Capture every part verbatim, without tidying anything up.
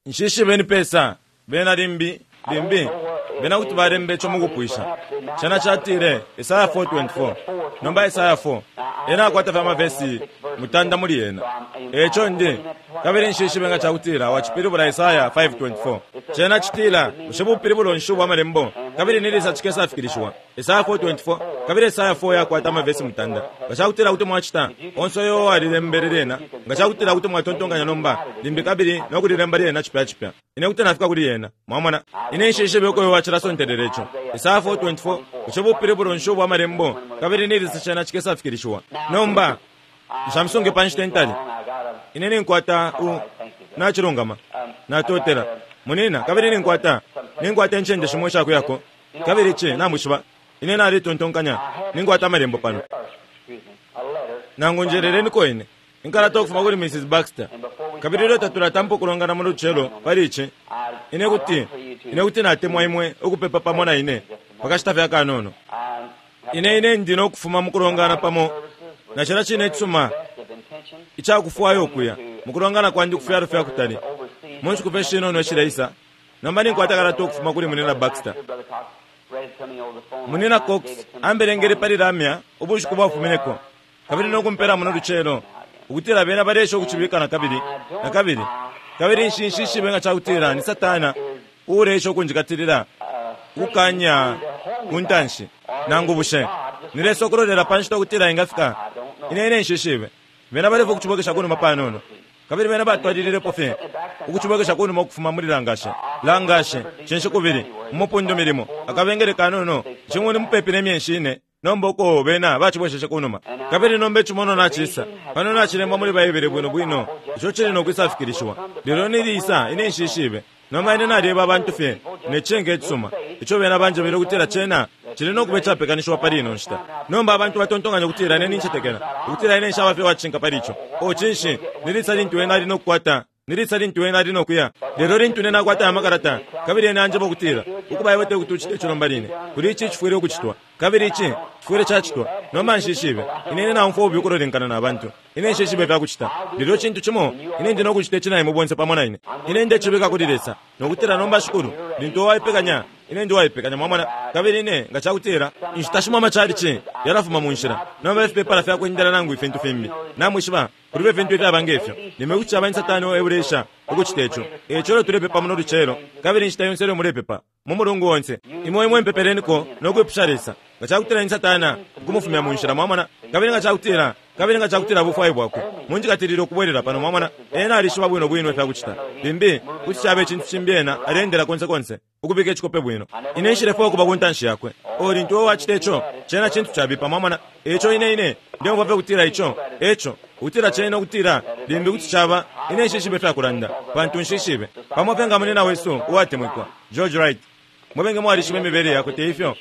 Nshishibe ni pesa bena limbi limbi bena kuti balemba ico mukupwisha. Cena catile Esaya four twenty-four. Nomba Esaya four ena akwata fye amavesi mutanda muli yena. Eco ndi kabili nshishibe nga cakutila wacipilibula Esaya five twenty-four. Cena citila bushe bupilibulo nshi ubwa malembo kabili ni lisa cikesafikilishiwa. Esaya four twenty-four kabili Esaya four yakwata amavesi mutanda. Nga cakutila kuti mwacita onse uyo walilembele lyena, nga cakutila kuti mwatontonkanya nomba limbi kabili no kulilemba lyena cipya cipya. Ine kuti nafika kuli yena. Mwamona, ine nshishibe uko uyo wacilasontelela ico. Esaya four twenty-four bushe bupilibulo nshi ubwa malembo kabili ni lisa cena cikesafikilishiwa. Nomba nshamusunge pa nshita intali. Ine ninkwata u nachilungama natotela munina kabili ninkwata ninkwata incende shimo ishakuyako kabili ici namwishiba ine nalitontonkanya ninkwata amalembo pano nangu njerereniko ine inkalata ukufuma kuli Missus Baxter kabili ilyo tatulatampa ukulongana mu lucelo pali ici ine kuti ine kuti natemwa imwe ukupepa pamo na ine pakashita fye akanono. Ine ine ndi nokufuma mukulongana pamo na cila cine icisuma icakufwaya ukuya mukulongana kwandi kufyalo fya kutali mu nshiku fye shinono ishileisa. Nomba ninkwata kalata ukufuma kuli Munina Baxter. Munina Cox ambelengele pali lamya ubushiku bwafumineko kabili nokumpela muno lucelo ukutila bena balesha ukucibika na kabili na kabili kabili nshinshishibe nga cakutila ni Satana uulesha ukunjikatilila ukukanya kuntanshi nangu bushe nilesa ukulolela pa nshita ukutila ingafika. Ine ine nshishibe bena balefa ukucibwekesha kunuma panono kabili bena batwalililepo fye ukucibwekesha kunuma ukufuma muli langashe langashe cinshi kubili umupundu milimo akabengele kanono cimwe ni mupepi ne myenshi ine nomba uko bena bacibwesheshe kunuma kabili nomba icimono nacisa pano nacilembwa muli Baibele bwino bwino ico cili nokwisafikilishiwa. Lelo nilisa ine nshishibe nomba ine nalyeba abantu fye ne cenge icisuma ico bena banjebele ukutila cena cili nokuba icapekanishiwa pali ino nshita. Nomba abantu batontonkanya ukutila ine nincetekela ukutila ine nshaba fye wacinka pali ico. O cinshi nilisa lintu ena ali nokukwata nilisa lintu ena ali nokuya. Lelo lintu ine nakwata amakalata kabili ena anjeba ukutila ukuba iwe tekuti ucite ico nomba line kuli ici cifwile ukucitwa kabili ici cifwile cacitwa. Nomba nshishibe ine ine naumfwa ububi ukulolenkana na bantu. Ine nshishibe ifyakucita lelo cintu cimo ine ndi nokucita ici na imwe bonse pamo na ine. Ine ndecibika kuli Lesa nokutila nomba Shikulu lintu waipekanya ine ndi waipekanya mwamona kabili ine nga cakutila inshita shimo amachalichi yalafuma mu nshila nomba ifipepala fyakwendela nangu ifintu fimbi namwishiba kulibe ifintu ifyaba ngefyo limwe kuti caba ni Satani eulesha ukucita ico. Eco lelo tulepepa muno lucelo kabili inshita yonse lelo mulepepa mu mulungu onse imwe imwe mpepeleniko nokwipusha Lesa nga cakutila ni Satana ukumufumya mu nshila mwamona kabili nga cakutila kabili nga cakutila bufwayo bwakwe munjikatilile ukubwelela pano mwamona ena alishiba bwino bwino ifyakucita limbi kuti caba icintu cimbi ena alendela konse konse ukubika icikope bwino. Ine nshilefwaya ukuba ku ntanshi yakwe. O lintu uwe wacita ico cena cintu cabipa mwamona. Eco ine ine ndeumfwa fye ukutila ico eco ukutila cena ukutila limbi kuti caba ine nshishibe ifyakulanda pantu nshishibe pamo fye nga munina wesu uwatemwikwa George Wright. Mwebenge mwalishiba imibele yakwe te ifyo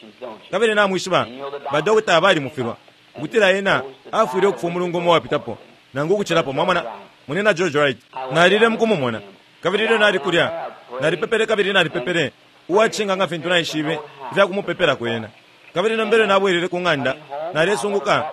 kabili namwishiba badokota balimufilwa ukutila ena afwile ukufwa umulungu umo wapitapo nangu ukucilapo mwamona. Munina George Wright nalile mukumumona kabili ilyo nali kulya nalipepele kabili nalipepele uwacinga nga fintu naishibe ifyakumupepela kwena kabili nombele nabwelele ku ng'anda nalesunguka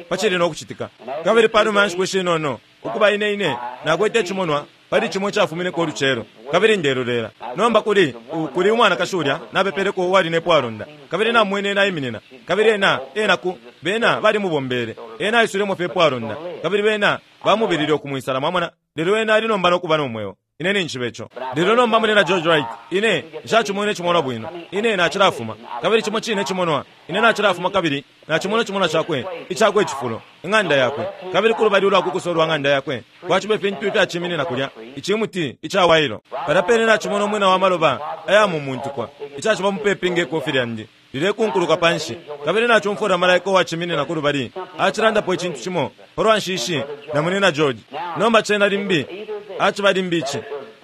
pacili nokucitika kabili panuma ya nshiku ishinono ukuba ine ine nakwete icimonwa pali cimo icafumineko ulucelo kabili ndelolela nomba kuli kuli umwanakashi ulya napepeleko uwali nepwalonda kabili namwene ena aiminina kabili ena ena ku bena balimubombele ena aisulemo fye pwalonda kabili bena bamubilile ukumwisala mwamona lelo ena ali nomba nokuba nomweo. Ine ninshibe ico lelo nomba munina George Wright ine nshacimwene cimonwa bwino ine nacilafuma kabili cimo cine cimonwa ine nacilafuma kabili nacimona cimonwa cakwe icakwe icifulo ing'anda yakwe kabili kulubali ulwakukuso lwa ng'anda yakwe kwaciba ifintu ifyaciminina kulya icimuti icawailo palya pene nacimona umwina wa maloba ayamumuntukwa icaciba mupepi ngekofi lyandi lilekunkuluka panshi kabili nacumfwila malaika uwaciminina kulubali acilandapo icintu cimo palwa nshishi na munina George. Nomba cena limbi aciba limbi ici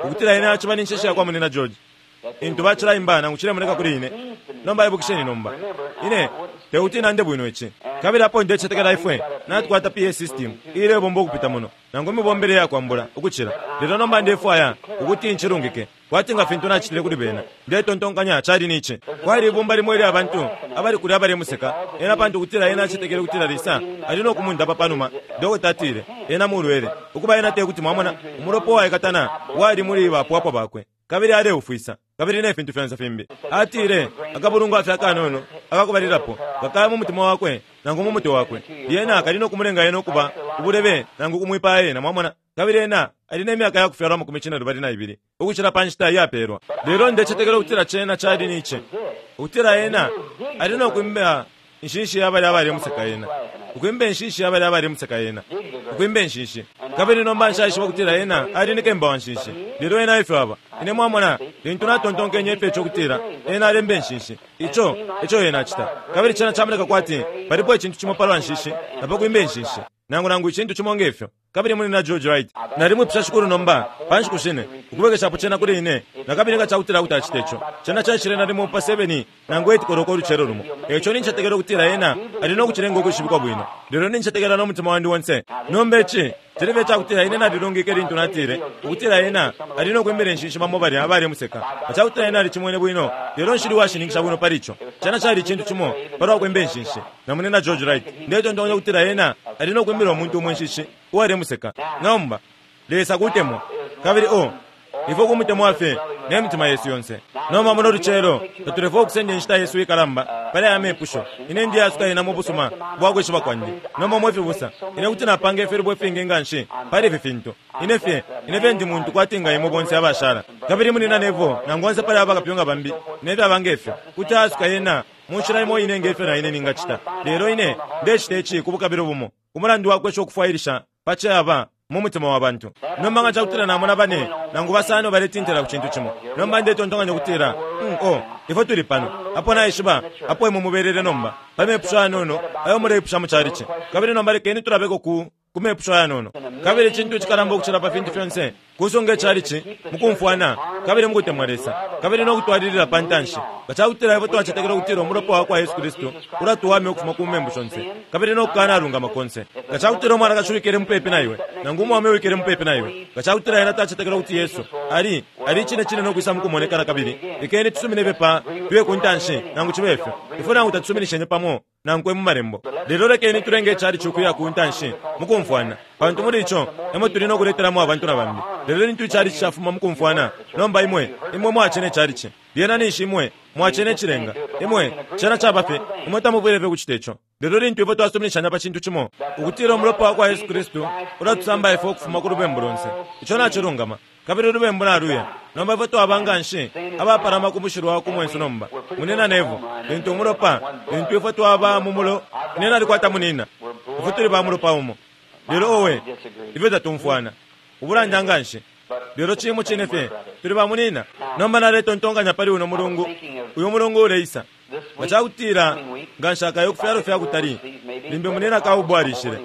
ukutila ine aciba ni nshishi yakwa munina George intu bacilaimba nangu cilemoneka kuli ine. Nomba ibukisheni nomba ine tekuti nande bwino ici kabili apo ndecetekela ifwe natukwata P A system ilebomba ukupita muno Nangu imibombele yakwambula ukucila. Lelo nomba ndefwaya ukuti nchilungike kwati nga fintu nacitile kuli bena. Ndetontonkanya cali nici. Kwali ibumba limo ilya bantu abali kulya balemuseka ena pantu kutila ena acetekele kutila Lesa ali no kumundapa panuma. Dokota atile ena mulwele ukuba ena tekuti mwamona umulopa waikatana wali muli bapwapwa bakwe kabili aleufwisa kabili ne fintu fyonse fimbi. Atile akabulungu afya kanono akakubalilapo kakaya mu mutima wakwe nangu mu mutwe wakwe lyena kali no kumulenga ena ukuba ubulebe nangu kumwipaya ena mwamona. Kabili ena ali ne myaka yakufyalwa amakumi cine lubali na ibili ukucila pa nshita iyapelwa. Lelo ndecetekela ukutila cena cali nici ukutila ena ali no kwimba inshinshi yabali abalemuseka ena ukwimba inshinshi yabali abalemuseka ena ukwimba inshinshi. Kabili nomba nshaishiba ukutila ena ali ni kemba wa nshinshi, lelo ena ifyo aba ine mwamona lintu natontonkenye ifyo ico kutila ena alemba inshinshi ico ico ena acita. Kabili cena camoneka kwati palipo icintu cimo palwa nshinshi napakwimba inshinshi nangu nangu icintu cimo ngefyo. Kabili muli na George Wright nalimwipusha shikulu nomba pa nshiku shine ukubwekeshapo cena kuli ine nakabili nga cakutila kuti acite ico. Cena caishile nalimo pa seven nangu eight koloko ulucelo lumo. Eco nincetekela ukutila ena ali no kucilenga ukwishibikwa bwino, lelo nincetekela no mutima wandi wonse. Nomba ici cilibe cakutila ine nalilungike lintu natile ukutila ena ali no kwimbila inshinshi bamo balya abalemuseka. Nga cakutila ena alicimwene bwino, lelo nshili washininkisha bwino pali ico. Cena cali icintu cimo palwa kwimba inshinshi namune na George Wright. Ndetontonkanya ukutila ena ali no kwimbila umuntu umwe inshinshi uwalemuseka. Nomba Lesa kutemwa kabili o ifo kumutemwa fye ne mitima yesu yonse. Nomba muno lucelo tatulefo okusenda inshita yesu ikalamba pali aya mepusho. Ine ndiyasuka ena mu busuma bwakwishiba kwandi. Nomba mwefibusa ine kuti napanga ifilubo ifingi nga nshi pali ifi fintu. Ine fye ine fye ndi muntu kwati nga imwe bonse abashala kabili munina nevo nangu onse pali abakapyunga bambi nefyo abanga ifyo kuti asuka ena mu nshila imo ine ngefyo na ine ningacita. Lelo ine ndecita ici ku bukabilo bumo umulandu wakwesha ukufwailisha pacaba mu mutima wa bantu. Nomba nga cakutila namona bane nangu basano baletintila ku cintu cimo. Nomba ndetontonkanya ukutila mm, oh ifwe tuli pano apo naishiba apo imwe mubelele nomba pa mepusho ayanono ayo muleipusha mu chalichi. Kabili nomba lekeni tulabeko ku ku mepusho ayanono. Kabili icintu icikalamba ukucila pa fintu fyonse kusunga ichalichi mukumfwana kabili mukutemwa Lesa kabili no kutwalilila pa ntanshi. Nga cakutila ifwe twacetekela ukutila umulopa wa kwa Yesu Kristu ulatuwamya ukufuma ku membu shonse kabili no kukanalungama konse. Nga cakutila umwanakashi wikele mupepi na iwe nangu umwaume wikele mupepi na iwe, nga cakutila ena tacetekela ukuti Yesu ali ali icine cine no kwisa mukumonekana kabili lekeni tusumine fye pa tuye ku ntanshi nangu cibe ifyo ifwe nangu tatusuminishenye pamo nankwe mu malembo. Lelo lekeni tulenge ichalichi ukuya ku ntanshi mukumfwana pantu muli ico emo tuli no kuletelamo abantu na bambi. Lelo lintu ichalichi cafuma mukumfwana nomba imwe imwe mwacene ichalichi lyena ninshi imwe mwacene icilenga imwe cena caba fye imwe tamubwile fye kucita ico. Lelo lintu ifwe twasuminishanya pa cintu cimo ukutila umulopa wa kwa Yesu Kristu ulatusamba ifwe ukufuma ku lubembu lonse, ico nacilungama kabili ulubembu naluya. Nomba ifwe twaba nga nshi abapalama ku mushilwa ku mwensu nomba munina nevo lintu umulopa lintu ifwe twaba mu mulo ine nalikwata munina ifwe tuli ba mulopa umo. Lelo owe ifwe tatumfwana ubulanda nga nshi, lelo cimo cine fye tuli ba munina. Nomba naletontonkanya pali uno mulungu uyu mulungu uleisa nga cakutila nga nshakayo kufyalo fya kutali limbi munina kaubwalishile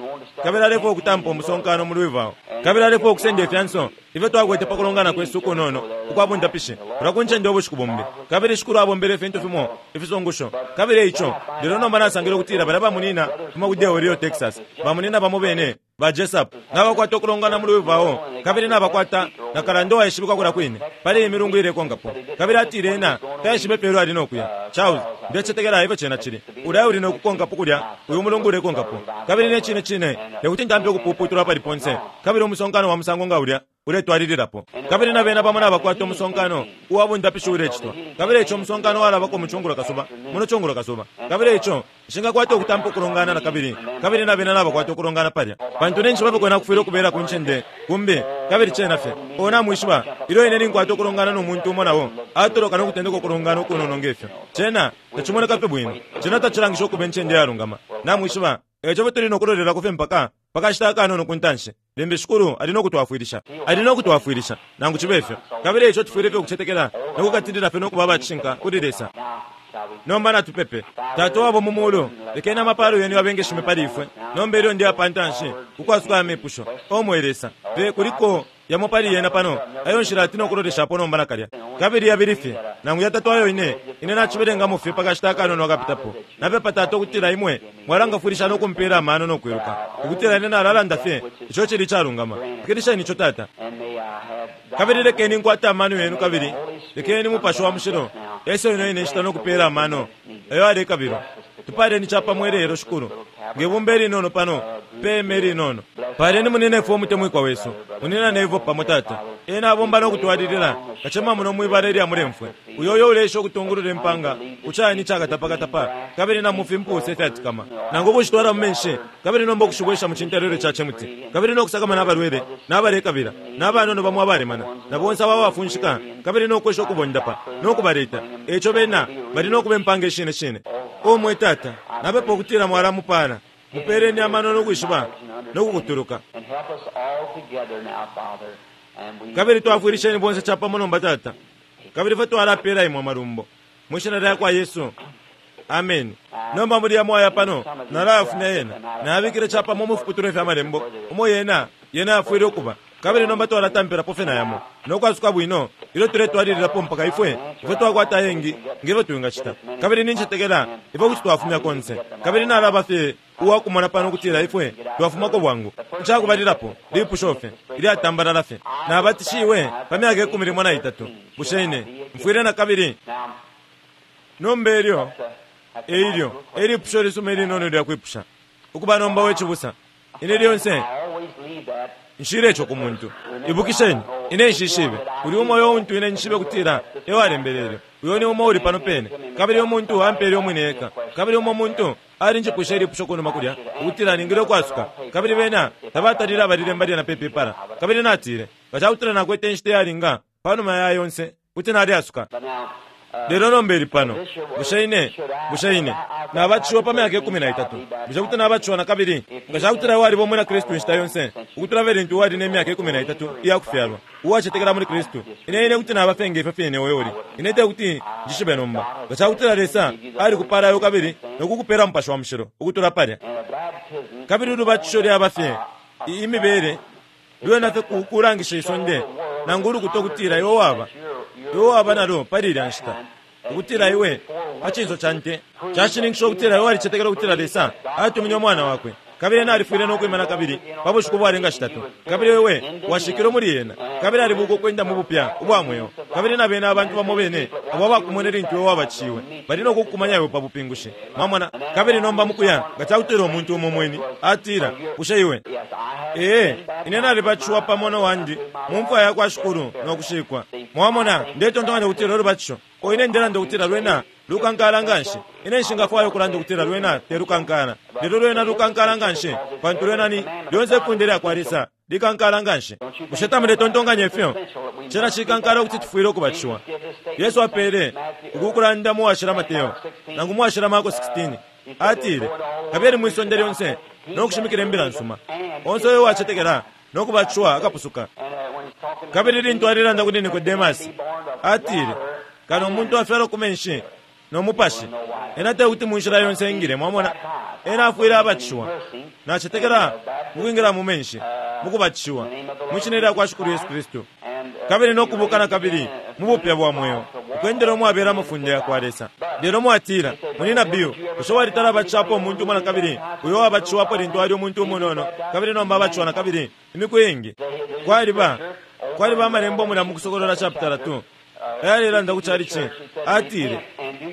kabili alefwa okutampa umusonkano mu Louisville kabili alefwa okusenda ifyanso ifyo twakwete pa kulongana kwesu kunono ukwabundapishi ulakuncenda ubushiku bumbi. Kabili shikulu abombele ifintu fimo ifisungusho kabili ico lelo nomba nasangile ukutila balya bamunina fuma ku Del Rio Texas bamunina bamo bene ba Jessup nabakwata okulongana mu Louisville kabili nabakwata na kalando waishibikwa kula kwine pali imilungu ilekonkapo. Kabili atile ena taishibe pelo ali nokuya Charles ndecetekela ifyo cena cili ulya uli nokukonkapo kulya uyu mulungu ulekonkapo. Kabili ne cine cine tekuti ntampe ukupuputulwa pali ponse kabili umusonkano wa musango nga ulya uletwalililapo. Kabili na bena pamo nabakwata umusonkano uwabundapishi ulecitwa kabili ico umusonkano walabako mucungulo kasuba muno cungulo kasuba kabili ico nshingakwata okutampa okulongana na kabili kabili na bena nabakwata okulongana palya pantu ninshi bapekwena kufwile okubela ku ncende kumbi kabili cena fye ona mwishiba ilyo ine ninkwata okulongana n'omuntu umo nawo atoloka n'okutendeka okulongana okunono ngefyo cena tacimoneka fye bwino cena tacilangisha okuba encende yalungama namwishiba eco fye tuli nokulolelako fye mpaka pakashita akanono ku ntanshi limbi shikulu ali nokutwafwilisha ali nokutwafwilisha nangu cibe ifyo. Kabili ico tufwile fye okucetekela nokukatilila fye nokuba abacishinka kuli Lesa. Nomba natupepe. Tata wabo mu mulu lekeni amapalo yenu yabengeshime pali ifwe nomba ilyo ndi apa ntanshi ukwasuka amepusho o mwe Lesa pe kuliko yamo pali yena pano ayo nshila ati nokuloleshapo nomba nakalya. Kabili yabili fye nangu yatatu ayo ine ine nacibelengamo fye pakashita akanono akapitapo. Napepa Tata ukutila imwe mwalangafwilisha no kumpela amano no kwiluka, ukutila ine nalalanda fye ico cili icalungama. Fikilisheni ico, Tata. Kabili lekeni nkwate amano yenu, kabili lekeni Mupashi wa Mushilo ese ino ine nshita no kupela amano ayo alekabilwa. Tupaleni capamo ilelo, Shikulu, ngebumba ilinono pano peme ilinono. Paleni muninefwe umutemwikwa wesu, munina nevo pamo, Tata. Ena abomba no kutwalilila kacema muno mwibala ilya mulemfwe, uyo uyo ulesha ukutungulula impanga kucani icakatapakatapa kabili na mufimpuse ifyatikama, nangu ukushitwala mu menshi kabili nomba ukushibwesha mu cintelelwe ca cimuti, kabili no kusakamana abalwele n'abalekabila n'abanono bamo abalemana na bonse abo abafunshika, kabili no kwesha ukubondapa no kubaleta. Eco bena bali no kuba impanga ishine shine. O mwe Tata, napepa ukutila mwalamupala, mupeleni amano no kwishiba no kukutuluka. Kabili twafwilisheni bonse capamo nomba, Tata, kabili fwe twalapela imwe amalumbo mwishina lya kwa Yesu, ameni. Nomba muli yamo aya pano nalayafumya yena, nabikile capamo mufiputulwa fya malembo umo yena yena yafwile ukuba, kabili nomba twalatampelapo fye na yamo nokwasuka bwino ilyo tuletwalililapo mpaka ifwe ifwe twakwata ayengi ngefyo twingacita. Kabili nincetekela ifwe kuti twafumya konse, kabili nalaba fye uwakumona pano ukutila ifwe twafumako bwangu. Icakubalilapo lipusho fye ilyatambalala fye: nabatishiwe pa myaka ikumi limo na itatu, bushe ine mfwile na kabili? Nomba elyo eilyo elipusho lisuma ilinono lyakwipusha ukuba nomba wecibusa, ine lyonse nshile ico ku muntu. Ibukisheni, ine nshishibe uli umo uyo untu ine nshibe kutila ewalembelele, uyo ni umo uli pano pene, kabili umuntu ampele umwine eka. Kabili umo muntu alinjipwisha ilipusho kunuma kulya ukutila ningile ukwasuka, kabili bena tabatalile abalilemba lyena pe pepala. Kabili natile nga cakutila nakwete inshita iyalinga panuma ya yonse kuti nalyasuka. Lelo nomba ili pano: bushe ine bushe ine nabatishiwa pa myaka ikumi na itatu, bushe kuti nabatishiwa na kabili? Nga cakutila waliba umwina Kristu inshita yonse ukutula fye lintu wali ne myaka ikumi na itatu iyakufyalwa, uwacetekela muli Kristu, ine ine kuti naba fye ngefyo fine uyo uli. Ine te kuti njishibe nomba nga cakutila Lesa alikupalayo kabili nokukupela Mupashi wa Mushilo ukutula palya. Kabili ulubatisho lyaba fye imibele lwena fye kulangisha isonde nangu ulukuta ukutila iwe waba iwe waba nalo pali ilya nshita, ukutila iwe pa cinso ca nte cashininkisha ukutila iwe walicetekela ukutila Lesa atumine umwana wakwe, kabili ena alifwile no kwima na kabili pa bushiku bwalenga shitatu, kabili wewe washikilwe muli ena, kabili alibuka ukwenda mu bupya ubwa mweo, kabili na bena abantu bamo bene abo abakumwene lintu iwe wabatishiwe bali no kukumanya iwe pa bupingushi. Mwamona? Kabili nomba mukuya nga cakutila umuntu umo mweni atila, bushe iwe ee ine nalibatishiwa pamo no wandi mu mfwa ya kwa Shikulu no kushikwa. Mwamona, ndetontonkanya ukutila ulubatisho o ine ndelanda ukutila lwena lukankala nganshi. Ine nshingafwaya ukulanda ukutila lwena te lukankala, lelo lwena lukankala nganshi, pantu lwena ni lyonse ifunde lya kwa Lesa likankala nganshi. Bushe tamuletontonkanya ifyo cena cikankala ukuti tufwile ukubatishiwa? Yesu apele uku kulanda mu washila Mateo nangu mu washila Marko sixteen, atile, kabili mwisonde lyonse no kushimikila imbila nsuma, onse uyo uwacetekela no kubatishiwa akapusuka. Kabili lintu alilanda kuli Nikodemasi, atile, kano umuntu afyalwa ku menshi no mupashi, ena te kuti munshila yonse ingile. Mwamona, ena afwile abatishiwa. Nacetekela mukwingila mu menshi mukubatishiwa mwishina lya kwa Shikulu Yesu Kristu, kabili no kubuka na kabili mu bupya bwa mweo, ukwendela umwabela amafunde ya kwa Lesa. Lelo mwatila, munina Bill, bushe walitala abatishapo umuntu umo na kabili uyo wabatishiwapo lintu ali umuntu umunono, kabili nomba abatishiwa na kabili imiku iingi? Kwaliba kwaliba amalembo mulya mu Kusokolola chapter two ayalelanda ku chalichi, atile,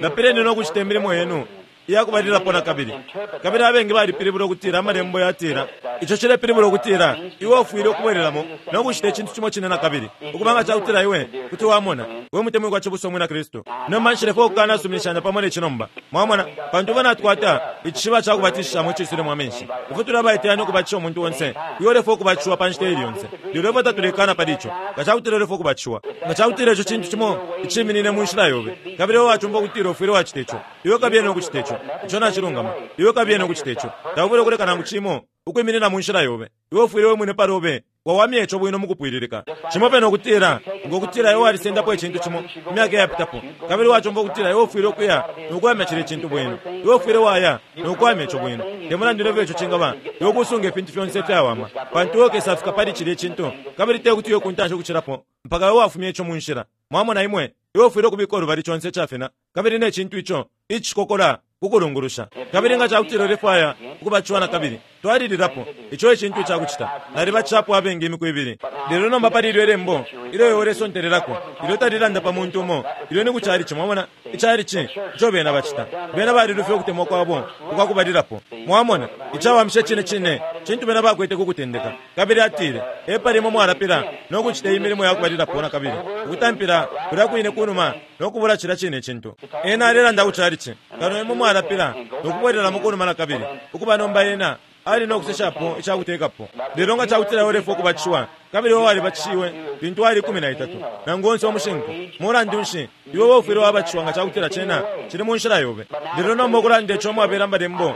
lapileni no kucita imilimo yenu iyakubalilapo na kabili. Kabili abengi balipilibula ukutila amalembo yatila ico cilepilibula ukutila iwe ufwile ukubwelelamo no kucita icintu cimo cine na kabili, ukubanga cakutila iwe kuti wamona we mutemwikwa cibusa umwina Kristu. Nomba nshilefwaya ukukanasuminishanya pamo ne cinomba, mwamona, pantu uba natwata icishiba ca kubatishishamo iciisulemo amenshi. Ifwe tuli abaiteyanya ukubatisha umuntu onse uyo ulefwaya ukubatishiwa pa nshita ili yonse, lelo ifwe tatulekana pali ico. Nga cakutila ulefwaya ukubatishiwa, nga cakutila ico cintu cimo iciminine mu nshila yobe, kabili iwe wacumfwa ukutila ufwile wacita ico, iwe kabiye no kucita ico. Ico nacilungama, iwe kabiye no kucita ico. Taufwile ukuleka nangu cimo ukwiminina mu nshila yobe. Iwe ufwile we mwine palobe wawamya ico bwino mukupwililika. Cimo pene ukutila ngokutila iwe walisendapo icintu cimo imyaka iyapitapo, kabili wacumfwa ukutila iwe ufwile ukuya nokuwamya cilya icintu bwino, iwe ufwile waya nokuwamya ico bwino. Te mulandu nefyo ico cingaba, iwe kusunga ifintu fyonse ifyawama, pantu iwe ukesafika pali cilya icintu, kabili te kuti iwe kuntanshi ukucilapo mpaka iwe wafumya ico mu nshila. Mwamona imwe Iwe ufwile ukubika ulubali conse icafina kabili ne cintu ico icikokola kukulungulusha. Kabili nga cakutila ulefwaya ukubatishiwa nakabili, twalililapo. Ico ecintu icakucita. Nalibatishapo abengi imiku ibili. Lelo nomba pali ilyo ilembo ilyo iwe ulesontelelako, ilyo talilanda pa muntu umo, ilyo ni ku chalichi. Mwamona? Ichalichi, ico bena bacita, bena balilufya ukutemwa kwabo ukwakubalilapo. Mwamona? Icawamisha cine cine cintu bena bakwete ku kutendeka. Kabili atile, epali imwe mwalapila no kucita iyi milimo yakubalilapo nakabili, ukutampila kulya kwine kunuma no kubula cilya cine cintu. Ena alelanda ku chalichi, kano imwe mwalapila no kubwelelamo kunuma nakabili, ukuba nomba ena ali no kuseshapo icakutekapo. Lelo nga cakutila ulefwaya ukubatishiwa, kabili iwe walibatishiwe lintu wali ikumi na itatu nangu onse umushinku, mulandu nshi iwe ufwile wabatishiwa nga cakutila cena cili mu nshila yobe. Lelo nomba ukulanda ico mwabela malembo,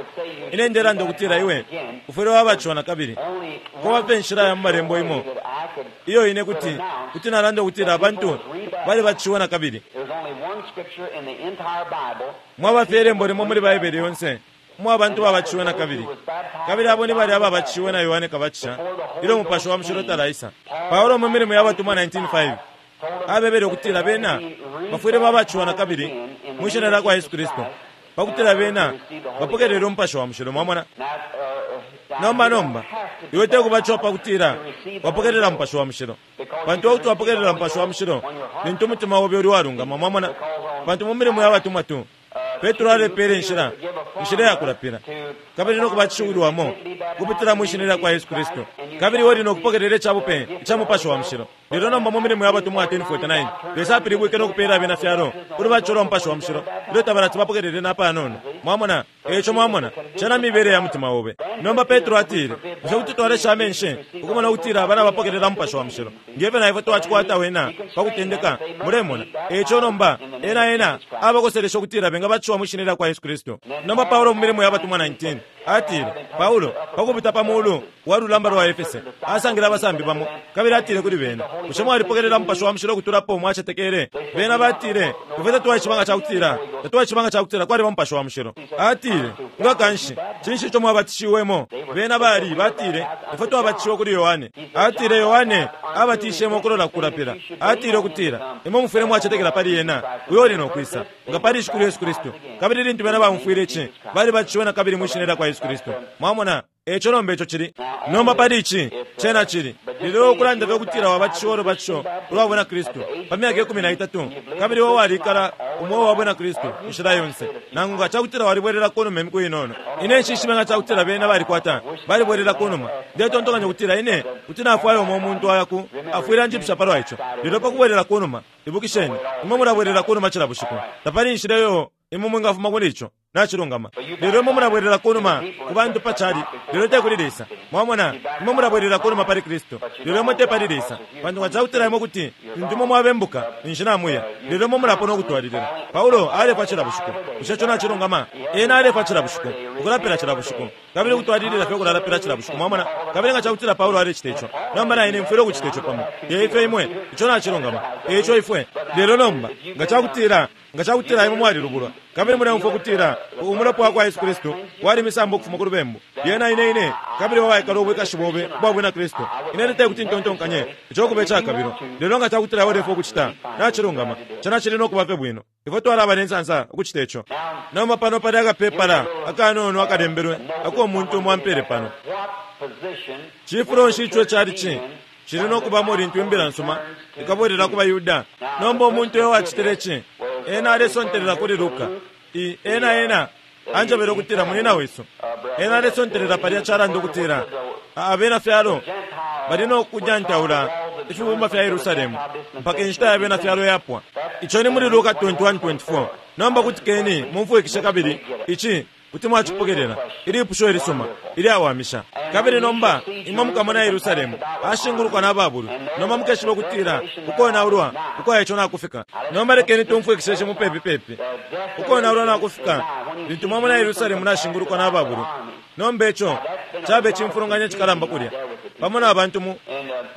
ine ndelanda ukutila iwe ufwile wabatishiwa nakabili. Kwaba inshila ya mu malembo imo iyo ine kuti kuti nalanda ukutila abantu balibatishiwe nakabili. Mwaba fye ilembo limo muli Baibele yonse mwa abantu babatishiwe nakabili, kabili abo ni balya ababatishiwe na Yohane Kabatisha ilyo Mupashi wa Mushilo talaisa. Paulo mu milimo ya batumwa nineteen five abebele ukutila bena bafwile babatishiwa nakabili mwi shina lya kwa Yesu Kristu pakutila bena bapokelele Umupashi wa Mushilo. Mwamona? Nomba nomba iwe tekubatishiwa pakutila wapokelela Mupashi wa Mushilo, pantu wakuti wapokelela Mupashi wa Mushilo lintu umutima obe uli walungama. Mwamona? Pantu mu milimo ya batumwa tu Petro alepele inshila, inshila ya kulapila, kabili no kubatishiwilwamo kupitila mwi shina lya kwa Yesu Kristu, kabili wali no kupokelela icabupe ica Mupashi wa Mushilo. Lelo nomba mu milimo ya batumwa ten forty-nine, Lesa apilibwike no kupela abena fyalo ulubatisho lwa Mupashi wa Mushilo ilyo tabalati bapokelele na panono. Mwamona? Eco mwamona, cena mibele ya mutima obe. Nomba Petro atile, bushe kuti twalesha amenshi ukumona ukutila abana bapokelela Mupashi wa Mushilo ngefyo na ifwe twacikwata wena pakutendeka? Mulemona? Eco nomba ena ena abakoselesha ukutila bengabatishiwa mwi shina lya kwa Yesu Kristu. Nomba Paulo mu milimo ya batumwa nineteen atile, Paulo pakupita pa mulu wa lulamba lwa Efese asangile abasambi bamo, kabili atile kuli bena, bushe mwalipokelela Mupashi wa Mushilo ukutulapo mwacetekele? Bena batile, ifwe tatwaishiba nga cakutila tatwaishiba nga cakutila kwaliba Mupashi wa Mushilo. Atile, nga kanshi cinshi ico mwabatishiwemo? Bena bali batile, ifwe twabatishiwe kuli Yohane. Atile, Yohane abatishemo ukulola kukulapila. Atile ukutila imwe mufwile mwacetekela pali ena uyo uli no kwisa, nga pali Shikulu Yesu Kristu. Kabili lintu bena baumfwile ici, balibatishiwe nakabili mwi shina lya kwa Yesu Kristu. Mwamona? Eco nomba ico cili. Nomba pali ici cena cili. Lelo ukulanda fye ukutila wabatishiwa ulubatisho ulwa bwina Kristu pa myaka ikumi na itatu, kabili iwe walikala umweo wa bwina Kristu inshila yonse, nangu nga cakutila walibwelela kunuma imiku inono. Ine nshishibe nga cakutila bena balikwata balibwelela kunuma. Ndetontonkanya ukutila ine kuti nafwaya umo umuntu aya ku afwile anjipusha palwa ico. Lelo pakubwelela kunuma, ibukisheni, imwe mulabwelela kunuma cila bushiku. Tapali inshila iyo imwe mwingafuma kuli ico. Nacilungama. Lelo imwe mulabwelela kunuma ku bantu pa cali, lelo te kuli Lesa. Mwamona? Imwe mulabwelela kunuma pali Kristu, lelo imwe te pali Lesa. Pantu nga cakutila imwe kuti lintu imwe mwabembuka ninshi namuya, lelo imwe mulapona ukutwalilila. Paulo alefwa cila bushiku. Bushe ico nacilungama? Ena alefwa cila bushiku, ukulapila cila bushiku, kabili ukutwalilila fye ukulalapila cila bushiku. Mwamona? Kabili nga cakutila Paulo alecita ico, nomba na ine mfwile ukucita ico pamo. Te ifyo imwe, ico nacilungama. Eco ifwe. Lelo nomba nga cakutila nga cakutila imwe mwalilubulwa, kabili muleumfwa ukutila umulopa wa kwa Yesu Kristu walimisambo ukufuma ku lubembu, lyena ine ine kabili wawaikala ubwikashi bobe ubwa bwina Kristu, ine te kuti ntontonkanye ico kuba icakabilo. Lelo nga cakutila ulefwaya ukucita, nacilungama, cena cili no kuba fye bwino. Ifwe twalaba ne nsansa ukucita ico. Nomba pano pali akapepala akanono akalembelwe ako umuntu umo ampele pano. Cifulo nshi ico cali cili no kubamo lintu imbila nsuma ikabwelela ku baYuda? Nomba umuntu uyo wacitile ici, ena alesontelela kuli Luka. I ena ena anjebele ukutila munina wesu. Ena alesontelela palya calanda ukutila abena fyalo bali no kunyantaula ifibumba fya Yerusalemu mpaka inshita ya bena fyalo yapwa. Ico ni muli Luka twenty-one twenty-four. Nomba kutikeni mumfwikishe kabili ici kuti mwacipokelela ilipusho ilisuma ilyawamisha. Kabili nomba imwe mukamona Yerusalemu ashingulukwa na babulu, nomba mukeshiba ukutila ukonaulwa ukwa ico nakufika. Nomba lekeni tumfwikishe mupepi pepi. Ukonaulwa nakufika lintu mwamona Yerusalemu nashingulukwa na babulu. Nomba ico cabe cimfulunganya cikalamba kulya, pamo na bantu mu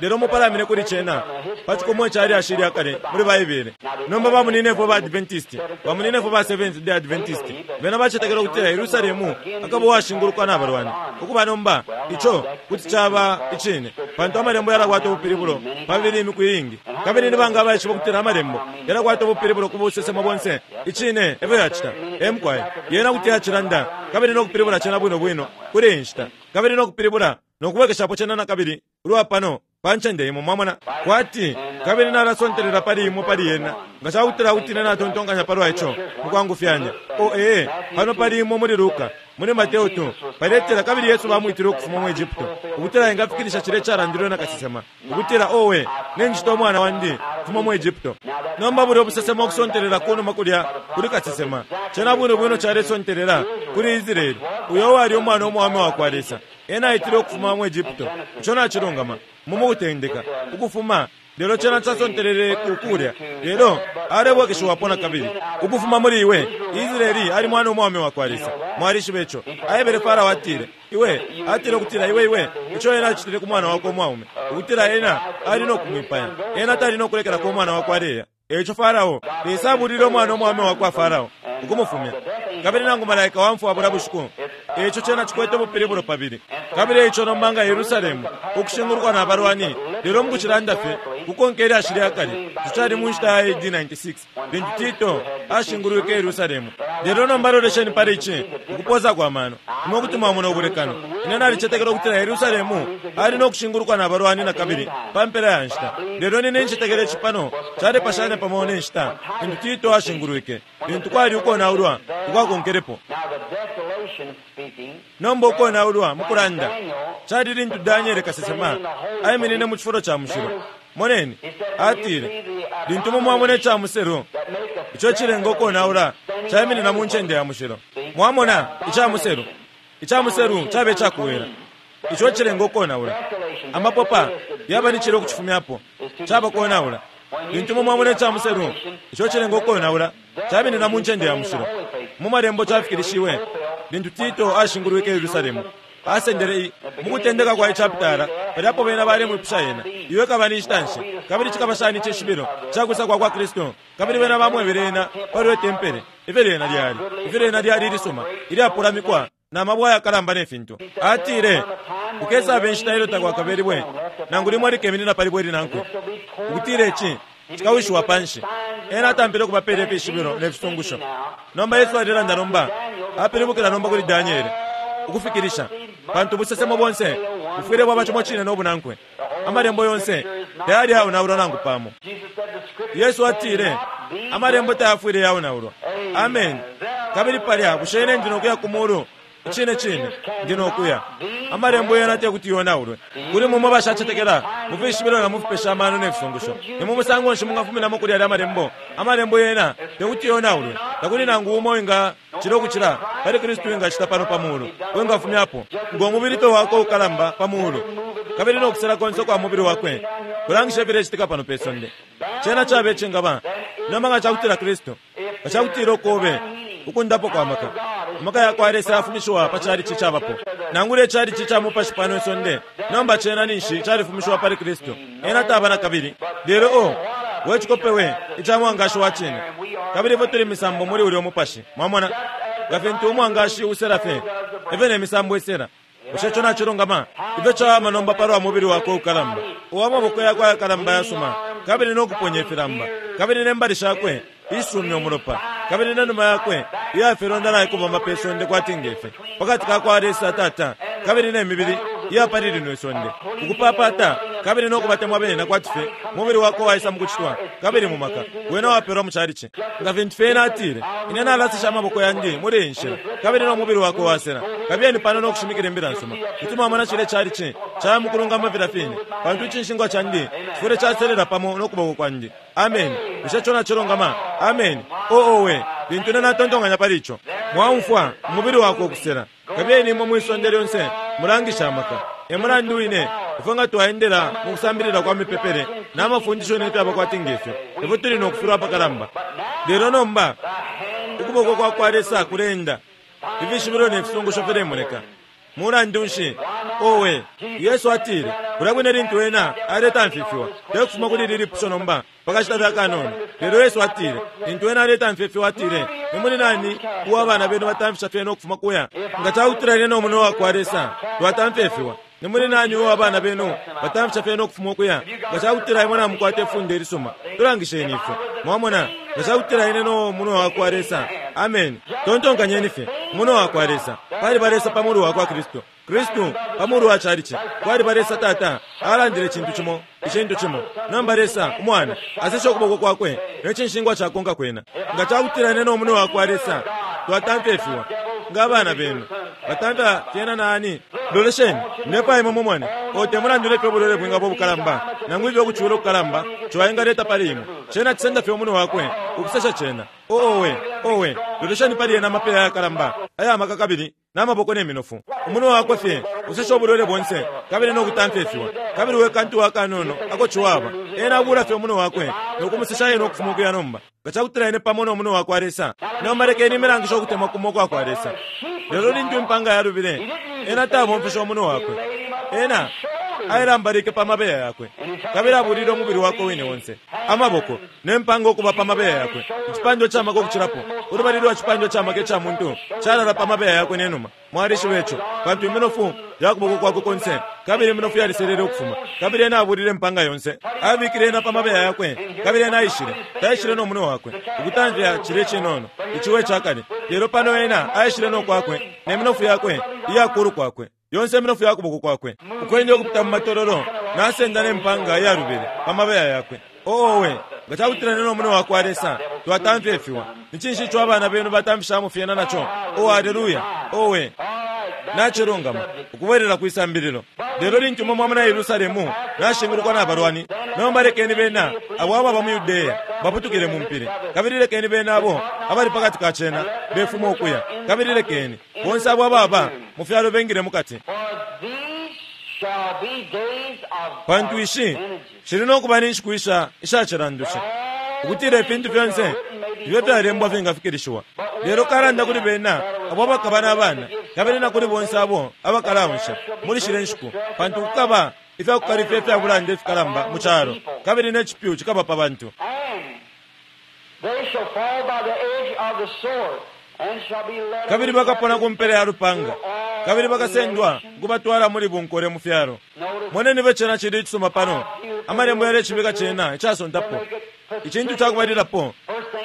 lelo mupalamine kuli cena pa cikomo ica lyashi lya kale muli Baibele. Nomba bamuninefwe ba Adventist, bamuninefwe ba Seventh Day Adventist, bena bacetekela ukutila Yerusalemu akaba uwashingulukwa na balwani. Ukuba nomba ico kuti caba icine, pantu amalembo yalakwata ubupilibulo pabili imiku iingi. Kabili ni banga abaishiba ukutila amalembo yalakwata ubupilibulo ku busesemo bonse? Icine efyo yacita. Emukwaye yena kuti yacilanda kabili nokupilibula cena bwino bwino kuli inshita, kabili nokupilibula nokubwekeshapo cena nakabili ulwa pano pa ncende imo, mwamona kwati kabili nalasontelela pali imo pali yena nga cakutila kuti ine natontonkanya palwa ico mukwangufyanya. O ee, pano pali imo muli Luka, muli Mateo tu paletela kabili Yesu bamwitile ukufuma mu Egypto ukutila engafikilisha cile calandilwe na kasesema ukutila owe nenjita umwana wandi kufuma mu Egypto. Nomba buli obusesemo okusontelela kunuma kulya kuli kasesema cena bwino bwino calesontelela kuli Israeli uyo wali umwana umwaume wakwa Lesa ena aitile ukufuma mu Egypto. Ico nacilungama mumukutendeka ukufuma lelo cena casontelele kukulya lelo alebwekeshiwapo nakabili ukufuma muli iwe. Israeli ali mwana umwaume wakwa Lesa. Mwalishiba ico. Aebele Farao atile iwe atile ukutila iwe iwe ico ena acitile ku mwana wakwe umwaume ukutila ena ali nokumwipaya ena tali nokulekelako umwana wakwe aleya. Eico Farao Lesa abulile umwana umwaume wakwa Farao ukumufumya kabili nangu malaika wamfwa bula bushiku. Eico cena cikwete ubupilibulo pabili. Kabili eico nomba nga Yerusalemu ukushingulukwa na balwani lelo mukucilanda fye kukonka ilyashi lya kale tucali mu nshita ya A D ninety-six lintu Tito ashingulwike Yerusalemu. Lelo nomba lolesheni pali ici ukupoza kwa mano imwe kuti mwamona ubulekano. Ine nalicetekela ukutila Yerusalemu ali nokushingulukwa na balwani nakabili pa mpela ya nshita. Lelo nine ncetekela ici pano calepashanya pamo ne nshita lintu Tito ashingulwike lintu kwali ukonaulwa ukwakonkelepo. Nomba ukonaulwa mukulanda cali lintu Daniele kasesema aiminine mu cifulo ca mushilo. Moneni atile lintu mumwamona ica muselu ico cilenga ukonaula caiminina mu ncende ya mushilo. Mwamona ica muselu, ica muselu cabe icakuwela ico cilenga ukonaula amapopa yaba ni cilo kucifumyapo caba konaula. Lintu mumwamona ica muselu ico cilenga ukonaula caiminina mu ncende ya mushilo. Mu malembo cafikilishiwe lintu Tito ashingulwike Yerusalemu asendele mukutendeka kwa ichapitala paliapo bena balemwipusha yena iwe kaba ni nshita nshi kabili cikaba shani icishibilo cakwisa kwa kwa Kristo. Kabili bena bamwebele ena pali tempele ifyo lyena lyali ifyo lyena lyali ilisuma ilyapulamikwa na mabwe ayakalamba ne fintu. Atile ukesaba inshita ilyo takwakabelibwe nangu limwe likeminina pali bwe linankwe ukutila ici cikawishiwa panshi. Ena atampile okubapela ifishibilo ne fisungusho. Nomba Yesu alilanda nomba apilibukila nomba kuli Daniele ukufikilisha pantu busesemo bonse bufwile bwaba cimo cine nobunankwe. Amalembo yonse tayali yaonaulwa nangu pamo. Yesu atile amalembo tayafwile yaonaulwa. Amen. Kabili palya bushe ine ndi nokuya ku mulu? Icine cine ndi nokuya. Amalembo yena tekuti yonaulwe. Kuli mumwe bashacetekela mufishibilo na mufipesha amano ne fisungusho. Ni mu musango nshi mungafuminamo kuli alya amalembo? Amalembo yena tekuti yonaulwe. Takuli nangu umo winga cilo kucila pali Kristu wingacita pano pa mulu wingafumyapo ngo mubili pe wakwe ukalamba pa mulu kabili nokusela konse kwa mubili wakwe kulangisha ifilecitika pano pe sonde. Cena cabe cingaba nomba nga cakutila Kristu nga cakutila ukobe ukundapo kwa maka amaka yakwa Lesa yafumishiwa pa calici cabapo nangula icalici ca mupashi pano isonde nomba cena ninshi califumishiwa pali Kristu ena taba nakabili. Lelo o wecikopewe ica mwangashi wa cine kabili ifwe tuli misambo muli ulya umupashi. Mwamona nga fintu umwangashi usela fye ifyo ne misambo isela. Bushe ico nacilungama? Ifyo cawama nomba palwa mubili wakwe ukalamba uwa maboko yakwe ayakalamba yasuma kabili nokuponya ifilamba kabili ne mbali shakwe isumya umulopa kabili ne numa yakwe iyafilonda naikubomba pe sonde kwati ngefe pakati kakwa Lesa Tata kabili ne mibili iyapali lino isonde ukupapata kabili nokubatemwa bena kwati fye mubili wakwe waisa mukucitwa kabili mu maka wena wapelwa mu calici. Nga fintu fye ena atile ine nalasisha amaboko yandi muli iyi nshila kabili no mubili wakwe wasela. Kabiyeni pano nokushimikila imbila nsuma kuti mwamona cile calici caya mukulungama filya fine pantu icinshingwa candi cifwile caselela pamo nokuboko kwandi. Amen. Bushe ico nacilungama? Amen. Oowe lintu ine natontonkanya pali ico mwaumfwa umubili wakwe ukusela. Kabiyeni imwe mwisonde lyonse mulangisha amaka. E mulandu wine ifwe nga twaendela mu kusambilila kwa mipepele na mafundisho ne fyaba kwati ngefyo ifwe tuli nokufilwa apakalamba. Lelo nomba ukuboko kwa kwa Lesa kulenda ifishibilo ne fisungusho filemoneka. Mulandu nshi? Owe Yesu atile Kulya kwine lintu ena aletamfifiwa, tekufuma kuli lili lipusho nomba pakashita fye akanono. Lelo Yesu atile, lintu ena aletamfifiwa, atile, ni muli nani uwa abana benu batamfisha fyena ukufuma kuya? Nga cakutila ine no munwe wakwa Lesa twatamfifiwa, ni muli nani uwa abana benu batamfisha fyena ukufuma ukuya? Nga cakutila imwe namukwata ifunde ilisuma, tulangisheni ifwe. Mwamona, nga cakutila ine no munwe wakwa Lesa. Amen. Tontonkanyeni fye, munwe wakwa Lesa. Pali ba Lesa pa mulu wakwa Kristu, Kristu pa mulu wa chalichi. Kwali ba Lesa Tata alandile cintu cimo, icintu cimo. Nomba Lesa Umwana asesha ukuboko kwakwe ne cinshingwa cakonka kwena. Nga cakutila ine no munwe wakwa Lesa twatamfifiwa, nga abana benu batamfya fyena nani? Lolesheni nepa imwe mumone. O te mulandu nefyo ubulwele bwingaba ubukalamba, nangu ifyo ukucula ukukalamba ciwaingaleta pali imwe, cena cisenda fye umunwe wakwe ukusesha cena. Owe, owe, lolesheni pali ena amapeya ayakalamba aya maka kabili n'amaboko n'eminofu. Umunwe wakwe fye usesha ubulwele bonse kabili n'okutamfifiwa. Kabili we kantu wakanono ako ciwaba, ena abula fye umunwe wakwe nokumusesha yena ukufuma ukuya nomba. Nga cakutila ine pamo n'omunwe wakwa Lesa. Nomba lekeni imilangisho ukutemwa kumo kwakwa Lesa. Lelo lintu impanga yalubile, ena tabomfesha umunwe wakwe. Ena ailambalike pa mabeya yakwe, kabili abulile umubili wakwe wine wonse, amaboko ne mpanga ukuba pa mabeya yakwe. Icipandwa camaka ukucilapo, ulubali lwa cipandwa camaka ica muntu calala pa mabeya yakwe nenuma. Mwalishiba ico, pantu iminofu yakuboko kwakwe konse, kabili iminofu yaliselele ukufuma. Kabili ena abulile impanga yonse, abikile ena pa mabeya yakwe, kabili ena aishile, taishile no munwe wakwe ukutamfya cilye cinono iciwe cakale. Lelo pano ena aishile no kwakwe ne minofu yakwe iyakulu kwakwe yonse iminofu yakuboko kwakwe, ukwenda ukupita mu matololo, nasenda ne mpanga iyalubile pa mabeya yakwe. Owe, nga cakutila ine no munwe wakwa Lesa twatamfifiwa, ni cinshi ico abana benu batamfishamo fyena naco? Oh, haleluya! Owe, nacilungama ukubwelela kwisambililo. Lelo lintu imwe mwamona Yerusalemu nashingulukwa na balwani, nomba lekeni bena abo ababa mu Yudeya baputukile mu mpili, kabili lekeni bena abo abali pakati ka cena befuma ukuya, kabili lekeni bonse abo ababa mu fyalo bengile mukati. Pantu ishi shili nokuba ni nshiku isha ishacilandusha, ukutila ifintu fyonse ifyo fyalembwa fingafikilishiwa. Lelo kalanda kuli bena abo abakaba n'abana, kabili na kuli bonse abo abakalaonsha muli shile nshiku, pantu kukaba ifyakukalifya ifyabulanda ifikalamba mu calo, kabili ne cipyu cikaba pa bantu. Kabili bakapona ku mpela ya lupanga, kabili bakasendwa ukubatwala muli bunkole mu fyalo. Moneni be cena cili icisuma pano, amalembo yalecibika cena icasontapo. Icintu cakubalilapo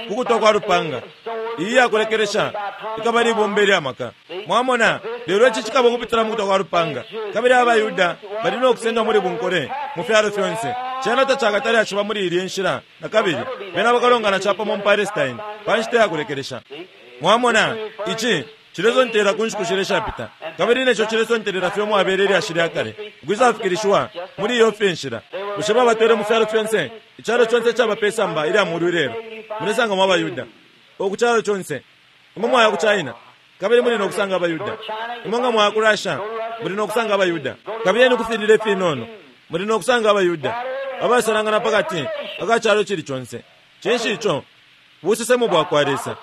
kukutwa kwa lupanga, iyi yakulekelesha ikaba libomba ilyamaka. Mwamona, lelo ici cikaba ukupitila mu kutwa kwa lupanga, kabili abayuda bali nokusendwa muli bunkole mu fyalo fyonse. Cena tacakatale aciba muli ilye nshila na kabili, bena bakalongana capamo mu Palestine pa nshita yakulekelesha. Mwamona, ici cilesontela ku nshiku shileshapita, kabili neco cilesontelela fye umwabele ilyashi lya kale ukwisafikilishiwa muli iyo fye nshila. Bushe babatwele mu fyalo fyonse? Icalo conse caba pe samba ilya mulu ilelo. Mulesangamo abayuda oku calo conse. Imwe mwaya ku China, kabili muli nokusanga abayuda. Imwe nga mwaya ku Russia, muli nokusanga abayuda. Kabili eni kufilile ifinono, muli nokusanga abayuda abasalangana pakati aka calo cili conse. Cinshi ico? Busesemo bwakwa Lesa.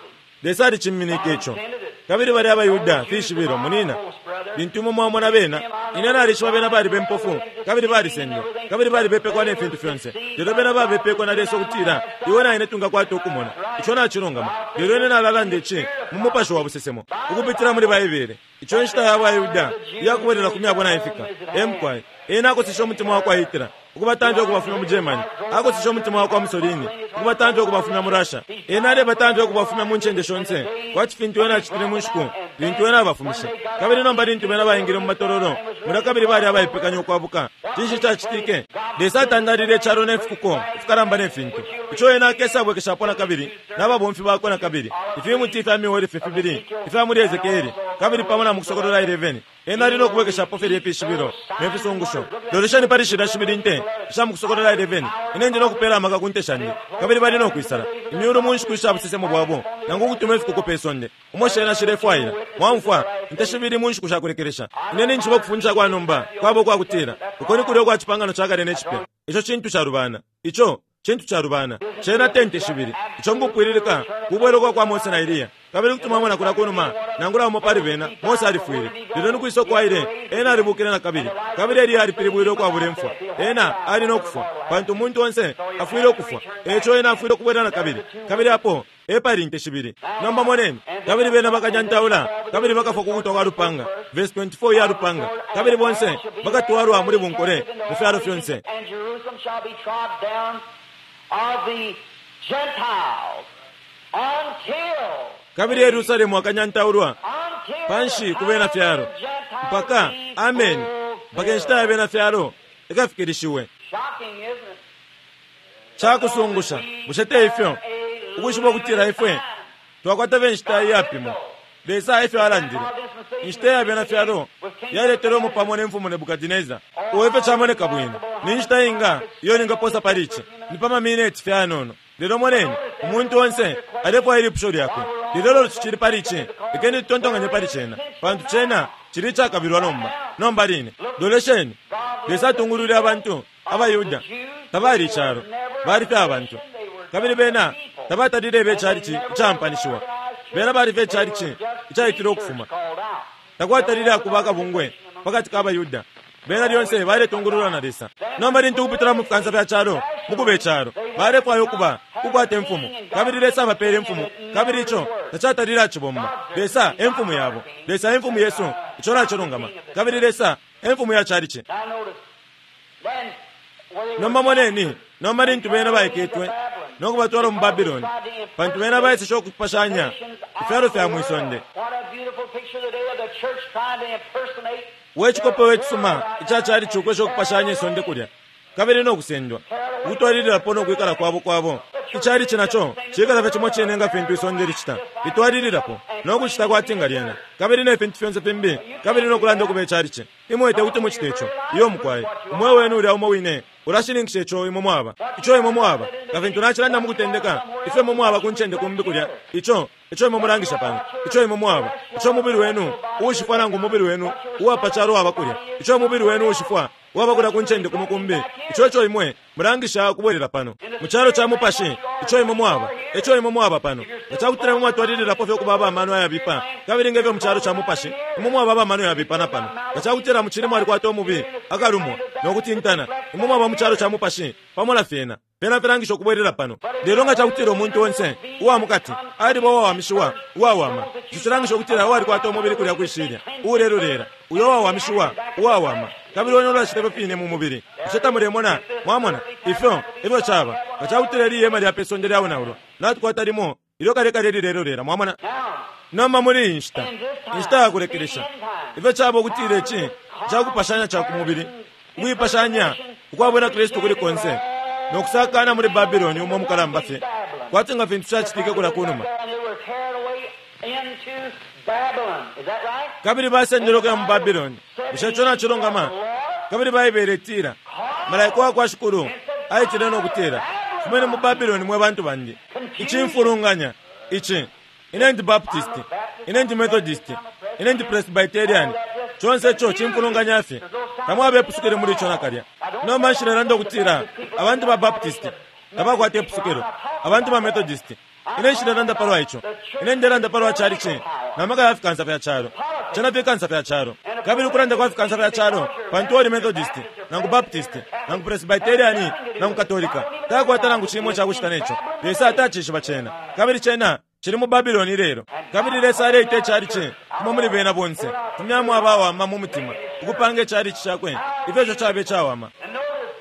Lesa aliciminike ico. Kabili bali abayuda fishibilo munina. Lintu imwe mwamona bena, ine nalishiba bena bali bempofu, kabili balisendwa, kabili balibepekwa ne fintu fyonse. Lelo bena babepekwa na Lesa ukutila iwe na ine tungakwata ukumona. Ico nacilungama. Lelo ine nalalanda ici mu mupashi wa busesemo, ukupitila muli Baibele. Ico nshita ya bayuda iyakubwelela ku myabo naifika. Emkwai ena akosesha umutima wakwa Hitler ukubatamfya ukubafumya mu Germany, akosesha umutima wakwa Mussolini ukubatamfya ukubafumya mu Russia. Ena alebatamfya ukubafumya mu ncende shonse, kwati fintu ena acitile mu nshiku lintu ena abafumishe. Kabili nomba lintu bena baingile mu matololo mulya kabili bali abaipekanya ukwabuka, cinshi cacitike? Lesa atandalile icalo ne fikuko ifikalamba ne fintu. Ico ena akesabwekeshapo na kabili n'ababomfi bakwe na kabili ifimuti ifya miolife fibili ifya muli Ezekieli, kabili pamo na mu Kusokolola eleven. Ena ali nokubwekeshapo filya ifishibilo ne fisungusho. Lolesheni pali shilya shibili nte isha mu Kusokolola eleven. Ine ndi nokupela amaka ku nte shandi, kabili bali nokwisala imyulu mu nshiku isha busesemo bwabo, nangu ukutuma ifikuko pe sonde umo shena shilefwaila. Mwamfwa, nte shibili mu nshiku shakulekelesha. Ine ninjiba ukufundisha kwa nomba kwabo kwakutila uko ni kulya ukwa cipangano ca kale ne cipya. Ico cintu calubana. Ico Cintu calubana. Cena tente shibili. Ico mukupwililika kubwela kwa kwa Mose na Eliya. Kabili kuti mwamona kulya kunuma, nangula umo pali bena, Mose alifwile. Lelo nikwisa uko aile, ena alibukile nakabili. Kabili Eliya alipilibwile ukwabula imfwa. Ena ali no kufwa, pantu umuntu onse afwile ukufwa. Eco ena afwile ukubwela nakabili. Kabili apo epali inte shibili. Nomba moneni, kabili bena bakanyantaula, kabili bakafwa kukutwa kwa lupanga. Verse twenty-four ya lupanga. Kabili bonse bakatwalwa muli bunkole mu fyalo fyonse. And Jerusalem shall be trod down of the Gentiles until Kabili Yerusalemu akanyantaulwa until panshi ku bena fyalo mpaka amen, mpaka inshita ya bena fyalo ikafikilishiwe. Shocking, isn't it? Cakusungusha, bushe te ifyo ukwishiba ukutila ifwe twakwata be nshita iyapimwa? Lesa efyo alandile. Inshita ya bena fyalo yaletelwemo pamo ne mfumu Nebukadineza. Uo ifyo camoneka bwino. Ni nshita inga iyo ningaposa pali ici? Ni pa mamineti fye ayanono. Lelo moneni, umuntu onse alefwaya ilipusho lyakwe. Lelo lolo tucili pali ici, lekeni tutontonkanye pali cena, pantu cena cili icakabilwa nomba. Nomba line, lolesheni, Lesa atungulwile abantu abaYuda. Tabali icalo, bali fye abantu. Kabili bena tabatalile be calici icampanishiwa. Bena bali fye calici icaitile ukufuma. Takwatalile akuba akabungwe pakati ka baYuda. Bena lyonse baletungululwa na Lesa. Nomba lintu ukupitila mu fikansa fya calo, mukuba icalo, balefwaya ukuba kukwata imfumu. Kabili Lesa abapeele imfumu, kabili ico tacatalile acibomba. Lesa e mfumu yabo. Lesa e mfumu yesu, ico nacilungama. Kabili Lesa e mfumu ya calici. Now notice, then where they were Nomba moneni, nomba lintu bena baiketwe no kubatwala mu Babiloni, pantu bena baeseshe ukupashanya ifyalo fya mwisonde. What a beautiful picture today of the church trying to impersonate We cikope we cisuma ica calici ukwesha ukupashanya isonde kulya, kabili no kusendwa ukutwalililapo no kwikala kwabo kwabo. Icalici naco cikala fye cimo cine nga fintu isonde licita, litwalililapo no kucita kwati nga lyena, kabili ne fintu fyonse fimbi, kabili no kulanda ukuba icalici. Imwe te kuti mucite ico. Iyo mukwaye, umweo wenu ulya umo wine ulashininkisha ico imwe mwaba, ico imwe mwaba. Nga fintu nacilanda mu kutendeka, ifyo imwe mwaba ku ncende kumbi kulya, ico ico imwe mulangisha pano, ico imwe mwaba, ico umubili wenu uushifwa nangu umubili wenu uwapa calo waba kulya, ico umubili wenu uushifwa waba kulya ku ncende kumo kumbi, ico ico imwe mulangisha ukubwelela pano mu calo ca mupashi, ico imwe mwaba, ico imwe mwaba pano. Nga cakutila imwe mwatwalililapo fye ukuba abamano ayabipa, kabili ngefyo mu calo ca mupashi imwe mwaba abamano yabipa na pano. Nga cakutila mucili mwalikwata umubi akalumwa no kutintana, imwe mwaba mu calo ca mupashi pamo na fyena. Fyena filangisha ukubwelela pano. Lelo nga cakutila umuntu onse uwa mukati aliba uwawamishiwa uwawama, ico cilangisha ukutila uwalikwata umubili kulya kwishilya uulelulera, uyo uwawamishiwa uwawama, kabili wene ulacita ifyo fine mu mubili. Ico tamulemona? Mwamona ifyo ifyo caba. Nga cakutila ili ihema lya pe sonde lyaonaulwa, natukwata limo ilyo kale kale lilelolera. Mwamona? Now, Nomba muli iyi nshita, inshita ya kulekelesha, ifyo caba ukutila ici cakupashanya ca ku mubili, ukuipashanya ukwa bwina Kristu kuli konse, no kusakana muli Babiloni umo mukalamba fye, kwati nga fintu cacitike kulya kunuma. and they were carried away into Babylon. Is that right? Kabili basendelwe ukuya mu Babiloni. Bushe ico nacilungama? Kabili Baibele itila, malaika wa kwa Shikulu aitile no kutila, fumeni mu Babiloni mwe bantu bandi. Icimfulunganya ici, ine ndi Baptist, ine ndi Methodist, ine ndi Presbyterian, conse ico cimfulunganya fye. Tamwaba ipusukilo muli ico nakalya. Nomba nshilelanda ukutila abantu ba Baptist tabakwata ipusukilo, abantu ba Methodist. Ine nshilelanda palwa ico. Ine ndelanda palwa calici na maka ya fikansa fya calo. Cena fikansa fya calo. Kabili ukulanda kwa fikansa fya calo, pantu oli Methodist, nangu Baptist, nangu Presbyterian, nangu Katolika, takwata nangu cimo cakucita neco. Lesa atacishiba cena. Kabili cena cili mu Babiloni lelo. Kabili Lesa aleita icalici kumo muli bena bonse, fumyamo abawama mu mutima, ukupanga icalici cakwe, ifyo ico cabe cawama. And notice,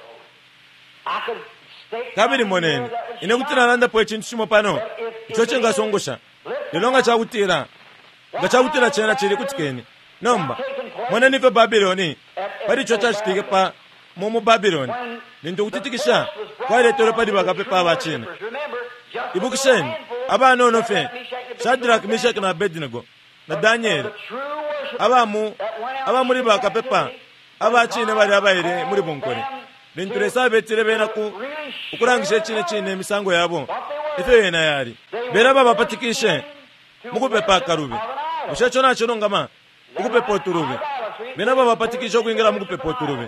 I could state Kabili moneni, ine kuti nalandapo icintu cimo pano ico cingasungusha. Lelo nga cakutila, nga cakutila cena cili kutikeni. Nomba moneni ifyo Babiloni pali ico cacitike pa mu mu Babiloni, lintu ukutitikisha kwaletelwe pali bakapepa aba cine. Remember, just Ibukisheni, abanono fye Shadrach, Meshach na Abednego na Danieli, true worship abamu aba muli bakapepa aba cine bali abaile muli bunkole. Lintu Lesa abetile bena ku ukulangisha icine cine imisango yabo ifyo yena yali, bena babapatikishe mukupepa akalubi. Bushe ico nacilungama? Ukupepa utulubi. Bena babapatikishe ukwingila mukupepa utulubi,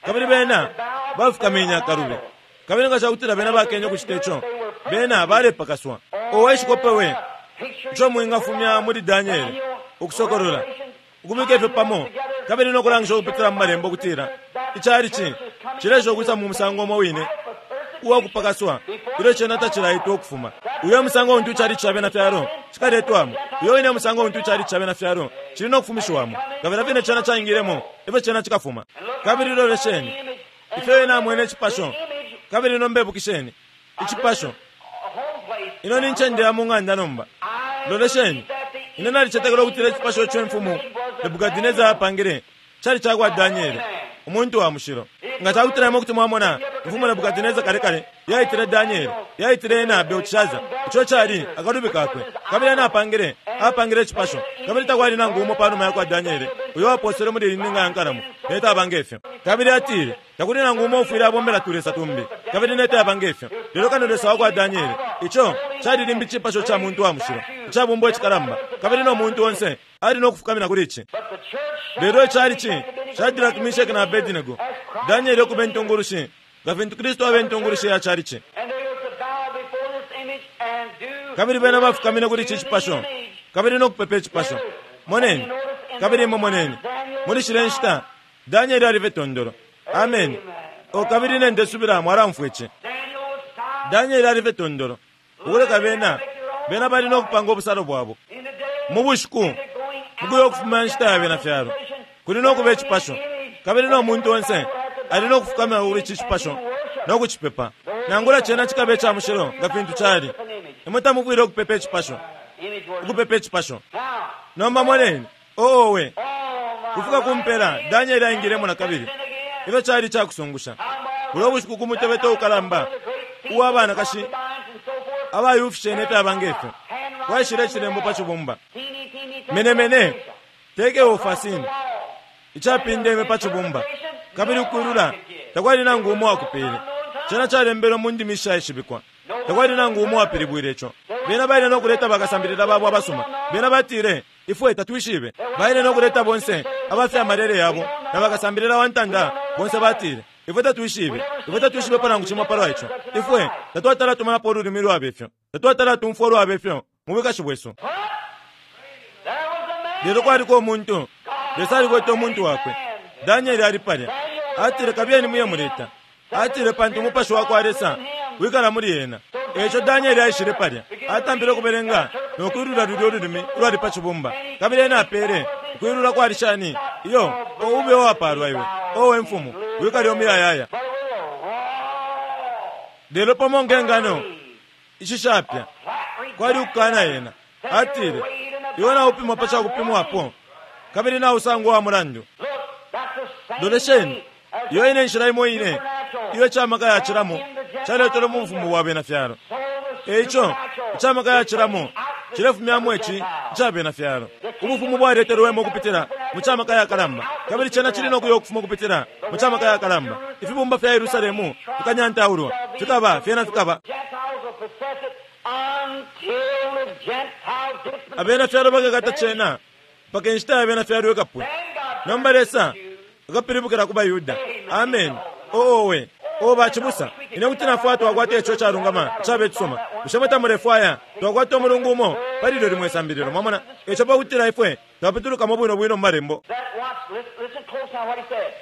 kabili bena bafukamenye akalubi, Kabili nga cakutila bena bakenye ukucita ico, bena balepakaswa. Owe shikope we ico mwingafumya muli Daniele, Ukusokolola, ukubika ifyo pamo kabili no kulangisha ukupitila mu malembo ukutila icalici cilesha ukwisa mu musango umo wine uwa kupakaswa ilyo cena tacilaitwa ukufuma. Uyo musango untu icalici ca bena fyalo cikaletwamo, uyo wine musango untu icalici ca bena fyalo cili no kufumishiwamo. Kabili fine cena caingilemo, efyo cena cikafuma. Kabili lolesheni ifyo ena amwene icipasho. Kabili nomba ibukisheni icipasho. Ino ni ncende ya mu ng'anda nomba. Lolesheni, ine nalicetekela ukutila icipasho ico imfumu Nebukadineza apangile cali cakwa Daniele, umuntu wa mushilo. Nga cakutila imwe kuti mwamona imfumu Nebukadineza kale kale yaitile Daniele, yaitile ena Belteshaza, ico cali akalubi kakwe. Kabili ena apangile apangile icipasho, kabili takwali nangu umo panuma yakwa Daniele uyo waposele muli iyi ninga ya nkalamo nete abanga ifyo. Kabili atile takuli nangu umo ufwile abombela tulesa tumbi, kabili nete abanga ifyo, lelo kano Lesa wakwa Daniele. Ico cali limbi icipasho ca muntu wa mushilo icabumbwa icikalamba, kabili no muntu onse ali no kufukamina kuli ici. Lelo icalici Shadrach, Meshach na Abednego, Daniele ukuba intungulushi nga fintu Kristu abe intungulushi ya calici. And they were to bow before this image and do Kabili bena bafukamine kuli ici cipasho kabili no kupepa icipasho. Moneni, kabili imwe moneni muli shile nshita Danieli alife tondolo. Amen. O kabili nendesubila mwalamfwa ici. Daniel was silent Danieli alife tondolo ukuleka bena bena bali no kupanga obusalo bwabo in the day mu bushiku going mukuya ukufuma nshita ya bena fyalo. Kuli no kuba icipasho, kabili no muntu onse ali no kufukamira kuli ici cipasho no kucipepa. Nangula cena cikaba ica mushilo nga fintu cali, imwe tamufwile ukupepa icipasho, image worship. ukupepa icipasho. Now, Nomba moneni, owe oh my kufika kumpela Danieli aingilemo na kabili. Ifyo cali icakusungusha bulo bushiku ku mutebeto ukalamba uwa banakashi abayufishene ifyaba ngefyo, kwaishile icilembo pa cibumba, menemene tekeofasini, icapindeme pa cibumba, kabili ukwilula takwali nangu umo wakupele. Cena calembelwe mu ndimi ishaishibikwa, takwali nangu umo wapilibwile ico. Bena baile no kuleta bakasambilila babo abasuma. Bena batile ifwe tatwishibe. Baile no kuleta bonse abafyamalele yabo na bakasambilila wa ntanda bonse batile ifwe tatwishibe, ifwe tatwishibe nangu cimo palwa ico. Ifwe tatwatala tumanapo ululimi lwaba ifyo, tatwatala tumfwa ulwaba ifyo mu bwikashi bwesu. There was a man. Lelo kwaliko umuntu, Lesa alikwete umuntu wakwe. Danieli ali palya. Atile kabiyeni muye muleta. Atile pantu umupashi wakwa Lesa wikala muli ena. Eco Danieli aishile palya, atampile ukubelenga no kwilula lulya ululimi ulwali pa cibumba. Kabili ena apele ukwilula kwali shani? Iyo, o ube uwapalwa iwe, owe mfumu, wikale umuyayaya. But with a raw, Lelo pamo nge ngano ishishapya flat kwali ukukana yena. Atile iwe naupimwa pa cakupimwapo, kabili nausangwa wa mulandu. Look, that's the same Lolesheni, way as iyo ine nshila imo ine iyo icamaka yacilamo caletelwe mu bufumu bwa bena fyalo. so the Eico supernatural icamaka yacilamo cilefumyamo ici ica bena fyalo. Ubufumu bwaletelwemo ukupitila mu camaka yakalamba, kabili cena cili no kuya ukufuma ukupitila mu camaka yakalamba. Ifibumba fya Yerusalemu fikanyantaulwa, fikaba fyena fikaba. Gentiles will possess it until the Gentile dispensation. Abena fyalo bakakata cena mpaka inshita ya bena fyalo ikapwe. Then God Nomba Lesa akapilibukila ku baYuda. Amen. Owe o bacibusa, ine kuti nafwaya twakwata ico calungama cabe cisuma. Bushe mwe tamulefwaya twakwata umulungu umo pali ilyo limwe isambililo? Mwamona ico pakutila ifwe twapitulukamo bwino bwino mu malembo. That watch, listen, listen close now what he said.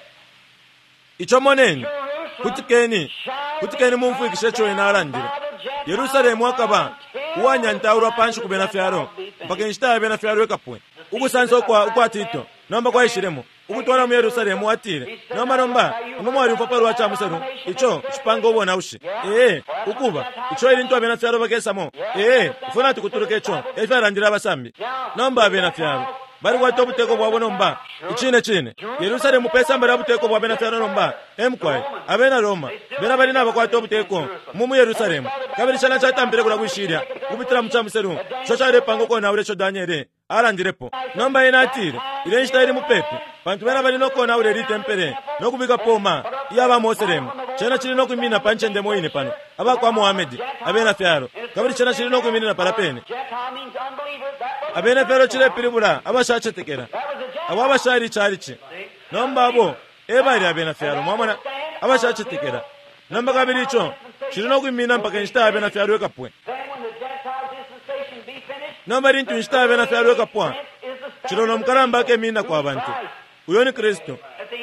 Ico moneni, Jerusalem kutikeni, shall kutikeni be mumfwikishe ico ena alandile. by the Gentiles Yerusalemu akaba until uwanyantaulwa the panshi ku bena fyalo Gentiles be finished. mpaka inshita ya bena fyalo ikapwe. Ukusansa ukwa ukwa Tito nomba kwaishilemo ukutwala mu Yerusalemu. Atile nomba nomba imwe mwalyumfwa palwa ca muselu ico cipanga ubonaushi. Ee, ukuba ico ilintu abena fyalo bakesamo. Ee, ifwe natukutuluka ico, efyo alandile abasambi. Nomba abena fyalo balikwata ubuteko bwabo nomba icine cine. Yerusalemu pe samba lya buteko bwa bena fyalo nomba emkwai abena Roma bena bali nabakwata ubuteko mu mu Yerusalemu. Kabili cena catampile kula kwishilya kupitila mu camuselu ico calepanga ukonaula ico Daniele alandilepo. Nomba ena atile ile nshita ili mupepi, pantu bena bali nokonaula ili tempele no kubika poma iya ba Moselemu. Cena cili no kwiminina pa ncende mo ine pano abakwa Muhamedi abena fyalo, kabili cena cili no kwiminina pala pene. Gentile means unbeliever. That was, Abena fyalo cilepilibula abashacetekela, that was a Gentile. abo abashali icalici. Nomba abo e bali abena fyalo, mwamona, abashacetekela. Nomba kabili ico cili no kwimina mpaka inshita ya bena fyalo ikapwe. Then when the Gentile dispensation be finished, Nomba lintu inshita ya bena fyalo ikapwa, is the cilolo mukalamba akeminina kwa bantu. Uyo ni Kristu.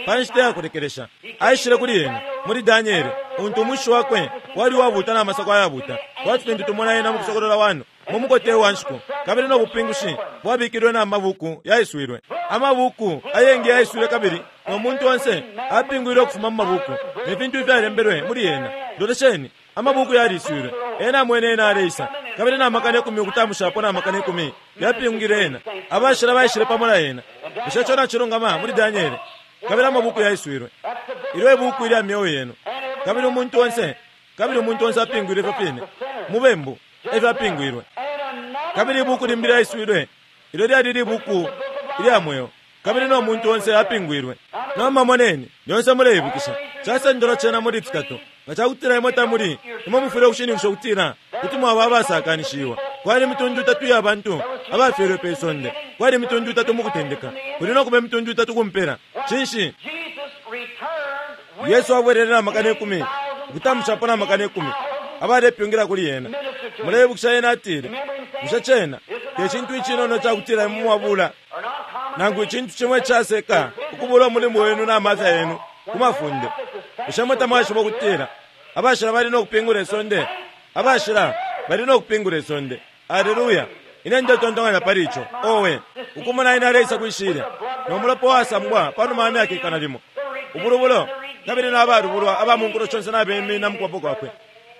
Pa nshita ya kulekelesha, aishile kuli ena muli Daniele, untu umushi wakwe wali wabuta na masako ayabuta, kwati fintu tumona ena mu kusokolola wano mu mukote wa nshiku, kabili no bupingushi bwabikilwe na mabuku yaiswilwe. Amabuku ayengi yaiswilwe kabili no muntu onse apingwilwe ukufuma mu mabuku ne fintu ifyalembelwe muli yena. Lolesheni, amabuku yaliswilwe. Ena amwene ena aleisa, kabili na makana ikumi ukutamushapo na makana ikumi yapingwile ena. Abashila baishile pamo na ena. Bushe ico nacilungama muli Daniele? Kabili amabuku yaiswilwe. Ilyo ibuku ilya myeo yenu. Kabili umuntu onse, kabili umuntu onse apingwilwe ifyo fine. Mubembu, efyo apingwilwe. and another Kabili ibuku limbi lyaiswilwe. Ilyo lyali libuku ilya mweo. Kabili no muntu onse apingwilwe. Nomba moneni, lyonse muleibukisha. Casendelwa cena muli fitatu. Nga cakutila imwe tamuli, imwe mufwile ukushininkisha ukutila kuti mwaba abasakanishiwa. Kwali imitundu itatu ya bantu abafyelwe pe sonde. Kwali imitundu itatu mu kutendeka. Kuli no kuba imitundu itatu ku mpela. Cinshi? Jesus returned with Yesu abwelele na makana ikumi, ukutamushapo na makana ikumi, abalepyungila kuli yena. Muleibukisha yena atile, bushe cena te cintu icinono cakutila imwe mwabula or not common nangu icintu cimwe caseka ukubula umulimo wenu na mafya yenu ku mafunde. Bushe mwe tamwashiba ukutila abashila bali no kupingula isonde? Abashila bali no kupingula isonde. Aleluya! Ine ndetontonkanya pali ico. Owe, ukumona ine aleisa kwishile no mulopa wasambwa panuma ya myaka ikana limo, ubulubulo kabili n'abalubulwa aba mu nkulo shonse nabemina mu kuboko kwakwe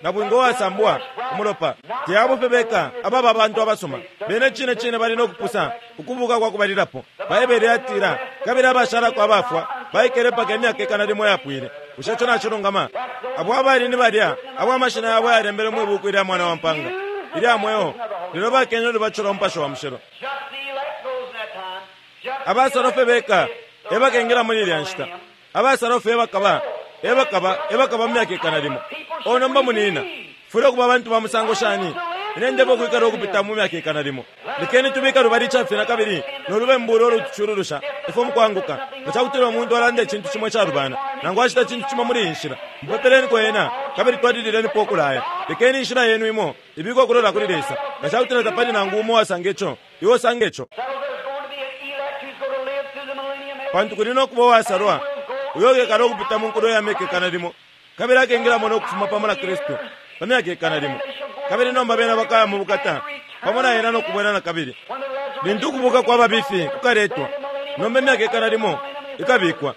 na bwingo wasambwa umulopa. Teabo beka ababa abantu abasoma bene cine cine bali no kupusa ukubuka kwa kubalilapo. Baibele yatila kabili abashalako abafwa baikele mpaka imyaka ikana limo yapwile. Bushe ico nacilungama? Abo abali ni balya abo amashina yabo yalembelwe mwi buku ilya mwana wa mpanga ilya mweo, lelo bakenye ulubatisho lwa Mupashi wa Mushilo. just the elect goes in that time. Just Abasalofe beka ebakengela muli ilya nshita. Abasalofe ebakaba ebakaba ebakaba mu myaka ikana limo. O nomba munina, fwile ukuba abantu ba musango shani? Ine ndebo ukwikala ukupita mu myaka ikana limo. Lekeni tubika lubali icafina kabili nolubembu ulo lutucululusha ifwe mukwanguka. Nga cakutila umuntu alanda icintu cimo icalubana, nangu acita icintu cimo muli iyi nshila, mupepeleni ena kabili twalililenipo ukulaya. Lekeni inshila yenu imo ibikwe ukulola kuli Lesa. Nga cakutila tapali nangu umo uwasanga ico, iwe usange ico. So there's going to be an elect who's going to live through the millennium. Pantu kuli no kuba uwasalwa uyo ukekala ukupita mu nkulo ya myaka ikana limo, kabili akengilamo no kufuma pamo na Kristu pa myaka ikana limo. Kabili nomba bena bakaya mu bukata pamo na ena no kubwela na kabili. When the resurrection Lintu ukubuka kwa babifi kukaletwa, nomba imyaka ikana limo ikabikwa.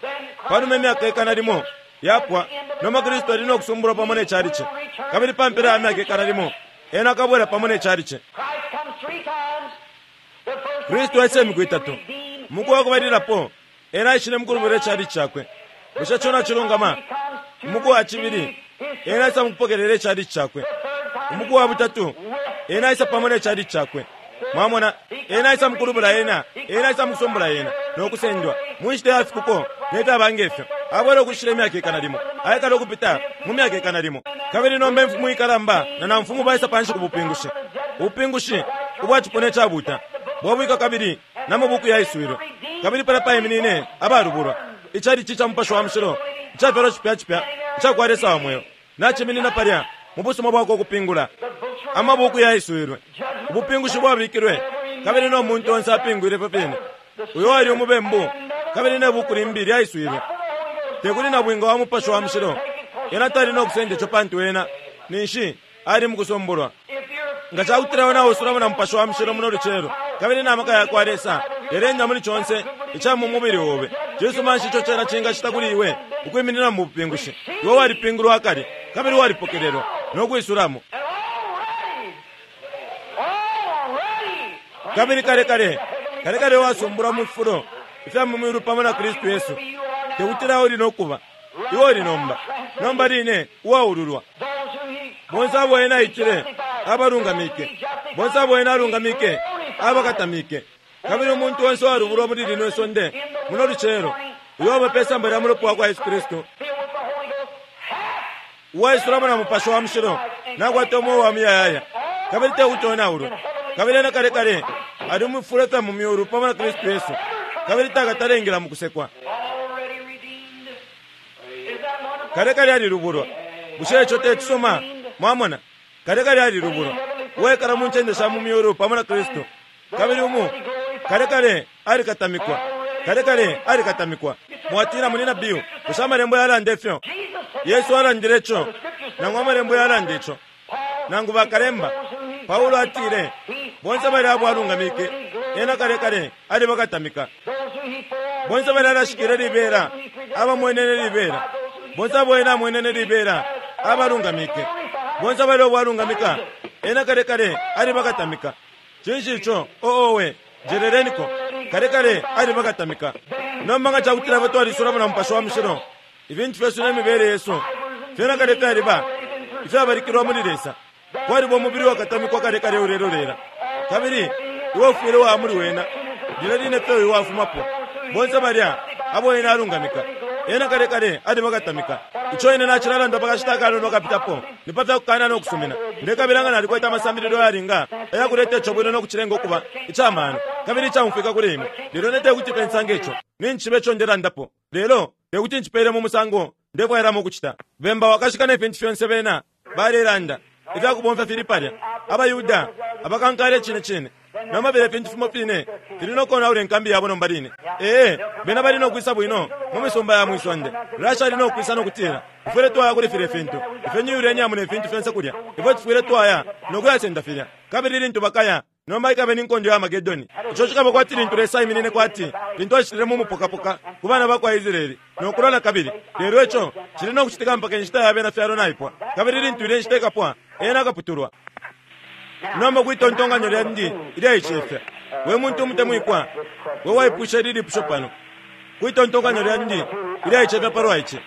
Panuma imyaka ikana limo yapwa, nomba Kristu ali no kusumbulwa pamo ne chalichi. Kabili pa mpela ya myaka ikana limo, ena akabwela pamo ne chalichi. Christ comes three times. The first Kristu aisa imiku itatu. Muku wa kubalilapo, ena aishile mukulubula ichalichi chakwe. Bushe ico nacilungama? Umuku wa cibili, ena aisa mukupokelela ichalichi chakwe. Umuku wa butatu, ena aisa pamo ne chalichi chakwe. Mwamona, ena aisa mukulubula ena, ena aisa mukusumbula ena, no kusendwa. Mu nshita ya fikuko, ne fyaba ngefyo. Abwela ukushila imyaka ikana limo, aikala ukupita mu myaka ikana limo. Kabili nomba imfumu ikalamba na namfumu baisa panshi ku bupingushi. Ubupingushi ubwa cipuna icabuta bwabwika kabili na mabuku yaiswilwe. Kabili pala paiminine abalubulwa. Ichalichi ca Mupashi wa Mushilo, icafyalwa cipya cipya, icakwa Lesa wa mweo, naciminina palya mu busuma bwakwe ukupingula. Amabuku yaiswilwe, ubupingushi bwabikilwe, kabili no muntu onse apingwile ifyo fine. Uyo ali umubembu, kabili ne buku limbi lyaiswilwe. Tekuli na bwinga wa Mupashi wa Mushilo, ena tali no kusenda ico pantu ena ninshi ali mukusumbulwa. If you're Nga cakutila wena usulamo na Mupashi wa Mushilo muno lucelo, kabili na maka yakwa Lesa yalenda muli conse ica mu mubili obe, cisuma nshi ico cena cingacita kuli iwe ukwiminina mu bupingushi? Iwe walipingulwa akale kabili walipokelelwa no kwisulamo. and already, already, Kabili kale kale kale kale wasumbulwa mu fifulo ifya mu mwilu pamo na Kristu Yesu. Tekutila uli no kuba iwe uli nomba, nomba line uwaululwa. those who he Bonse abo ena aitile abalungamike, bonse abo ena alungamike abakatamike. Kabili umuntu onse uwalubulwa muli lino isonde muno lucelo, uyo waba pe samba lya mulopa wa kwa Yesu Kristu, filled with the Holy Ghost, hath uwaisulamo na Mupashi wa Mushilo, nakwata umweo wa muyayaya, kabili tekuti onaulwe. Kabili ena kale kale ali mu fifulo fya mu myulu pamo na Kristu Yesu, kabili takatalengela mu kusekwa. already redeemed. Is that wonderful? Kale kale alilubulwa. Bushe ico te cisuma? Mwamona, kale kale alilubulwa, uwaikala mu ncende sha mu myulu pamo na Kristu. Kabili umu kale kale alikatamikwa, kale kale alikatamikwa. Mwatila, Munyina Bill, bushe amalembo yalanda ifyo? Yesu alandile ico, nangu amalembo yalanda ico, nangu bakalemba. Paulo atile bonse bali abo alungamike ena kale kale alibakatamika. Bonse bali alashikile libela, abamwenene libela, bonse abo ena amwenene libela abalungamike, bonse bali abo alungamika ena kale kale alibakatamika. Cinshi ico? Oowe, njeleleniko. Kale kale alibakatamika. Nomba nga cakutila batwalisulamo na Mupashi wa Mushilo, ibintu fyesu ne mibele yesu fyena kale fyaliba ifyabalikilwa muli Lesa. Kwaliba umubili wakatamikwa kale kale ulelolela, kabili iwe ufwile wa muli wena lilya line fye uyu wafumapo. Bonse balya abo ena alungamika ena kale kale alibakatamika. Ico ine nacilalanda pakashita akanono kapitapo ni pa fyakukana no kusumina. Ndekabila nga nalikwete amasambililo yalinga ayakuleta ico bwino no kucilenga ukuba icamano kabili icamfwika kuli imwe. Lelo ne tekuti pe nsange ico, nincishiba ico ndelandapo, lelo tekuti ncipele mu musango ndefwailamo ukucita. Bemba wakashika ne fintu fyonse bena balelanda ifyakubomfya fili palya. AbaYuda abakankala icine cine nomba filya fintu fimo fine fili no konaula inkambi yabo nomba line. Ee, bena bali no kwisa bwino mu misumba ya mwisonde. Russia ali no kwisa no kutila, Tufwile twaya kuli filya fintu, ifyo ni uranium ne fintu fyonse kulya, ifwe tufwile twaya no kuyasenda filya. Kabili lintu bakaya, nomba ikabe ni nkondo ya Armageddon. Ico cikaba kwati lintu Lesa aiminine kwati lintu acitile mu mupokapoka ku bana ba kwa Israeli no kulwa na kabili. Lelo ico cili no kucitika mpaka inshita ya bena fyalo naipwa, kabili lintu ilya inshita ikapwa, ena akaputulwa. Nomba kwitontonkanyo lyandi ilyaicefya, we muntu umutemwikwa, we waipusha ili lipusho pano, kwitontonkanyo lyandi ilyaicefya palwa ici,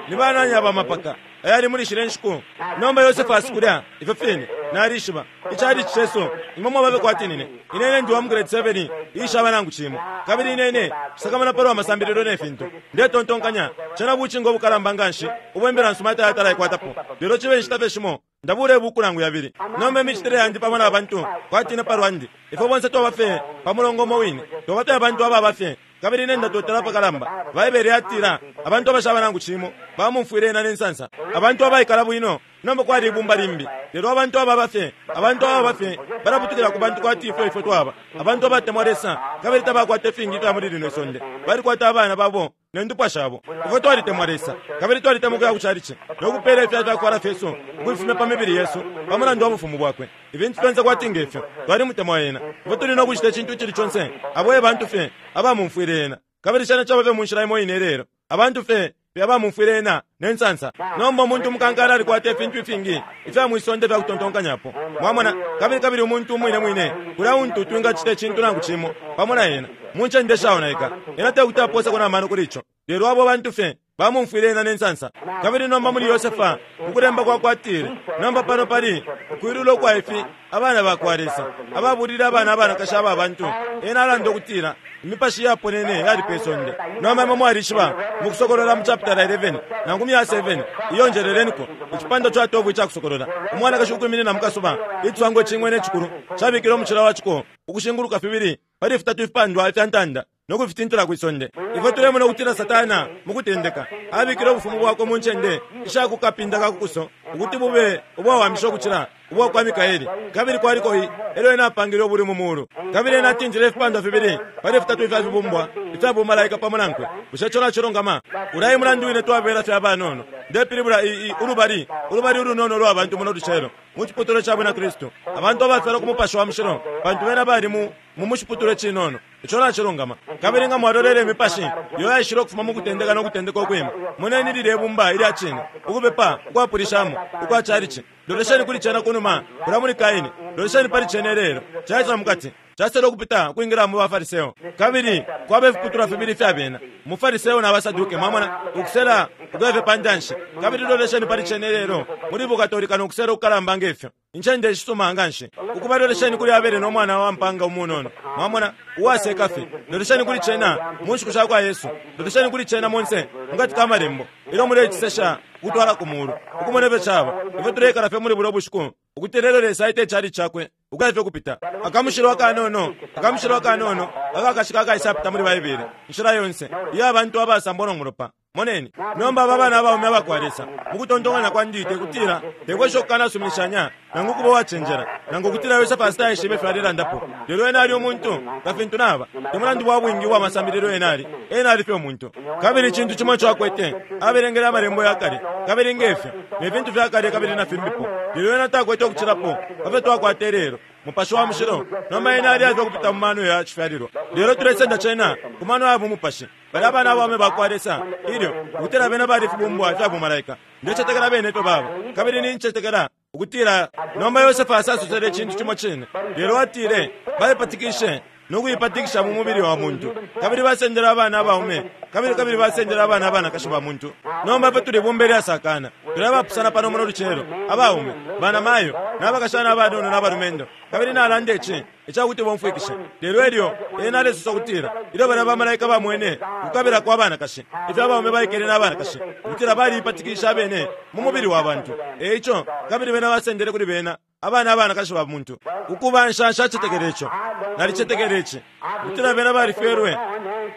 ni banani aba mapaka ayali muli shile nshiku? Nomba Yosefu kulya ifyo fine nalishiba icali cesu, imwe mwababe kwati nine. Inene ndi wa mu grade seven ishaba nangu cimo, kabili inene sakamana palwa masambililo ne fintu. Ndetontonkanya cena bucingo obukalamba nganshi ubwembela nsuma tayatala ikwatapo, lelo cibe nshita fye shimo ndabula ibuku nangu yabili. Nomba imicitile yandi pamo na bantu kwati ine palwandi, ifwe bonse twaba fye pa mulongo umo wine, twaba fye abantu ababa fye, kabili ine ndatotela apakalamba. Baibele yatila abantu abashaba nangu cimo bamumfwile ena ne nsansa, abantu abaikala bwino. Nomba kwali ibumba limbi, lelo abantu ababa fye, abantu ababa fye balaputukila ku bantu kwati ifwe ifwe twaba abantu abatemwa Lesa, kabili tabakwata ifingi ifya muli lino isonde, balikwata abana babo ne ndupwa shabo. Ifwe twalitemwa Lesa, kabili twalitemwa ukuya ku chalichi no kupeela ifya fyakwala fyesu ukufifumya pa mibili yesu pa mulandu wa bufumu bwakwe. Ibintu fyonse kwati ngefyo twalimutemwa ena. Ifwe tuli no kucita icintu icili conse abo e bantu fye abamumfwile ena, kabili cena caba fye mu nshila imo ine lelo, abantu fye abamumfwile ena ne nsansa. Nomba umuntu umukankala alikwata ifintu ifingi ifya mwisonde fya kutontonkanyapo, mwamona, kabili kabili umuntu umwine mwine kulya untu twingacita icintu nangu cimo pamo na ena mu ncende shaonaika, ena tekuti apooseko na mano kuli ico. Lelo abo bantu fye bamumfwile ena ne nsansa. Kabili nomba muli Yosefa ukulemba kwakwatile, nomba pano pali ukwilula ukwa ifi abana ba kwa Lesa ababulile abana abanakashi aba bantu. Ena alanda ukutila imipashi yaponene yali pe sonde. Nomba imwe mwalishiba mu Kusokolola mu chapter eleven nangu mya seven, iyo njeleleniko icipandwa ca twelve ica Kusokolola, umwanakashi ukwiminina mu kasuba, iciswango icing'wena icikulu cabikile umucila wa ciko ukushinguluka fibili pali fitatu ifipandwa ifya ntanda no kufitintula kwi sonde. Ifwe tulemona ukutila Satana mu kutendeka abikile ubufumu bwakwe mu ncende isha ku kapinda ka kukuso ukuti bube ubwawamisha ukucila ubwa kwa Mikaeli, kabili kwaliko i elyo ena apangile ubuli mu mulu, kabili ena atintile ifipandwa fibili pali fitatu ifya fibumbwa ifya bumalaika pamo nankwe. Bushe ico nacilungama? Ulya mulandu wine twabela fye abanono. Ndepilibula i, i, ulubali ulubali ulunono lwa bantu muno lucelo mu ciputulwa ca bwina Kristu, abantu abafyalwa ku Mupashi wa Mushilo, pantu bena bali mu mu muciputulwa cinono. Ico nacilungama. Kabili nga mwalolele imipashi iyo yaishile ukufuma mu kutendeka no kutendeka ukwima, moneni lilye bumba ilya cine, ukupepa ukwapulishamo ukwa chalichi. Lolesheni kuli cena kunuma kulya muli Kaini, lolesheni pali cena ilelo, caisa mukati, casele ukupita ukwingila mu baFariseo. Kabili kwaba ifiputulwa fibili ifya bena, muFariseo na baSaduke, mwamona, ukusela ukuya fye pa ntanshi. Kabili lolesheni pali cena ilelo muli bukatolika no kusela ukukalamba ngefyo, incende ishisuma nganshi. Ukuba lolesheni kuli Abele no mwana wa mpanga umunono, mwamona, uwaseka fye. Lolesheni kuli cena mu nshiku sha kwa Yesu, lolesheni kuli cena monse mukati ka malembo ilyo mulecisesha ukutwala ku mulu, ukumona ifyo caba. Ifwe tuleikala fye muli bulya bushiku ukuti lelo Lesa aita icali cakwe ukuya fye kupita. Akamushilo akanono, akamushilo akanono akakashika akaisapita muli Baibele, inshila yonse iyo abantu abasambwa no mulopa Moneni nomba aba bana abaume abakwa Lesa mukutontonkanya kwandi tekutila tekwesha ukukanasuminishanya nangu kuba uwacenjela nangu kutila Yosefu asitaishibe ifyo alelandapo. Lelo ena ali umuntu nga fintu naba, te mulandu wa bwingi ubwa masambililo ena ali, ena ali fye umuntu. Kabili icintu cimo ico akwete, abelengele amalembo ya kale kabili ngefyo ne fintu fya kale kabili na fimbipo, lelo ena takwete ukucilapo pa fyo twakwata ilelo Mupashi wa Mushilo. Nomba ena ali afye ukupita mu mano ya cifyalilwa, lelo tulesenda cena ku mano ya bumupashi. Bali abana abaume bakwa Lesa ilyo ukutila bena bali fibumbwa fya bumalaika. Ndecetekela bene ifyo baba, kabili nincetekela ukutila nomba Yosefu asasosele icintu cimo cine, lelo atile baipatikishe no kuipatikisha mu mubili wa muntu, kabili basendele abana abaume kabili kabili basendele abana abanakashi ba muntu. Nomba ifwe tuli bumba ilyasakana, tuli abapusana pano muno lucelo, abaume banamayo n'abakashana abanono n'abalumendo. Kabili nalanda ici icakuti bomfwikishe, lelo elyo ena alesosa ukutila ilyo bana bamalaika bamwene ukukabila kwa banakashi ifyo abaume baikele n'abanakashi, ukutila baliipatikisha abene mu mubili wa bantu. Eico kabili bena basendele kuli bena abana abanakashi ba muntu. Ukuba nshanshacetekele ico, nalicetekele ici ukutila bena balifyelwe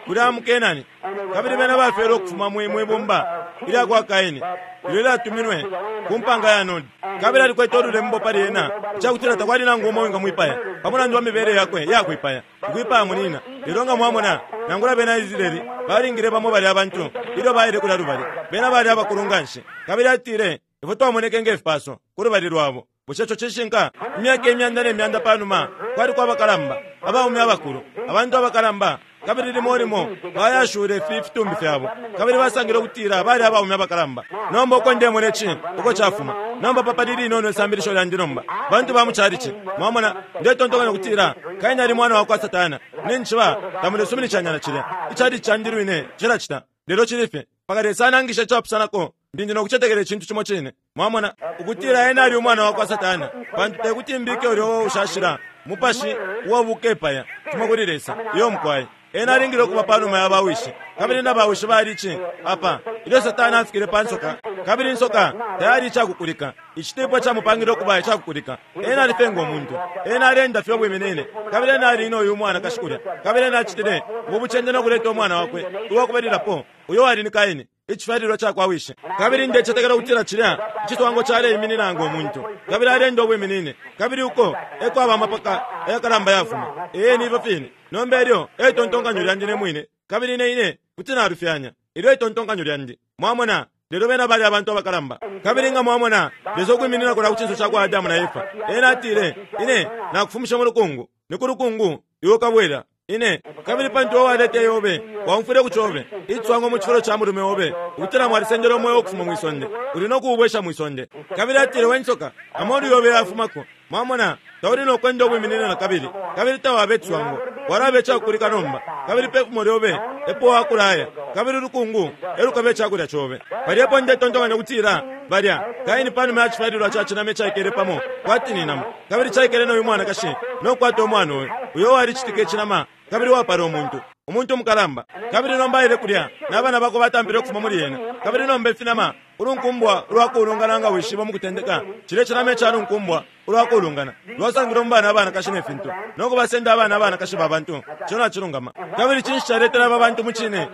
kulya mu Kenani, kabili bena bafyelwe ukufuma mwi bumba ilya kwa Kaini ilyo lyatuminwe ku mpanga ya Nodi. Kabili alikwete ululembo pali ena icakutila takwali nangu umo wingamwipaya pa mulandu wa mibele yakwe yakwipaya, ukwipaya munina. Lelo nga mwamona, nangula bena Israeli balingile bamo bali abantu ilyo baile kulya lubali, bena bali abakulu nganshi. Kabili atile ifwe twamoneke nge fipaso ku lubali lwabo. Bushe ico cishinka? Imyaka imyanda ne myanda panuma kwali kwabakalamba abaume abakulu, abantu abakalamba, kabili limo limo bayashule ifi fitumbi fyabo, kabili basangile ukutila bali abaume abakalamba. Nomba uko ndemona ici uko cafuma nomba papa lilinono isambilisho lyandi nomba bantu ba mucalici mwamona ndetontonkanya ukutila Kaini ali mwana wa kwa Satana. Ninchiba tamulesuminishanya na cilya icalici candi lwine cilacita, lelo cili fye mpaka Lesa anangisha icapusanako. Ndi nokucetekela icintu cimo cine mwamona ukutila ena ali umwana wa kwa Satana, pantu tekuti mbike ulyo ushashila mupashi uwabukepaya fuma kuli Lesa iyo mukwai. Ena alingile ukuba panuma ya bawishi, kabili na bawishi bali ici apa ilyo Satana afikile pa nsoka, kabili insoka tayali icakukulika, icitipo camupangile ukuba icakukulika. Ena alifenga umuntu, ena alenda fye ubwiminine, kabili ena ali ino uyu mwana kashikulya, kabili ena acitile ubucende no kuleta umwana wakwe uwakubalilapo uyo wali ni Kaini, icifyalilwa cakwa wishi. Kabili ndecetekela ukutila cilya icitwango caleiminina ngo muntu, kabili alenda ubwiminine, kabili uko eko aba amapaka ayakalamba yafuma. Ee, ni ifyo fine. Nomba elyo etontonkanyo lyandi ne mwine, kabili ne ine kuti nalufyanya ilyo itontonkanyo lyandi mwamona. Lelo bena bali abantu abakalamba, kabili nga mwamona Lesa ukwiminina kulya ku cinso cakwa Adamu na Efa, ena atile ine nakufumisha mu lukungu, ni ku lukungu iwe ukabwela ine, kabili pantu owaleta yobe waumfwile ku cobe icwango mu cifulo ca mulume obe, ukutila mwalisendele umweo ukufuma mwisonde, uli nokuubwesha mwisonde. Kabili atile we nsoka, amolu yobe yafumako mwamona, tauli nokwenda ubwiminine na kabili, kabili tawabe icwango, walabe icakukulika nomba, kabili pefumo lyobe epo wakulaya, kabili ulukungu elukabe icakulya cobe. Palyepo ndetontonkanya ukutila balya Kaini panuma ya cifyalilwa ca cinama icaikele pamo kwati ni nama, kabili caikele noyu mwanakashi nokukwata umwana uyu uyo walicitika icinama, kabili wapala umuntu umuntu umukalamba. Kabili nomba aile kulya n'abana bakwe batampile ukufuma muli ena, kabili nomba ifinama ulunkumbwa ulwakulungana nga wishiba mu kutendeka cilya cinama icalunkumbwa ulwakulungana lwasangile mu bana abanakashi ne fintu nokubasenda abana abanakashi ba bantu. Ico nacilungama. Kabili cinshi caletele aba bantu mu cine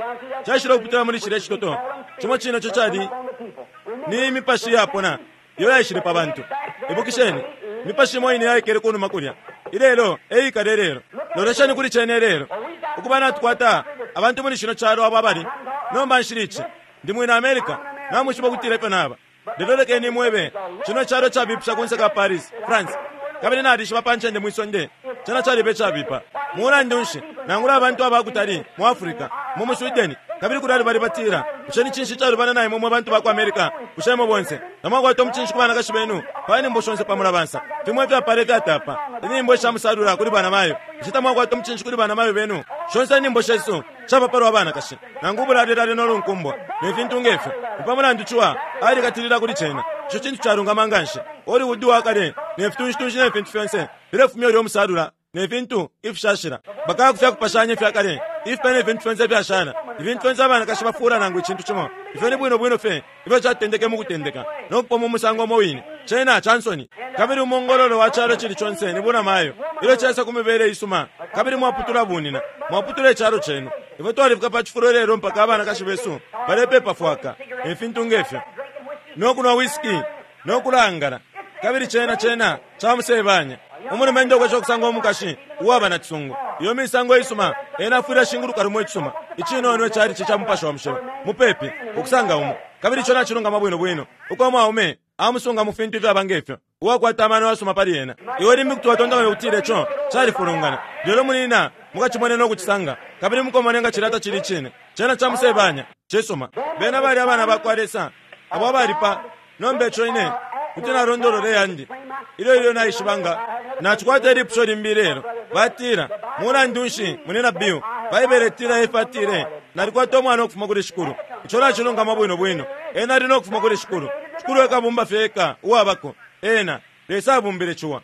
caishile ukupitila muli cilya icitoto cimo cine ico cali ni imipashi yapona iyo yaishile pa bantu. Ibukisheni, imipashi imo ine yaikele kunuma kulya ilelo eikale lelo. Lolesheni kuli cene lelo ukuba natukwata abantu muli shino calo abo abali nomba nshili ici ndi mwina America namwishiba ukutila ifyo naba, lelo lekeni mwebe cino calo cabipisha kunse ka Paris, France, kabili nalishiba pa ncende mwisonde cena caliba icabipa. Mulandu nshi nangula abantu abakutali mu Africa, mu mu Sweden, kabili kulali bali batila bushe ni cinshi calubana naimwe mwe bantu ba ku America? Bushe imwe bonse namwakwata umucinshi ku banakashi benu pa nyimbo shonse pa mulabansa fimwe ifyapala ifyatapa inyimbo ishamusalula kuli banamayo? Bushe tamwakwata umucinshi kuli banamayo benu? Shonse inyimbo shesu shaba palwa banakashi nangu ubulalelale nolunkumbwa ne fintu ngefyo. Ni pa mulandu ciwa alikatilila kuli cena. Ico cintu calungama nganshi. Hollywood wakale ne fitunshi-tunshi ne fintu fyonse filefumya ulya umusalula ne fintu ifishashila bakaya kufya kupashanya ifyakale ifipe ne fintu fyonse ifyashala ifintu fyonse abanakashi bafuula nangu icintu cimo. Ifyo ni bwino bwino fye ifyo catendeke mu kutendeka nokupoma umusango umo wine cena cansoni. Kabili umongololo wa calo cili conse ni bunamayo ilyo caisa ku mibele isuma, kabili mwaputula bunina mwaputula icalo cenu. Ifwe twalifika pa cifulo lelo mpaka abanakashi besu balepepa fwaka ne fintu ngefyo, no kunwa whisky no kulangala, kabili cena cena camusebanya. Umulumendo ukwesha okusanga omukashi uwaba na cisungu, iyo misango isuma, ena afwile ashinguluka lumo icisuma icinono icali ca Mupashi wa Mushilo mupepi ukusanga umo. Kabili ico nacilungama bwino bwino uko mwaume amusunga mu fintu ifyaba ngefyo, uwakwata amano asuma pali ena. Iwe limbi kuti watontonkanya ukutila ico califulungana, lelo munina mukacimone no kucisanga, kabili mukomone nga cilya tacili icine. Cena camusebanya. Cisuma. Bena bali abana bakwa Lesa abo abalipa. Nomba ico ine kuti nalondolola yandi ilyo ilyo naishiba nga nacikwata ilipusho limbi lelo. Batila, mulandu nshi munina Bill, Baibele itila Efa atile, nalikwata umwana ukufuma kuli Shikulu. Ico nacilungama bwino bwino. Ena ali no kufuma kuli Shikulu. Shikulu ekabumba fye eka uwabako. Ena Lesa abumbile ciwa.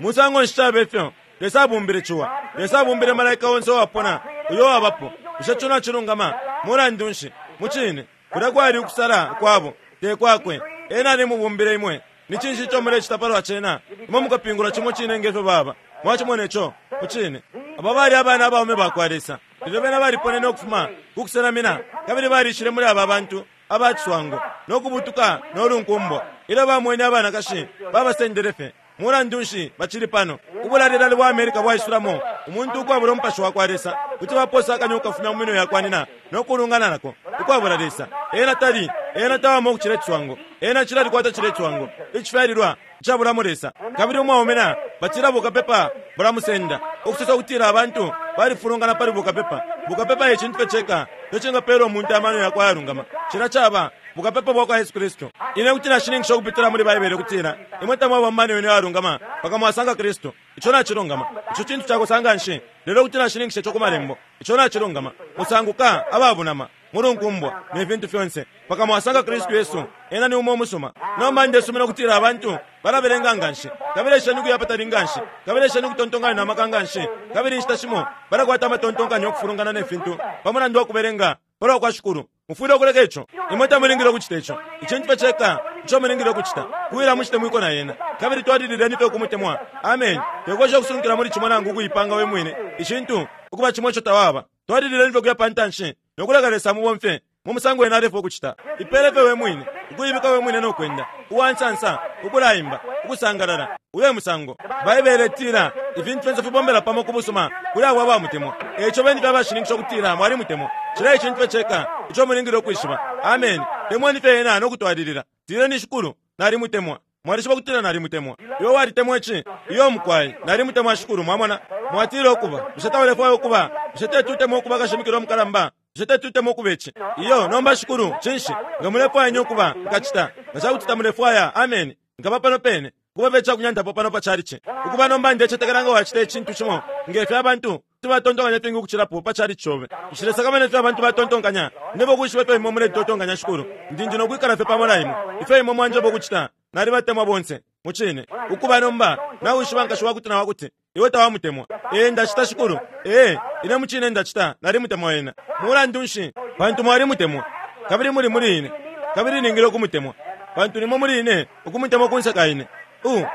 Musango nshi cabe ifyo? Lesa abumbile ciwa. Lesa abumbile malaika onse uwapona uyo wabapo. Bushe ico nacilungama? Mulandu nshi? Mucine kulya kwali ukusala kwabo, te kwakwe. Ena alimubumbile imwe. Ni cinshi ico mulecita palwa cena? Imwe mukapingula cimo cine ngefyo baba. Mwacimona ico? Mucine abo bali abana abaume bakwa Lesa, lelo bena baliponene ukufuma kukusenamina, kabili balishile muli aba bantu abaciswango no kubutuka no lunkumbwa. Ilyo bamwene abanakashi babasendele fye. Mulandu nshi bacili pano? Ubulalilali bwa Amerika bwaisulamo umuntu ukwabula umupashi wa kwa Lesa. Kuti baposa akanya ukafumya mu minwe yakwa nina no kulungana nako ukwabula Lesa. Ena tali, ena tawama ukucila iciswango. Ena cila likwata cila iciswango icifyalilwa icabulamo Lesa. Kabili umwaume na batila bukapepa bulamusenda, ukusosa kutila abantu balifulungana pali bukapepa. Bukapepa e cintu fye ceka ico cingapela umuntu amano yakwe ayalungama. Cila caba bukapepa bwa kwa Yesu Kristu. Ine kuti nashininkisha ukupitila muli Baibele kutila imwe tamwaba mu mano yenu ayalungama mpaka mwasanga Kristu. Ico nacilungama. Ico cintu cakosa nshi, lelo kuti nashininkisha ico ku malembo. Ico nacilungama. Musanguka ababunama mulunkumbwa ne fintu fyonse mpaka mwasanga Kristu Yesu. Ena ni umo umusuma. Nomba ndesumina kutila abantu balabelenga nganshi, kabili esheni ukuya patali nganshi, kabili esheni ukutontonkanya na maka nganshi, kabili inshita shimo balakwata amatontonkanyo okufulungana ne fintu pa mulandu wa kubelenga palwa kwa Shikulu. Mufwile ukuleka ico. Imwe tamulingile ukucita ico. Icintu fye ceka ico mulingile ukucita kuwila mucite mwiko na yena, kabili twalilileni fye ukumutemwa. Amen. Tekwesha ukusunkila muli cimo nangu ukuipanga we mwine icintu ukuba cimo ico tawaba. Twalilileni fye ukuya pantanshi nokuleka Lesa mubomfye mu musango ena alefwa ukucita. Ipele fye we mwine, ukuibika we mwine no kwenda uwansansa, ukulaimba, ukusangalala. Uyo musango Baibele itila ifintu fyonse fibombela pamo ku busuma kuli abo abamutemwa. Eico beni fye abashininkisha ukutila mwalimutemwa. Cila icintu fye ceka ico mulingile ukwishiba. Amen. Temweni fye ena no kutwalilila. Tileni Shikulu, nalimutemwa. Mwalishiba kutila nalimutemwa. Iwe walitemwa ici? Iyo mukwai, nalimutemwa Shikulu. Mwamona? Mwatile ukuba. Bushe taulefwaya ukuba? Bushe tetutemwa ukuba kashimikilo mukalamba? Bushe tetutemwa ukuba ici? Iyo, nomba Shikulu, cinshi? Nga mulefwaya nye ukuba, nkacita. Nga cakuti tamulefwaya, amen. Nkaba pano pene. Kuba fye icakunyantapo pano pa chalichi. Ukuba nomba ndecetekela nga wacita icintu cimo ngefyo abantu kuti batontonkanya ifingi ukucilapo pa chalichi cobe. Nshilesakamana ifyo abantu batontonkanya. Nebo ukwishiba ifyo imwe muletontonkanya Shikulu. Ndi ndi nokwikala fye pamo na imwe. Ifyo imwe mwanjeba ukucita, nalibatemwa bonse. Mucine. Ukuba nomba, nawishiba nkashi wakuti na wakuti iwe tawamutemwa. Ee, ndacita Shikulu. Ee, ine mucine ndacita, nalimutemwa ena. Mulandu nshi? Pantu mwalimutemwa. Kabili muli muli ine. Kabili ningile ukumutemwa. Pantu nimwe muli ine, ukumutemwa kunseka ine. U,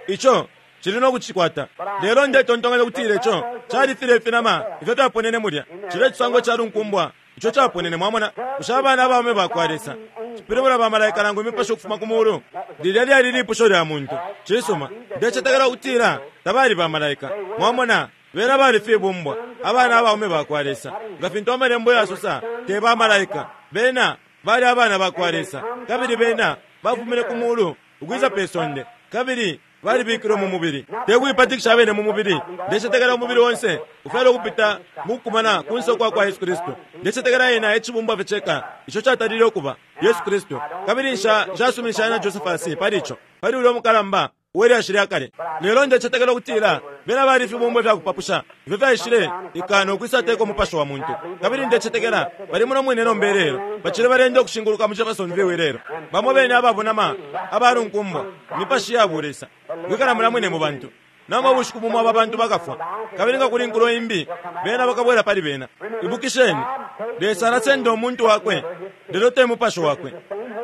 ico cili no kucikwata. Lelo ndetontonkanya kutila ico califile ifinama ifyo fyaponene mulya. Cile cisango ca lunkumbwa ico caponene. Mwamona? Bushe abana abaume bakwa Lesa cipilibula bamalaika nangu imipashi ukufuma ku mulu? Lilya lyali lipusho lya muntu. Cisuma, ndecetekela ukutila tabali bamalaika. Mwamona? Bena bali fibumbwa, abana abaume bakwa Lesa. Nga fintu amalembo yasosa, te bamalaika. Bena bali abana bakwa Lesa, kabili bena bafumine ku mulu ukwisa pe sonde, kabili balibikilwe mu mubili. Te kuipatikisha abene mu mubili. Ndecetekela umubili onse ufyala ukupita mu kukumana kunse kwa kwa Yesu Kristu. Ndecetekela ena ecibumbwa fye ceka ico catalile ukuba Yesu Kristu. Kabili nsha nshasuminisha na Josephus pali ico, pali ulya mukalamba uwelyashi lya kale. Lelo ndecetekela ukutila bena bali ifibumbwa fya kupapusha ifyo fyaishile ikana ukwisateka umupashi wa muntu. Kabili ndecetekela bali muno mwine nomba ilelo, bacili balenda ukushinguluka mu Jeffersonville ilelo, bamo bene ababunama abalunkumbwa imipashi ya bulesa kwikala mula mwine mu bantu. Nomba ubushiku bumo aba bantu bakafwa, kabili nga kuli nkulo imbi bena bakabwela pali bena. Ibukisheni, Lesa alasenda umuntu wakwe, lelo te mupashi wakwe.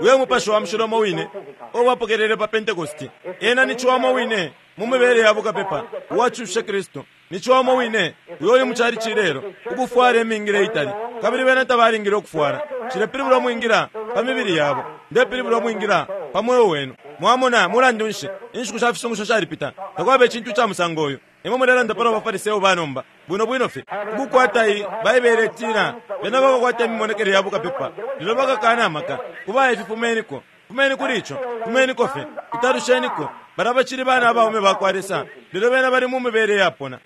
Uyo mupashi wa mushilo umo wine uo bapokelele pa Pentekosti. Ena ni ciwa umo wine mu mibele ya bukapepa uwacushe Kristu. Ni ciwa wine uyo uli mucali cilelo ukufwala imingila itali, kabili bena tabalingile ukufwala. Cilepilibula mwingila pa mibili yabo, ndepilibula mwingila pa mweo wenu. Mwamona, mulandu nshi inshiku sha fisungusho shalipita, takwaba icintu ca musango uyu. Imwe mulelanda pano Abafariseo banomba bwino bwino fye ukukwata iyi Baibele itila bena bakakwata imimonekele ya bukapepa, lelo bakakana amaka. Kuba ifi, fumeniko, fumeni kuli ico, fumeniko fye, italusheniko. Bala bacili bana abaume bakwa Lesa, lelo bena bali mu mibele yapona.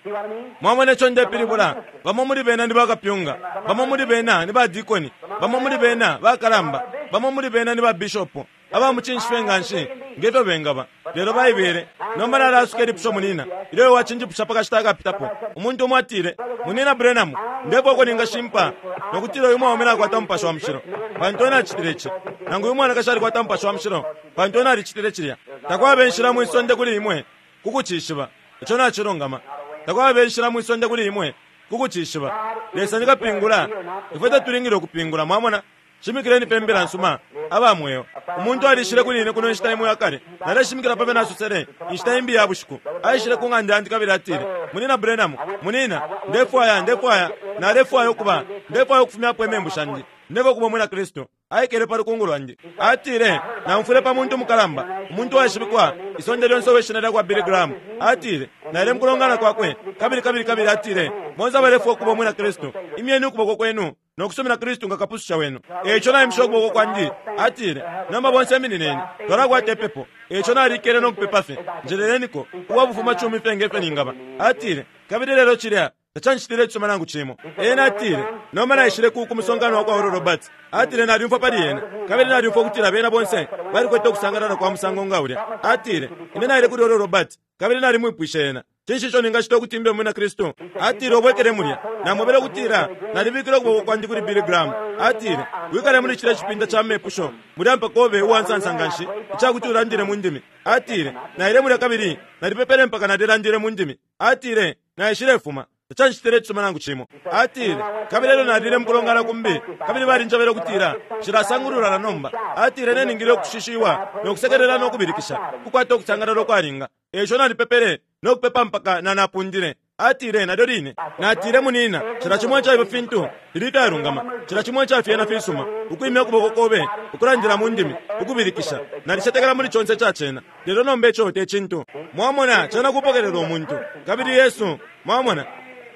Mwamona ico ndepilibula? Bamo muli bena ni bakapyunga, bamo muli bena ni badikoni, bamo muli bena bakalamba, bamo muli bena ni babishopo aba mucinshi fye nganshi ngefyo bengaba, lelo Baibele. Nomba nalasuka ilipusho munina ilyo wachinjipusha pakashita akapitapo. Umuntu umwe atile, Munina Branham, ndefwa ningashimpa nokutila uyu mwaume nakwata Mupashi wa Mushilo pantu ena acitile ici, nangu uyu mwanakashi alikwata Mupashi wa Mushilo pantu ena alicitile cilya. Takwaba inshila mwisonde kuli imwe kukucishiba ico nacilungama. Takwaba inshila mwisonde kuli imwe kukucishiba. Lesa ni kapingula, ifwe tatulingile ukupingula. Mwamona, shimikileni pe mbila nsuma aba mweo. Umuntu alishile kuli ine kuno inshita imo yakale, naleshimikila pabe nasosele inshita imbi ya bushiku. Aishile ku ng'anda yandi kabili atile, Munina Branham, munina, ndefwaya ndefwaya nalefwaya ukuba ndefwaya ukufumyapo imembu shandi, ndefwaya ukuba umwina Kristu. Aikele pa lukungu lwandi. Atile, namfwile pa muntu mukalamba, umuntu waishibikwa isonde lyonse weshina lyakwa Billy Graham. Atile, naile mukulongana kwakwe kabili kabili kabili atile, bonse abalefwaya ukuba umwina Kristu, imyeni ukuboko kwenu nokusumina Kristu nga kapususha wenu. Eco naimisha ukuboko kwandi. Atile, nomba bonse iminineni, twalakwata ipepo. Eco nalikele nokupepa fye, njeleleniko uwabufuma cumi fye ngefe ningaba. Atile, kabili lelo cilya tacanshitile icisuma nangu cimo. Ena atile, nomba naishile ku kumusongano wakwa Oral Roberts. Atile, nalyumfwa pali ena, kabili nalyumfwa ukutila bena bonse balikwete ukusangalala kwa musango nga ulya. Atile, ine naile kuli Oral Roberts, kabili nalimwipwishe ena, cinshi ico ningacita ukuti mbe umwina Kristu? Atile, ubwekele mulya. Namwebele ukutila nalibikile ukuboko kwandi kuli Billy Graham. Atile, wikale muli cilya cipinda ca mepusho mulya mpaka ube uwansansa nganshi icakuti ulandile mu ndimi. Atile, naile mulya kabili nalipepele mpaka nalilandile mu ndimi. Atile, naishilefuma tacanshitile icisuma nangu cimo. Atile, kabili elyo nalile mukulongana kumbi, kabili balinjebele ukutila nshilasangulula na nomba. Atile, neningile ukushishiwa nokusekelela nokubilikisha, kukwata ukusangalala ukwalinga. Eco nalipepele nokupepa mpaka nanapundile. Atile, nalyo line natile, munina, cila cimwe ca ifyo fintu fili ifyalungama, cila cimwe ca fyena fisuma, ukwimya ukuboko kobe, ukulandila mu ndimi, ukubilikisha, nalicetekela muli conse ca cena, lelo nomba ico te cintu. Mwamona, cena kupokelela umuntu kabili Yesu. Mwamona,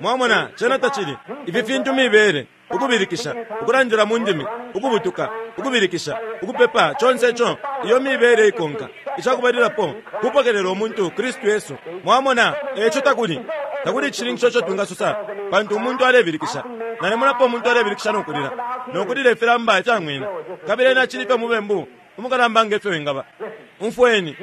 mwamona, cena tacili ifi fintu mibele, ukubilikisha, ukulandila mu ndimi, ukubutuka, ukubilikisha, ukupepa, conse ico iyo mibele ikonka. Icakubalilapo kupokelela umuntu Kristu Yesu. Mwamona, eco takuli takuli icishininkisho ico twingasosa pantu umuntu alebilikisha. Nalemonapo umuntu alebilikisha nokulila nokulila ifilamba ifyang'wina, kabili ena acili fye mubembu umukalamba ngefyo wingaba. Umfweni,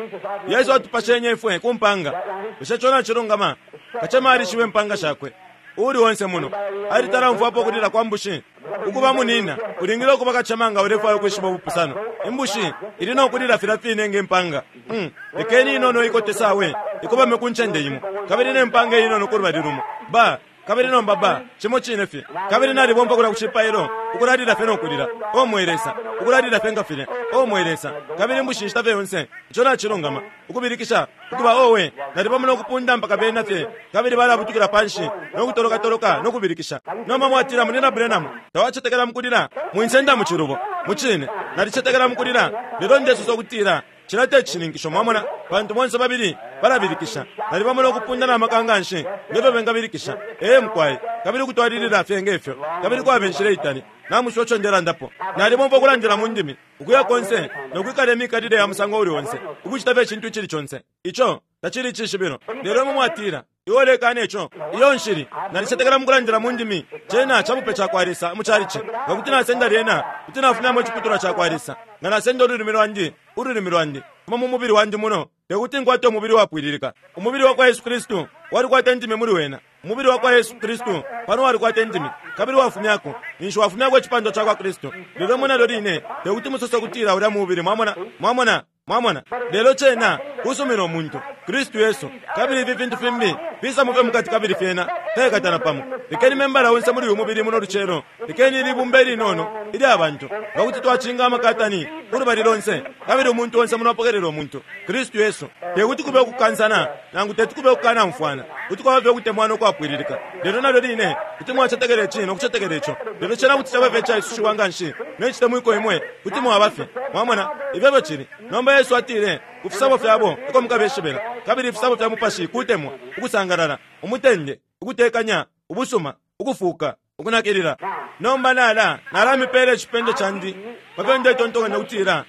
Yesu atupashenye ifwe ku mpanga. Bushe ico nacilungama? Kacema alishiwe impanga shakwe. Uuli onse muno alitalamfwapo kulila kwa mbushi. Ukuba munina, ulingile ukuba kacema nga ulefwaya ukwishiba ubupusano. Imbushi ili nokulila filya fine nge mpanga. Mm. Lekeni inono ikote sawe ikobame ku ncende imo, kabili ne mpanga inono ku lubali lumo ba kabili nomba ba cimo cine fye. Kabili nalibomba kulya ku cipailo ukulalila fye nokulila, o mwe Lesa, ukulalila fye nga filya, o mwe Lesa, kabili imbushi inshita fye yonse. Ico nacilungama, ukubilikisha ukuba owe, nalipamo nokupunda mpaka bena fye, kabili balabutukila panshi nokutolokatoloka nokubilikisha. Nomba mwatila, Munina Branham, tawacetekela mukulila? Mwinsenda mu cilubo. Mucine nalicetekela mukulila, lelo ndesosa ukutila cila te cishininkisho. Mwamona, pantu bonse babili balabilikisha, nalibamo nokupunda na maka nganshi ngefyo bengabilikisha. Ee mukwai, kabili ukutwalilila fye ngefyo, kabili kwaba inshila itali. Namushiwa ico ndelandapo. Nalibomba ukulandila mu ndimi ukuya konse nokwikala imikalile ya musango uli onse, ukucita fye icintu icili conse. Ico tacili icishibilo. Lelo imwe mwatila, iwe ulekana ico. Iyo nshili nalicetekela mukulandila mu ndimi, cena cabupe cakwa Lesa mu calici. Nga kuti nasenda lyena, kuti nafumyamo iciputulwa cakwa Lesa. Nga nasenda ululimi lwandi, ululimi lwandi kuma mu mubili wandi muno, tekuti nkwate umubili wapwililika. Umubili wakwa Yesu Kristu walikwata indimi muli wena. Umubili wakwa Yesu Kristu pano walikwata indimi, kabili wafumyako ninshi wafumyako icipandwa cakwa Kristu. Lelo mwe nalyo line tekuti musose ukutila ulya mubili. Mwamona, mwamona, mwamona. Lelo cena kusumina umuntu Kristu Yesu, kabili ifi fintu fimbi fisamufe mukati kabili fyena Kaikatana pamo. Lekeni membala onse muli uyu mubili muno lucelo. Lekeni ilibumba ilinono ilya bantu nga kuti twacinga amakatani ulubali lonse, kabili umuntu onse muno apokelela umuntu Kristu Yesu. Tekuti kube ukukansana nangu teti kube ukukanamfwana, kuti kwaba fye ukutemwana ukwapwililika. Lelo nalyo line kuti mwacetekela ici nokucetekela ico, lelo cena kuti caba fye icaisushiwa nganshi nencitemwiko imwe kuti mwaba fye. Mwamona ifyo cili. Nomba Yesu atile ku fisabo fyabo eko mukabeshibela, kabili ifisabo fya mupashi kutemwa, ukusangalala, umutende, ukutekanya, ubusuma, ukufuka, ukunakilila. Nomba nala nalamipela icipendo candi pafyo ndetontonkanya ukutila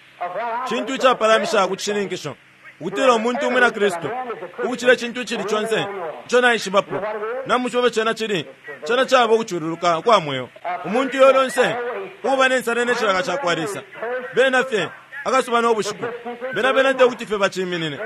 cintu icapalamisha ku cishininkisho ukutila umuntu umwina Kristu ukucila icintu icili conse ico naishibapo. Namushiba cena cili cena caba ukucululuka kwa mweo. Umuntu uyo lonse ukuba nensala necilaka cakwa Lesa, bena fye akasuba nobushiku, bena bena tekuti fye baciminine,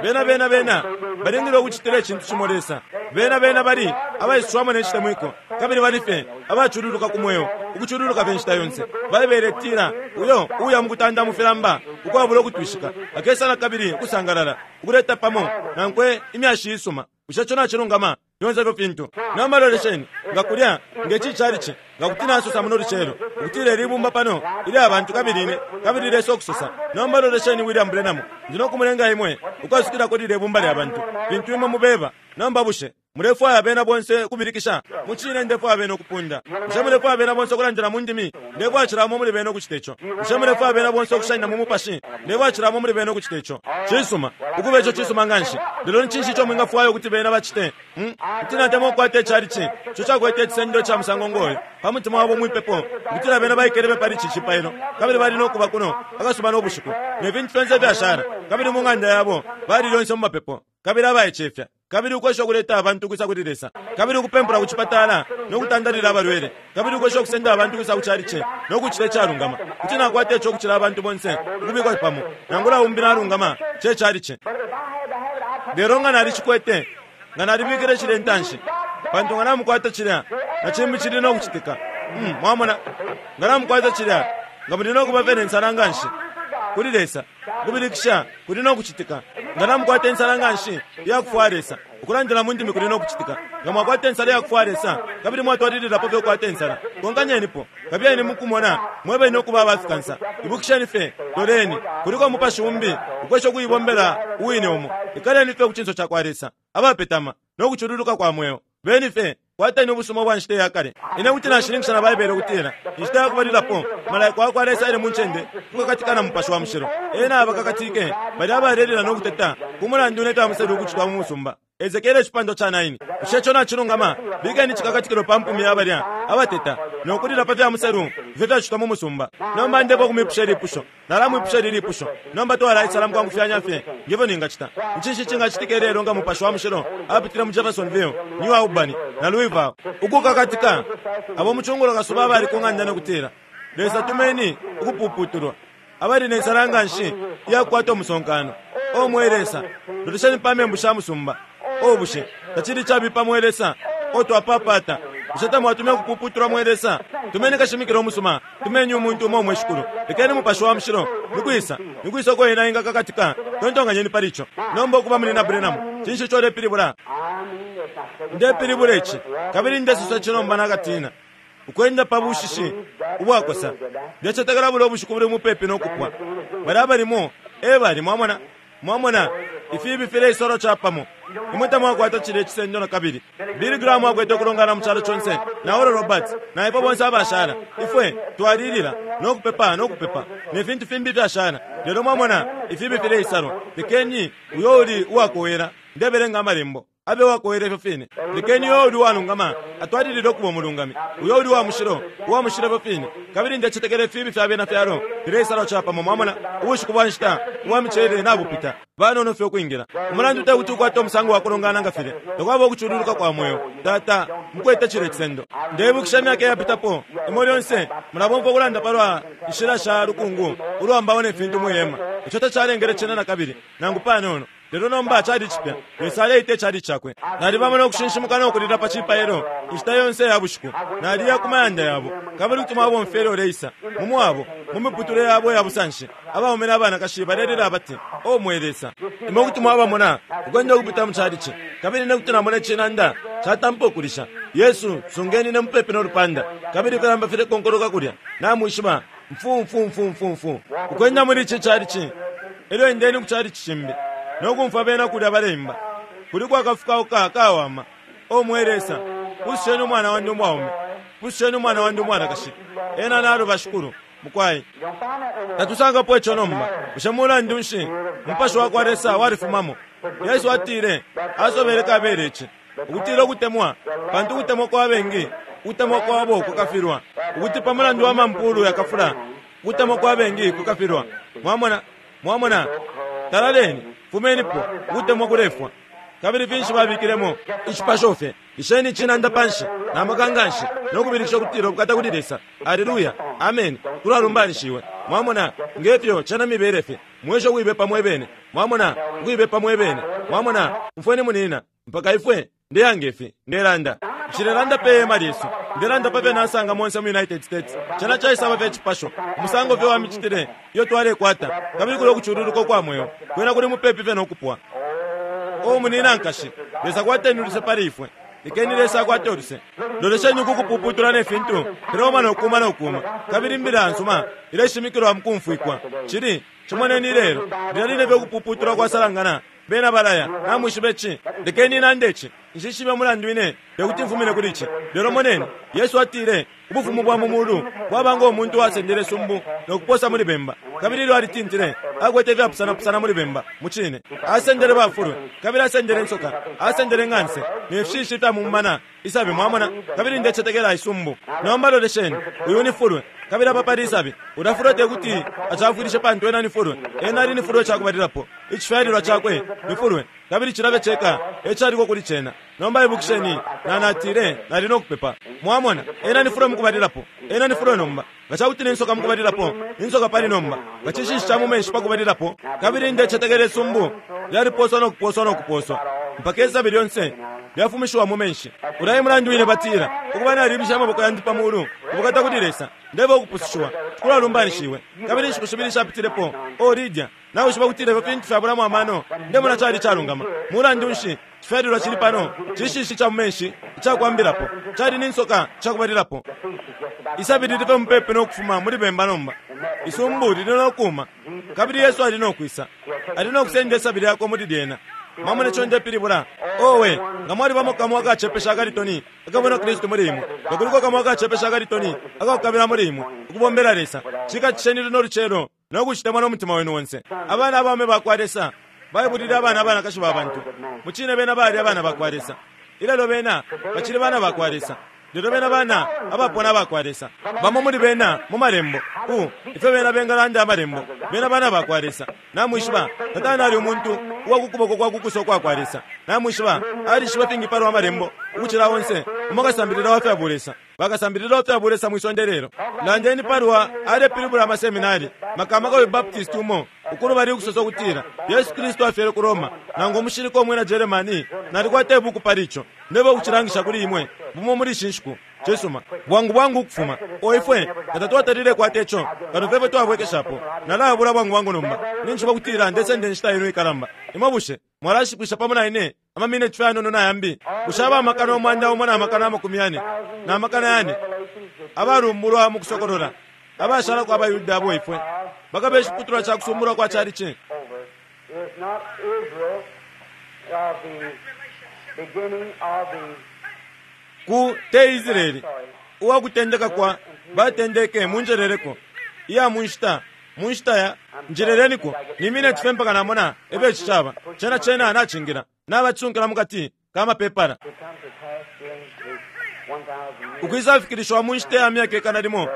bena bena bena balingile ukucitila icintu cimo Lesa. Bena bena bali abaiswamo necitemwiko, kabili bali fye abacululuka ku mweo, ukucululuka fye nshita yonse. Baibele itila uyo uya mukutanda mu filamba ukwabula ukutwishika akesa na kabili ukusangalala, ukuleta pamo nankwe imyashi isuma. Bushe ico nacilungama? Fyonse ifyo fintu. Nomba lolesheni nga kulya ngeci calici nga kuti nasosa muno lucelo ukutila ilibumba pano ilya abantu kabili ine kabili Lesa okusosa. Nomba lolesheni William Branham, ndi nokumulenga imwe ukwasukilako lilya ibumba lya bantu fintu imwe mubeba. Nomba bushe mulefwaya bena bonse ukubilikisha? Mucine ndefwaya bena ukupunda. Bushe mulefwaya bena bonse ukulandila mu ndimi? Ndefwaya cilamo muli bena ukucita ico. Bushe mulefwaya bena bonse ukushanina mu mupashi? Ndefwaya cilamo muli bena ukucita ico. Cisuma, ukuba ico cisuma nganshi. Lelo ni cinshi ico mwingafwaya ukuti bena bacite? Hmm? Kuti natemwa ukukwata icalici ico cakwete icisendo ica musango ngoyo pa mutima wabo mwipepo, ukutila bena baikelebe pali ici cipailo, kabili bali nokuba kuno akasuba nobushiku ne fintu fyonse ifyashala, kabili mu ng'anda yabo bali lyonse mu mapepo, kabili abaicefya, kabili ukwesha ukuleta abantu ukwisa kuli Lesa, kabili ukupempula ku cipatala nokutandalila abalwele, kabili ukwesha ukusenda abantu ukwisa ku calici nokucita icalungama. Kuti nakwata ico ukucila abantu bonse ukubikwa pamo, nangula umbi nalungama ce calici. Lelo nga nalicikwete, nga nalibikile cile intanshi, pantu nga namukwata cilya na cimbi cili nokucitika. Mm, mwamona, nga namukwata cilya, nga muli nokuba fye nensala nganshi kuli Lesa, ukubilikisha kuli nokucitika. Nga namukwata insala nganshi iyakufwaya Lesa, ukulandila mu ndimi kuli nokucitika. Nga mwakwata insala iyakufwaya Lesa, kabili mwatwalililapo fye ukukwata insala, konkanyenipo, kabiyeni mukumona mwebeni ukuba abafikansa. Ibukisheni fye, loleni, kuliko umupashi umbi ukwesha ukuibombela uwine umo. Ikaleni fye ku cinso cakwa Lesa, abapetama nokucululuka kwa mweo. Beni fye kwateni ubusuma bwa nshita yakale. Ine kuti nashininkisha na Baibele ukutila inshita yakubalilapo malaika wakwa Lesa aile mu ncende kukakatika na mupashi wa mushilo. Ena abakakatike bali abalelila nokuteta ku mulandu ne fyamuselu ukucitwa mu musumba. Ezekiele icipandwa ca nine. Bushe ico nacilungama? Bikeni icikakatikilo pa mpumi ya balya abateta nokulila pa fyamuselu ifyo fyacitwa mu musumba. Nomba ndefwaya ukumwipusha ilipusho. Nalamwipusha ili lipusho. Nomba twalaisala mukwangufyanya fye ngefyo ningacita. Ncinshi cingacitika ilelo nga mupashi wa mushilo apitile mu Jeffersonville, New Albany na Louisville ukukakatika abo mucungulo kasuba abali ku ng'anda nokutila Lesa tumeni ukupuputulwa, abali nensala nganshi iyakukwata umusonkano. O mwe Lesa, lolesheni pa membu sha musumba. O bushe tacili cabipa mwe Lesa? O twapapata, bushe tamwatumye ukupuputulwa mwe Lesa? Tumeni kashimikila umusuma, tumeni umuntu umo mwe shikulu. Lekeni mupashi wa mushilo nikwisa nikwisa uko ena ingakakatika. Tontonkanyeni pali ico. Nomba ukuba muli na Branham, cinshi ico ulepilibula? Ndepilibula ici, kabili ndesosa ici nomba nakatina ukwenda pa bushishi ubwakosa. Ndecetekela bula ubushiku buli mupepi nokupwa. Bali abalimo ebali, mwamona, mwamona ifibi fileisolo capamo. Imwe tamwakwata cilya icisendo na kabili. Billy Graham akwete ukulongana mu calo conse na Oral Roberts na ifwe bonse abashala. Ifwe twalilila nokupepa nokupepa ne fintu fimbi fyashala. Lelo mwamona ifibi fileisalwa. Lekeni uyo uli uwakowela, ndebelenga amalembo, abe uwakowela ifyo fine. Lekeni uyo uli uwalungama atwalilile ukuba umulungami, uyo uli uwa mushilo uwa mushilo ifyo fine. Kabili ndecetekela ifibi fya bena fyalo fileisalwa capamo. Mwamona ubushiku bwa nshita ubwa micelele nabupita, banono fye ukwingila. Umulandu tekuti ukwate umusango wa kulongana nga filya, takwaba ukucululuka kwa mweo. Tata mukwete cilya icisendo. Ndebukisha imyaka iyapitapo, imwe lyonse mulabomfwa ukulanda palwa nshila sha lukungu ulwambawo ne fintu mwihema. Ico tacalengele cena na kabili nangu panono. Lelo nomba cali cipya, Lesa aleita icali cakwe. Nalibamo nokushinshimuka nokulila pa cipailo inshita yonse ya bushiku. Naliya ku mayanda yabo, kabili kuti mwabomfya ilyo uleisa mu mwabo, mu miputule yabo ya busanshi. Abaume n'abanakashi balelila abati, O mwe Lesa! Imwe kuti mwabamona ukwenda ukupita mu calici, kabili ine kuti namona icinanda Catampa ukulisha. Yesu, sungeni ne mupepi no lupanda. Kabili kalamba file konkoloka kulya. Namwishiba. Mfu mfu mfu mfu mfu. Ukwenda muri ichi chalichi. Elyo endeni ku chalichi chimbi. Nokumfa bena kulya baleimba. Kuli kwakafukauka kawama. O mweresa. Pususheni umwana wandi umwaume. Pususheni umwana wandi umwanakashi. Ena naluba shikulu. Mukwai. Tatusangapo icho nomba. Bushe mulandu nshi? Umupashi wa kwa Lesa walifumamo. Yesu atile, asobele kabele ichi. Ukutila ukutemwa, pantu ukutemwa kwa bengi, ukutemwa kwabo kukafilwa. Ukuti pa mulandu wa mampulu yakafula, ukutemwa kwa bengi kukafilwa. Mwamona, mwamona, talaleni, fumenipo, ukutemwa kulefwa. Kabili finshi babikilemo icipasho fye. Isheni chinanda panshi, na makanganshi, nokubilikisha ukutila ubukata kuli Lesa. Haleluya, amen. Tulalumbanishiwe. Mwamona, ngefyo chana mibele fye. Mwesho kuibepa mwebene. Mwamona, kuibepa mwebene. Mwamona, mfweni munina, mpaka ifwe ndeyangefe, ndelanda. Nshilelanda pe hema lyesu. Ndelanda pape nasanga monse mu United States. Chana chaisaba fye chipasho. Umusango fye wa michitile iyo twalekwata. Kabili kuli okuchululuka kwa moyo. Kwena kuli mupepi fye nokupwa. O munina nkashi, Lesa kwateni uluse pali ifwe. Lekeni Lesa akwate uluse. Lolesheni ukukupuputula ne fintu, filoma nokuma nokuma. Kabili imbila nsuma, ileshimikilwa mukumfwikwa. Chili, chimoneni lelo, lila fye ukupuputula kwasalangana. Bena balaya, namwishibe chi. Lekeni nande chi. Nshishibe mulandu ine, tekuti mfumine kuli chi. Lelo moneni, Yesu atile, ubufumu bwa mumulu, bwaba ngo muntu wasendele sumbu, nokuposa muli bemba. Kabili ilyo alitintile, akwete ifyapusana-pusana muli bemba, muchine. Asendele bafulwe, kabili asendele nsoka, asendele ng'anse, nefishishi fya mumana, isabi mwamona, kabili ndecetekela isumbu. Nomba lolesheni, uyu ni fulwe, kabili apa pali isabi. Ulafulwe tekuti achafuilishe pantu ena ni fulwe. Ena ali ni fulwe chakubalilapo. Icifyalilwa chakwe ni fulwe, kabili chilabe cheka, echaliko kuli chena. Nomba ibukisheni, nanatile, nali nokupepa. Mwamona, ena ni fulwe mukubalilapo. Ena ni fulwe nomba. Ngachakuti ni nsoka mukubalilapo, insoka pali nomba. Ngachishishi cha mumenshi pakubalilapo. Kabili ndecetekela isumbu, lyaliposwa nokuposwa nokuposwa. Mpaka isabi lyonse lyafumishiwa mu menshi. Ulayi mulandu ine batila, ukuba nalibisha amaboko yandi pa mulu, ubukata kuli Lesa, ndeba ukupusushiwa, kulalumbanishiwe. Kabili inshiku shibili shapitilepo, o Lydia, nawishiba kutila ifyo fintu fyabulamo amano, ndemona chali chalungama. Mulandu nshi, chifyalilwa chili pano, chishishi cha mumenshi, ichakwambilapo, chali ni nsoka chakubalilapo. Isabi lili fye mupepi nokufuma muli bemba nomba. Isumbu lili nokuma. Kabili Yesu ali nokwisa. Ali nokusenda isabi lyakwe muli lyena. Mwamone ico ndepilibula. Owe, nga mwalibamo kamwe akachepesha akalitoni, akabona Kristu muli imwe. Nga kuliko kamwe akachepesha akalitoni, akakukabila muli imwe, ukubombela Lesa. Chikatisheni luno lucelo, nokuchitemwa n'omutima wenu wonse. Abana abaume bakwa Lesa, baibulile abana abanakashi ba bantu. Muchine bena bali abana bakwa Lesa. Ilelo bena, bachili bana bakwa Lesa. Lelo bena bana, abapona bakwa Lesa. Bamo muli bena, mu malembo. U, ife bena bengalanda amalembo. Bena bana bakwa Lesa. Namwishiba, Satani ali umuntu, uwakukuboko kwa kukuso kwa kwa Lesa. Namwishiba, alishiba fingi palo amalembo, ukuchila onse, umakasambilila wa fya bulesa. Bakasambilila wa fya bulesa mwisonde lelo. Landeni palwa alepilibula amaseminari, makamaka we Baptist umo, ukulu bali ukusosa ukutila, Yesu Kristu afyele ku Roma, nangu umushilika omwina Germany, nalikwata ibuku pali ico. Ndeba ukuchilangisha kuli imwe, bumo muli shinshiku. Chisuma, bwangu bwangu ukufuma. O ifwe, katatwatalile kwate ico, kano fefwe twabwekeshapo. Nalabula bwangu bwangu nomba. Ninjiba kutila ndesende nshita inu ikalamba. Imwe bushe, mwalashipwisha pamo na ine, amamineti fye anono na yambi. Bushe aba amakana umwanda umo na amakana amakumi yane, na amakana yane, abalumbulwa mu kusokolola, abashalako abayuda abo ifwe, bakabe iciputulwa ca kusumbulwa kwa chalichi. Ku te Israeli, uwakutendeka kwa batendeke munjeleleko, iya munshita, munshita ya njeleleniko, ni mineti fye mpaka namona ebe chichaba, chena chena nachingira, nabatsunkila mukati kama pepala. Ukwisafikirishwa munshita ya myaka ikana limo,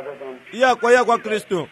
iya kwa iya kwa Kristu,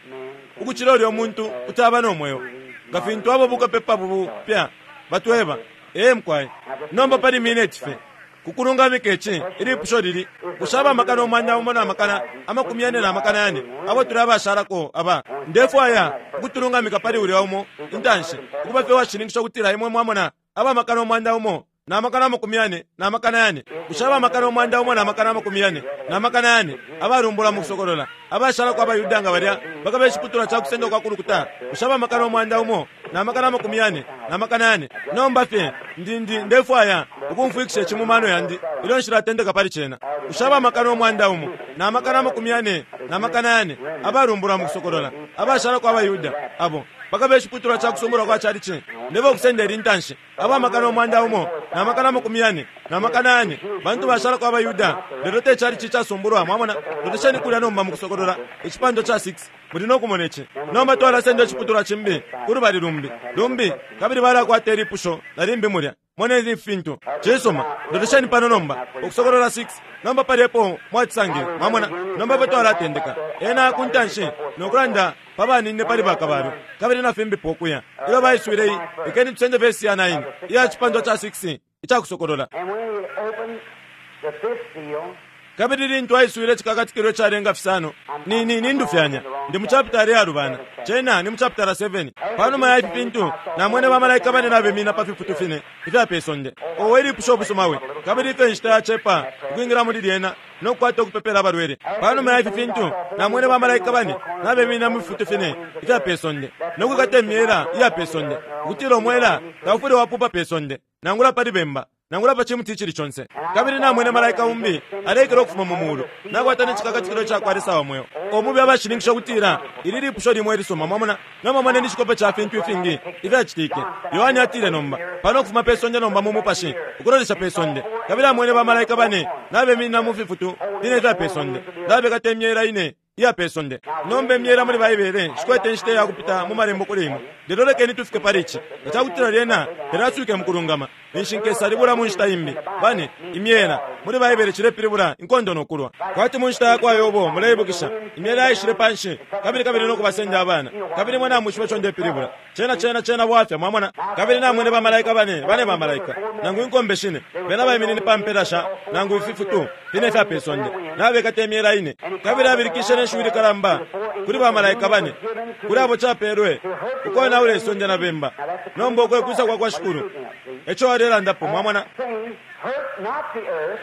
ukuchila ulyo muntu utaba nomweyo. Nga fintu abo bukapepa bupya batweba, ee mkwai, nomba pali mineti fye. Kukulungamika ichi, ilipusho lili, kushaba amakana umwanda umo na amakana, amakumi yane na amakana yane, abo tuli abashalako aba. Ndefwaya ukutulungamika pali ulya umo, intanshi, ukuba fye washininkisha ukutila imwe mwamona, aba amakana umwanda umo, na makana amakumi yane na makana yane. Kushaba amakana umwanda umo na makana amakumi yane na makana yane abalumbula mu kusokolola abashalako abayuda nga balya bakabe iciputulwa ca kusenda kwa kulukuta. Kushaba amakana umwanda umo na makana amakumi yane na makana yane. Nomba fye ndi ndi ndefwaya ukumfwikisha ici mu mano yandi ilyo nshilatendeka pali cena. Kushaba amakana umwanda umo na makana amakumi yane na makana yane abalumbula mu kusokolola abashalako abayuda abo bakabe iciputulwa ca kusumbulwa kwa chalichi ndebo kusenda ili ntanshi aba makana umwanda umo na makana amakumi yane na makana yane bantu bashalako abayuda lelo te chalichi casumbulwa. Mwamona, lolesheni kulya nomba mu kusokolola icipando ca six muli nokumona ici. Nomba twalasenda iciputulwa cimbi kulubali lumbi lumbi kabili balakwata ilipusho na limbi mulya. Moneni ifintu cisuma. Lolesheni pano nomba ukusokolola six. Nomba pali epo mwacisangile. Mwamona, nomba pa twalatendeka ena kuntanshi nokulanda pabanine pali bakabalwe kabili na fimbipo ukuya ilyo baiswile iyi. Ikeni tusende vesi ya nine iya cipandwa ca six icakusokolola. And when he opened the fifth seal, Kabili lintu aiswile cikakatikilo calenga fisano ni ni nindufyanya ndi mu chapitala yalubana cena ni mu chapitala seven. Panuma ya ifi fintu namwene bamalaika bane nabemina pa fifutu fine ifya pe sonde. Owe ilipusha obusumawe kabili ifyo inshita yacepa ukwingira muli lyena nokukwata ukupepela abalwele. Panuma ya ifi fintu namwene bamalaika bane nabemina mu fifutu fine ifya pe sonde nokwikata imyela iya pe sonde ukutila omwela taufwile wapupa pe sonde nangula pali bemba nangula pa chimuti chili chonse. Kabili namwene malaika umbi alekele ukufuma mu mulu nakwata n'icikakatikilo cakwa Lesa wa mweo. Omubi abashininkisha ukutila ili lipusho limwe ilisuma. Mwamona, nomba moneni icikope ca fintu ifingi ifyacitike. Yohane atile nomba pano ukufuma pe sonde nomba mu mupashi ukulolesha pe sonde kabili amwene bamalaika bane nabeminina mu fifutu fine ifya pe sonde nabekata imyela ine iya pe sonde. Nomba imyela muli Baibele shikwete inshita ya kupita mu malembo kuli imwe, lelo lekeni tufike pali ici nga cakutila lyena telaswike mu kulungama ninshi nkesalibula mu nshita imbi. Bane imyela muli Baibele cilepilibula inkondo nokulwa kwati mu nshita yakwa Yobo. Muleibukisha imyela yaishile panshi kabili kabili nokubasenda abana kabili mwe namwishiba ico ndepilibula. Cena cena cena bwafya. Mwamona, kabili namwene bamalaika bane bane bamalaika nangu inkombe shine bena baiminine pa mpela sha nangu ififutu fine ifya pe sonde nabekata imyela ine. Kabili abilikishe neshiwi likalamba kuli bamalaika bane kuli abo capelwe ukonaula isonde na bemba. Nomba ukwekusa kwa kwa Shikulu eco alelandapo. Mwamona, saying, Hurt not the earth,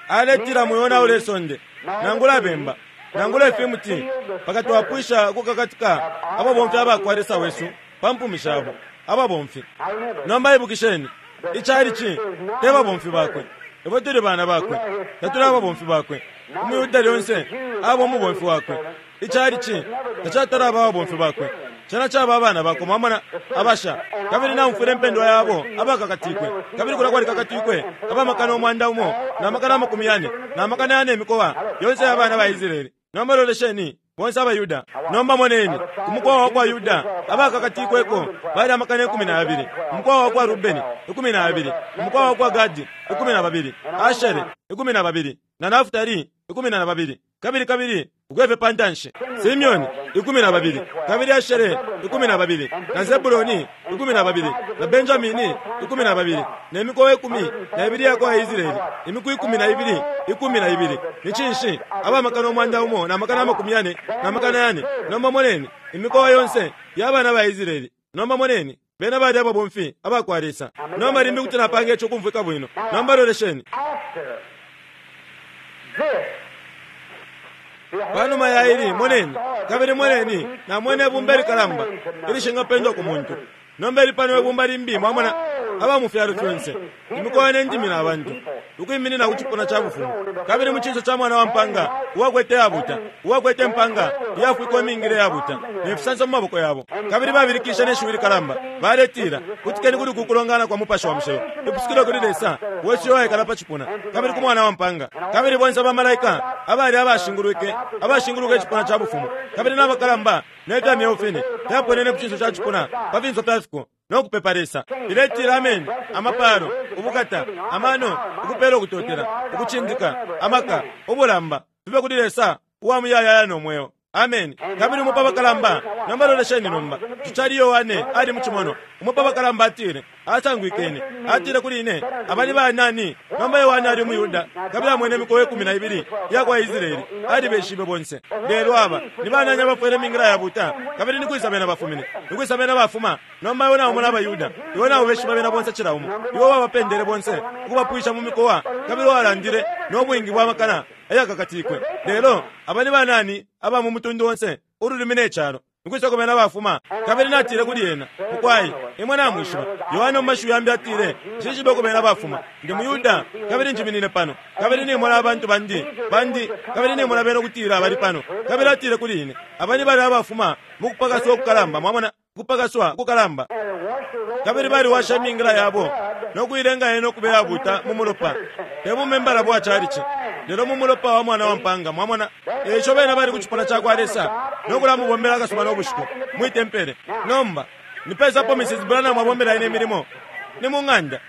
aletila mwiyonaula isonde nangula bemba nangula ifimuti paka twapwisha ukukakatika ababomfi abakwa Lesa wesu pa mpumi shabo ababomfi. Now remember, Nomba ibukisheni icalici te babomfi bakwe, ifwe tuli bana bakwe, tatuli ababomfi bakwe. Umuyuda lyonse aba umubomfi wakwe. Icalici tacatala aba ababomfi bakwe, cena caba abana bakwe. Mwamona, abasha. Kabili naumfwile impendwa yabo abakakatikwe kabili kula kwalikakatikwe abamakana umwanda umo na makana amakumi yane na makana yane imikowa yonse y'abana ba Israeli. Nomba lolesheni bonse abayuda. Nomba moneni ku mukowa wa kwa Yuda abakakatikweko bali amakana ikumi na abili, umukowa wa kwa Rubeni ikumi na abili, umukowa wa kwa Gadi ikumi na babili, Ashere ikumi na babili na Nafutali ikumi na babili kabili kabili ukwefe pantanshi Simeoni ikumi na babili kabili Ashere ikumi na babili na Zebuloni ikumi na babili na Benjamini ikumi na babili ne mikowa ikumi na ibili yakwa Israeli imiku ikumi na ibili ikumi na ibili ni cinshi abamakana umwanda umo na makana amakumi yane na makana yane. Nomba moneni imikowa yonse y'abana ba Israeli. Nomba moneni bena bali ababomfi abakwa Lesa. Nomba limbi kuti napanga ico kumvwika bwino. Nomba lolesheni. After this, behold, Panuma ya ili moneni kabili moneni namwene ibumba ilikalamba ilishingapendwa ku muntu. Nomba ili pano ibumba limbi. Mwamona, aba mu fyalo fyonse imikowa ne ndimi na bantu ukwiminina ku cipuna ca bufumu kabili mu cinso ca mwana wa mpanga uwakwete yabuta uwakwete impanga iyafwikwa imingile yabuta ne fisanso mu maboko yabo. Kabili babilikishe ne shiwi likalamba baletila, kutikeni kuli kukulongana kwa mupashi wa mushilo ipusukilo kuli Lesa wesu yowaikala pa cipuna kabili ku mwana wa mpanga. Kabili bonse bamalaika abali abashingulwike abashinguluka icipuna ca bufumu kabili n'abakalamba ne fya myeo fine fyaponene ku cinso ca cipuna pa finso fya fiko nokupepa Lesa iletila, ameni, amapalo, ubukata, amano, ukupela, ukutotela, ukucindika, amaka, ubulamba fibe kuli Lesa uwa muyayaya no mweo Ameni. Kabili umo pa bakalamba, nomba lolesheni nomba, tucali Yohane ali mucimonwa. Umo pa bakalamba atile, asangwikene, atile kuli ine, abali banani? Nomba Yohane ali umuyuda, kabili amwene imikowa ikumi na ibili iya kwa Israeli, alibeshibe bonse. Lelo aba ni banani abafwele imingila ya buta, kabili ni kwisa bena bafumine, ni kwisa bena bafuma? Nomba iwe naumona abayuda, iwe naubeshiba bena bonse cila umo, iwe wabapendele bonse ukubapwisha mu mikowa, kabili walandile no bwingi bwa makana ayakakatikwe. Lelo aba ni banani aba mu mutundu onse, ululimi ne calo, nikwisa kumena bafuma? Kabili natile kuli ena, mukwai, imwe namwishiba. Yohane mu mashiwi yambi atile, nshishibe kumena bafuma, ndi muyuda, kabili njiminine pano, kabili nimona abantu bandi bandi, kabili nimona bena ukutila bali pano. Kabili atile kuli ine, aba ni bali abafuma mu kupakaswa ukukalamba. Mwamona, kupakaswa kukalamba. Kabili baliwasha imingila yabo no kuilenga yena ukuba yabuta mu mulopa, te mu membala bwa chalichi, lelo mu mulopa wa mwana wa mpanga. Mwamona, eico bena bali ku cipuna ca kwa Lesa no kulamubombela akasuba no bushiku mwi tempele. Nomba nipesapo Missus Branham abombela ine milimo ni mu ng'anda.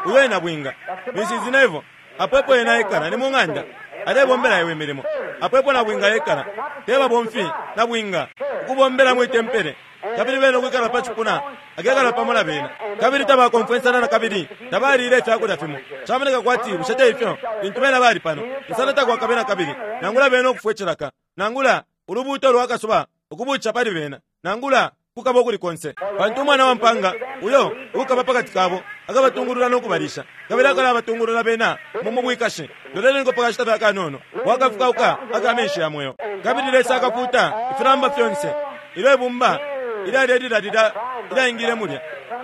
Uyo ena bwinga Missus Neville, apo epo ena ekala ni mu ng'anda, alebombela iwe milimo. Apo epo na bwinga ekala, te babomfi na bwinga, ukubombela mwi tempele. Kabili bena ukwikala pa cipuna, akekala pamo na bena. Kabili tabakomfwensana na kabili tabalile ifyakulya fimo. Camoneka kwati bushe te ifyo lintu bena bali pano, insana takwakabe na kabili, nangula bena ukufwa icilaka, nangula ulubuuto lwa kasuba ukubuca pali bena, nangula kukaba ukuli konse. Pantu umwana wa mpanga uyo ukaba pakati kabo akabatungulula no kubalisha, kabili akalabatungulula bena mu mubwikashi. Loleleniko pakashita fya kanono, wakafukauka aka menshi ya mweo. Kabili Lesa akafuta ifilamba fyonse ilyo ibumba ilyalelilalila ilyaingile mulya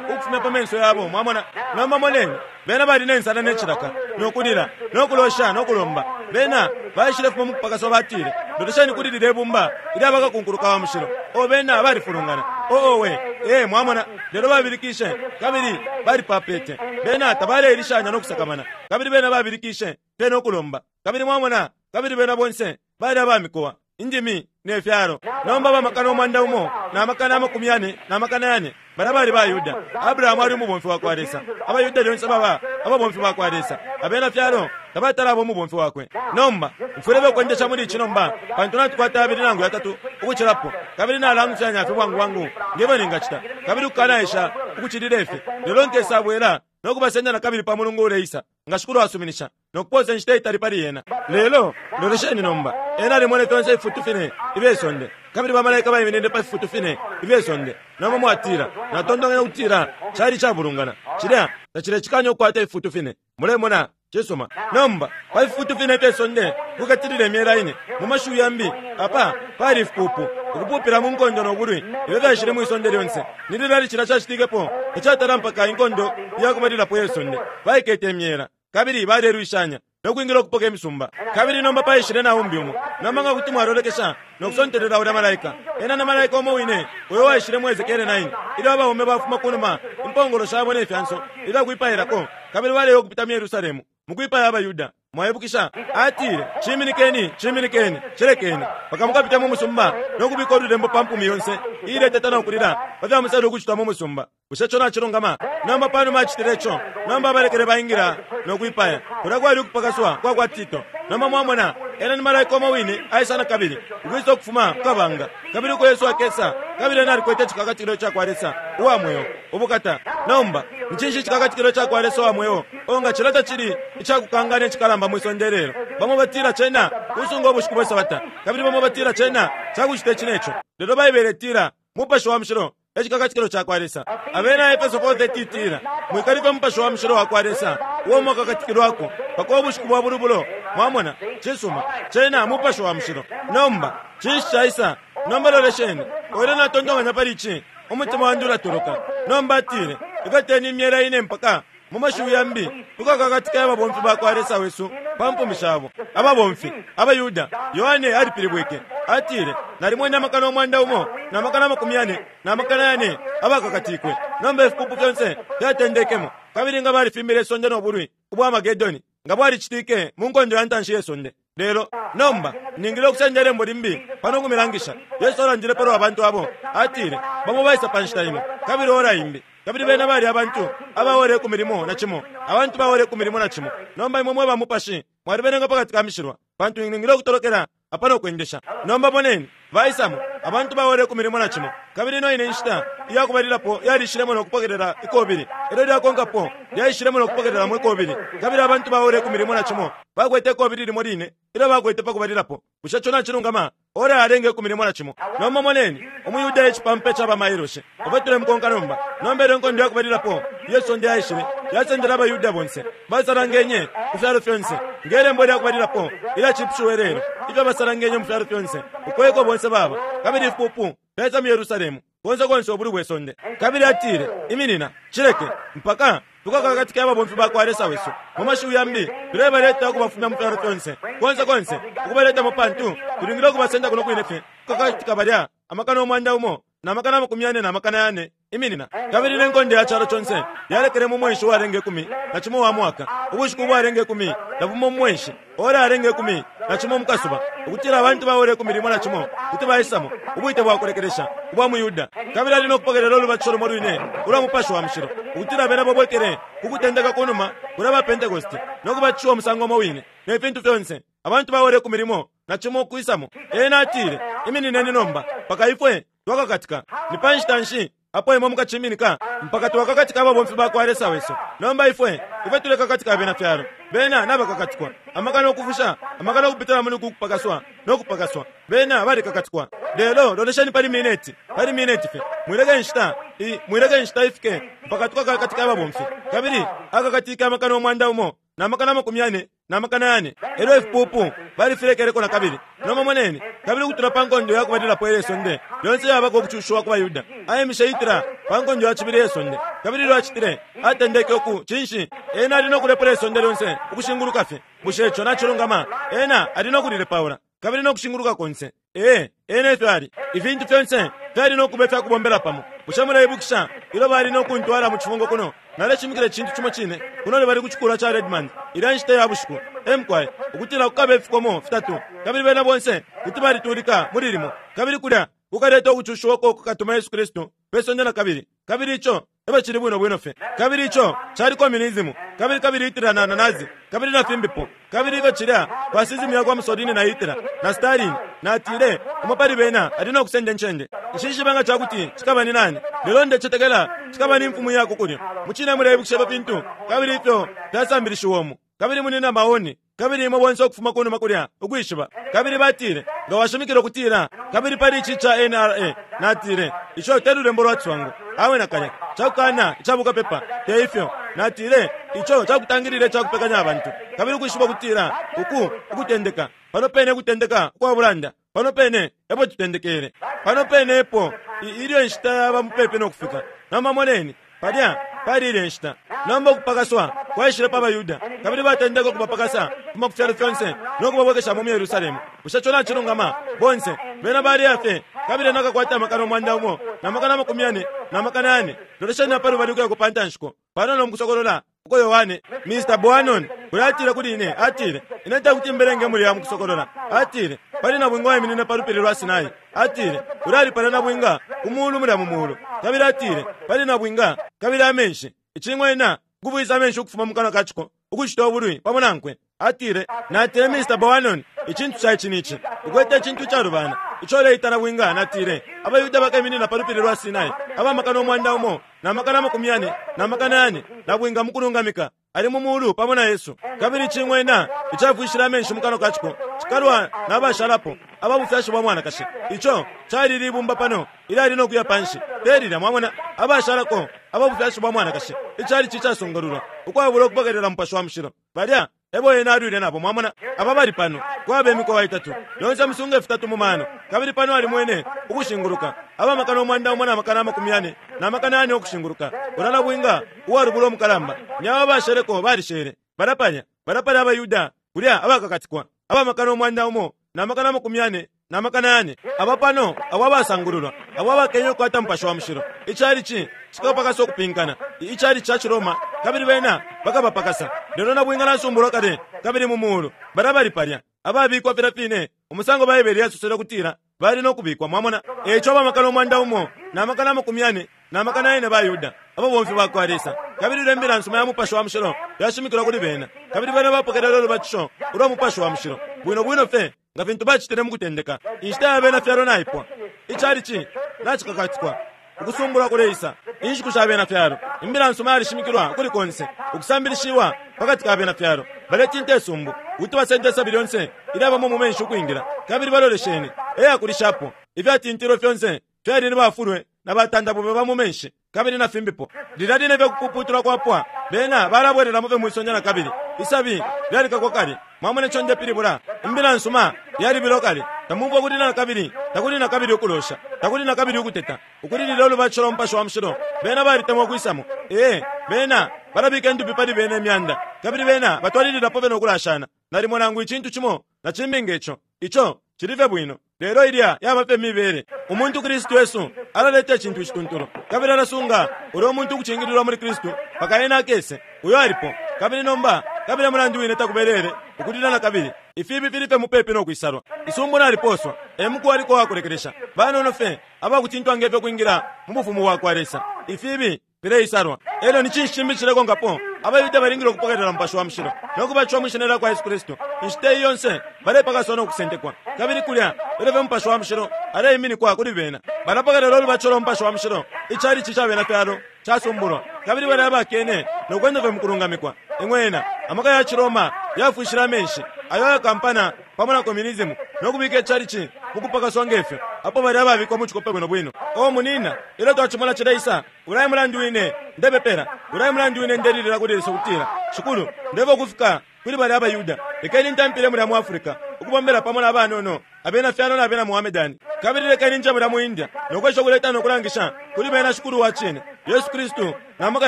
ukufumya pa menso yabo. Mwamona, nomba moneni, bena bali ne nsala ne cilaka, no kulila, no kulosha, no kulomba. Bena baishile fuma mu kupakaswa, batile, lolesheni kuli lile ibumba ilyabakakunkuluka wa mushilo. O bena balifulungana. O owe, ee, mwamona, lelo babilikishe kabili balipapete. Bena tabaleilishanya no kusakamana, kabili bena babilikishe pe no kulomba. Kabili mwamona, kabili bena bonse bali abamikowa, indimi ne fyalo. Nomba bamakana umwanda umo na makana amakumi yane na makana yane bana bali bayuda. Abrahamu ali umubomfi wa kwa Lesa. Abayuda lyonse baba ababomfi ba kwa Lesa. Abena fyalo tabatala abo umubomfi wakwe. Nomba mfwile bekwendesha muli ici nomba, pantu natukwata abili nangu yatatu ukucilapo, kabili nalangufyanya fye bwangu bwangu ngebo ningacita, kabili kukanaesha ukucilila ifi. Lelo nkesabwela no kubasenda na kabili pa mulungu uleisa, nga shikulu asuminisha, no kuposa inshita itali pali yena. Lelo lolesheni nomba, ena alimwene fyonse ififutu fine ifye sonde, kabili bamalaika baiminine pa fifutu fine ifye sonde. Nomba mwatila, natontonkanya ukutila cali cabulungana, cilya tacilecikanya ukukwata ififutu fine. Mulemona, cisuma. Nomba pa fifutu fine ifye sonde kukatilila imyela ine. Mu mashiwi yambi, apa pali ifipupu ukupupila mu nkondo no bulwi ifyo fyaishile mwi sonde lyonse. Ni lilali cilya cacitikepo? Tacatala mpaka inkondo iyakubalilapo ye sonde. Baikete imyela kabili balelwishanya no kwingila ukupoka imisumba. Kabili nomba paishile na umbi umo. Nomba nga kuti mwalolekesha no kusontelela ulya malaika, ena na malaika umo wine uyo waishile mu Ezekiele nine, ilyo abaume bafuma kunuma impongolo shabo ne fyanso ifyakwipailako, kabili baleya ukupita mu Yerusalemu mukwipaya abayuda. Mwaibukisha, atile, ciminikeni, ciminikeni, cilekeni paka mukapita mu musumba no kubika ululembo pa mpumi yonse iileteta no kulila pa fya musali ukucitwa mu musumba. Bushe co nacilungama? Nomba panuma acitile ico, nomba abalekele baingila no kwipaya. Kulya kwali ukupakaswa kwa kwa Tito. Nomba mwamona, ena ni malaika umo wine aisa na kabili ukwisa ukufuma ku kabanga, kabili uko Yesu akesa, kabili ena alikwete icikakatikilo ca kwa Lesa uwa mweo ubukata. Nomba ni cinshi icikakatikilo ca kwa Lesa uwa mweo? O nga cilya tacili icakukangana icikalamba mwi sonde lelo. Bamo batila cena kusunga ubushiku bwe Sabata, kabili bamo batila cena cakucita ici neco. Lelo Baibele itila Mupashi wa Mushilo ecikakatikilo ca kwa Lesa. Abena Efeso four thirty itila, mwikalipe Mupashi wa Mushilo wa kwa Lesa uo mwakakatikilwako paka ubushiku bwa bulubulo. Mwamona, cisuma, cena Mupashi wa Mushilo. Nomba cinshi caisa? Nomba lolesheni, oile natontonkanya pali ici, umutima wandi ulatoloka. Nomba atile, ikateni imyela ine mpaka mu mashiwi yambi tukakakatika ababomfi ba kwa Lesa wesu pa mpumi shabo. Ababomfi abayuda, Yohane alipilibwike atile, nalimwene amakana umwanda umo na makana amakumi yane na makana yane abakakatikwe. Nomba ifipupu fyonse fyatendekemo, kabili nga balifimbile isonde no bulwi ubwa Amagedoni nga bwalicitike mu nkondo ya ntanshi ye sonde. Lelo nomba ningile ukusenda ilembo limbi pano kumilangisha. Yesu alandile palwa abantu abo, atile, bamo baisa pa nshita imo kabili ora imbi, kabili bena bali abantu abaore ku milimo na cimo, abantu baore ku milimo na cimo. Nomba imwe mwe ba mupashi mwalibenenga pakati ka mishilwa, pantu ningile ukutolokela apano kwendesha. Nomba boneni, Baisamo abantu bawole ku milimo na cimo. Kabili ino ine nshita iyakubalilapo yalishilemo no kupokelela ikobili. Elyo lyakonkapo lyaishilemo no kupokelela mu ikobili. Kabili abantu bawole ku milimo na cimo bakwete ikobili limo line ilyo bakwete pa kubalilapo. Bushe ico nacilungama? Ora yalenga ikumi limo na cimo. Nomba moneni umuyuda icipampa ca bamailoshi. Ifwe tulemukonka nomba. Nomba ilyo inkondo yakubalilapo iye sonde yaishile, yasendele abaYuda bonse. Basalangenye ku fyalo fyonse. Nge lembo lyakubalilapo ilyacipushiwe lelo, ifyo basalangenye mu fyalo fyonse, uko eko bonse baba. Kabili ifipupu fyaisa mu Yerusalemu, konse konse ubulwi bwe sonde. Kabili atile, iminina, cileke, mpaka tukakakatike ababomfi ba kwa Lesa wesu. Mu mashiwi yambi, tulebaleta ukubafumya mu fyalo fyonse, konse konse, ukubaletamo pantu tulingile ukubasenda kuno kwine fye. Kukakatika balya amakana umwanda umo na makana amakumi yane na makana yane. Iminina. Kabili ne nkondo ya calo conse yalekele mu mwenshi uwalenga ikumi na cimo wa mwaka, ubushiku ubwalenga ikumi na bumo mu mwenshi, ora yalenga ikumi na cimo mu kasuba, ukutila abantu bawole ikumi limo na cimo kuti baisamo ubwite bwa kulekelesha ubwa mu Yuda. Kabili ali no kupokelela ulubatisho lumo lwine ulwa Mupashi wa Mushilo, ukutila bena babwekele ku kutendeka ku numa kulya ba Pentekoste no kubatishiwa umusango umo wine ne fintu fyonse. Abantu bawole ikumi limo na cimo kwisamo. Ena atile, iminineni nomba mpaka ifwe twakakatika. Ni pa nshita nshi apo imwe mukaciminika? Mpaka twakakatika ababomfi ba kwa Lesa wesu. Nomba ifwe ifwe tulekakatika abena fyalo. Bena nabakakatikwa amakana ukufusha, amakana ukupitila muli kupakaswa no kupakaswa. Bena balikakatikwa. Lelo lolesheni pali mineti, pali mineti fye. Mwileke nshita i mwileke nshita ifike mpaka tukakakatika ababomfi. Kabili akakatika amakana umwanda umo na makana amakumi yane na makana yane. Elyo ifipupu balifilekeleko na kabili. Nomba moneni, kabili ukutula pa nkondo yakubalilapo iye sonde yonse yabako ukucushiwa ku baYuda. Aimishe Hitler pa nkondo ya cibili iye sonde. Kabili ilyo acitile, atendeke uku cinshi? Ena ali no kulepula isonde lyonse ukushinguluka fye. Bushe ico nacilungama? Ena ali no kulilepaula kabili no kushinguluka konse. Ee, ena efyo ali. Ifintu fyonse fyali no kuba ifyakubombela pamo. Bushe muleibukisha ilyo bali no kuntwala mu cifungo kuno? Naleshimikila icintu cimo cine kuno lubali ku cikulwa ca Redmond ilya nshita ya bushiku. Emkwai, ukutila kukaba ifikomo fitatu, kabili bena bonse kuti balitulika muli limo. Kabili kulya kukaleta ukucushiwa uko kukatuma Yesu Kristu pe sonde na kabili. Kabili ico ebe cili bwino bwino fye. Kabili ico cali communism, kabili kabili Hitler na Nazi, kabili na fimbipo. Kabili ifyo cilya fascism ya kwa Mussolini na Hitler na Stalin. Natile umo pali bena ali no kusenda incende. Nshishibe nga cakuti cikaba ni nani, lelo ndecetekela cikaba ni mfumu ya ku kulyo. Mucine muleibukisha pa fintu kabili ifyo fyasambilishiwa umu. Kabili muli na maoni, kabili imwe bonse ukufuma kunuma kulya ukwishiba. Kabili batile nga washimikila ukutila, kabili pali ici ca N R A, natile ico te lulembo lwa ciswango. Awe nakalya cakukana icabukapepa, te ifyo. Natile ico cakutangilila icakupekanya abantu, kabili ukwishiba ukutila uku ukutendeka pano pene, kutendeka ukwa bulanda pano pene epo tutendekele, pano pene epo ilyo inshita yaba mupepi no kufika. Nomba moneni palya pali ile nshita. Nomba ukupakaswa kwaishile pa baYuda, kabili batendeka ukubapakasa kuma ku fyalo fyonse no kubabwekeshamo mu Yerusalemu. Bushe ico nacilungama? Bonse bena bali fye, kabili nakakwata amakana umwanda umo na makana amakumi yane na makana yane. Lolesheni apa lubali ukuya ku pantanshiko panono mukusokolola uko Yohane Mister Boanon uyo atile kuli ine, atile ine tekuti mbelenge mulya mukusokolola. Atile pali nabwinga waiminine pa lupili lwa Sinai. Atile ulali pala nabwinga ku mulu mulya mu mulu. Kabili atile pali nabwinga kabili amenshi icing'wena ukubwisa amenshi ukufuma mu kanwa ka ciko ukucita ubulwi pamo nankwe. Atile natile Mister Boanon icintu ca ici nici ukwete icintu icalubana ico uleita nabwinga. Natile abayuda bakaiminina pa lupili lwa Sinai abamakana umwanda umo na makana amakumi yane na makana yane nabwinga mukulungamika ali mu mulu pamo na Yesu. Kabili icing'wena icafwishila amenshi mu kanwa ka ciko cikalwa n'abashalapo ababufyashi bwa mwanakashi. Ico cali libumba pano ilyali no kuya panshi telilya, mwamona, abashalako ababufyashi bwa mwanakashi. Icali cicasungululwa ukwabula ukupokelela Mupashi wa Mushilo. Balya ebo ena alwile nabo, mwamona. Aba bali pano kwaba imikowa itatu yonse musunga fitatu mu mano. Kabili pano alimwene ukushinguluka abamakana umwanda umo na makana amakumi yane na makana yane ukushinguluka. Ulya nabwinga uwalubula umukalamba nyaba basheleko balishele balapanya balapala abayuda kulya abakakatikwa abamakana umwanda umo na makana amakumi yane na makana yane. Aba pano abo abasangululwa abo abakenya ukukwata Mupashi wa Mushilo. Icali ci cikapakasa ukupinkana icali ca Ciroma, kabili bena bakabapakasa. Lelo nabwinga nasumbulwa kale kabili mu mulu balabali palya ababikwa filya fine umusango Baibele yasosele ukutila bali no kubikwa, mwamona. Eco abamakana umwanda umo na makana amakumi yane na makana yane ba Yuda ababomfi ba kwa Lesa. Kabili ilyo imbila nsuma ya Mupashi wa Mushilo yashimikilwa kuli bena, kabili bena bapokelela ulubatisho ulwa Mupashi wa Mushilo bwino bwino fye nga fintu bacitile mukutendeka. Inshita ya bena fyalo naipwa, icalici nacikakatikwa, ukusumbulwa kuleisa, inshiku sha bena fyalo. Imbila nsuma yalishimikilwa kuli konse, ukusambilishiwa pakati ka bena fyalo. Baletinta isumbu ukuti basende isabi lyonse ilyabamo mu menshi ukwingila, kabili balolesheni eyakulishapo ifyatintilwe fyonse fyali ni bafulwe na batandabube ba mu menshi kabili na fimbipo. Lilya line fye kupuputulwa kwapwa, bena balabwelelamo fye mwisonde na kabili. Isabi lyalikakwa kale. Mwamona ico ndepilibula? Imbila nsuma yalibilwa kale. Tamumfwa kulila na kabili, takuli na kabili ukulosha, takuli na kabili ukuteta, ukulilila ulubatisho lwa Mupashi wa Mushilo. Bena balitemwa ukwisamo. Ee, bena balabika indupi pali bena imyanda, kabili bena batwalililapo fye no kulashana nalimo nangu icintu cimo na cimbi nge co. Ico cili fye bwino, lelo ilya yaba fye mibele. Umuntu Kristu Yesu alaleta icintu icituntulu, kabili alasunga ulya umuntu ukucingililwa muli Kristu mpaka ena akese. Uyo alipo. Kabili nomba, kabili mulandu wine takubelele ukulila na kabili. Ifibi fili fye mupepi no kwisalwa. Isumbu naliposwa, e muku waliko wakulekelesha. Banono fye abakutintwa ngefyo kwingila mu bufumu bwa kwa Lesa. Ifibi fileisalwa. Elyo ni cinshi cimbi cilekonkapo? AbaYuda balingile ukupokelela Mupashi wa Mushilo no kubatishiwa mwi shina lya kwa Yesu Kristu. Inshita iyi yonse balepakaswa no kusentekwa, kabili kulya elyo fye Mupashi wa Mushilo aleiminikwa kuli bena. Balapokelela ulubatisho lwa Mupashi wa Mushilo. Icalici ca bena fyalo casumbulwa, kabili balya abakene no kwenda fye mu kulungamikwa. Ing'wena, amaka ya ciRoma yafwishile amenshi ayo ayakampana pamo na communism no kubika icalici mu kupakaswa ngefyo, apo balya ababikwa mu cikope bwino bwino. O munina, ilyo twacimona cileisa, ulya e mulandu wine ndepepela, ulya e mulandu wine ndelilila kuli Lesa ukutila, Shikulu, ndefwaya ukufika kuli balya abaYuda. Lekeni ntampile mulya mu Africa, ukubombela pamo na banono abena fyalo na bena Mohammedani. Kabili lekeni nje mulya mu India no kwesha ukuleta no kulangisha kuli bena Shikulu wa cine, Yesu Kristu, na maka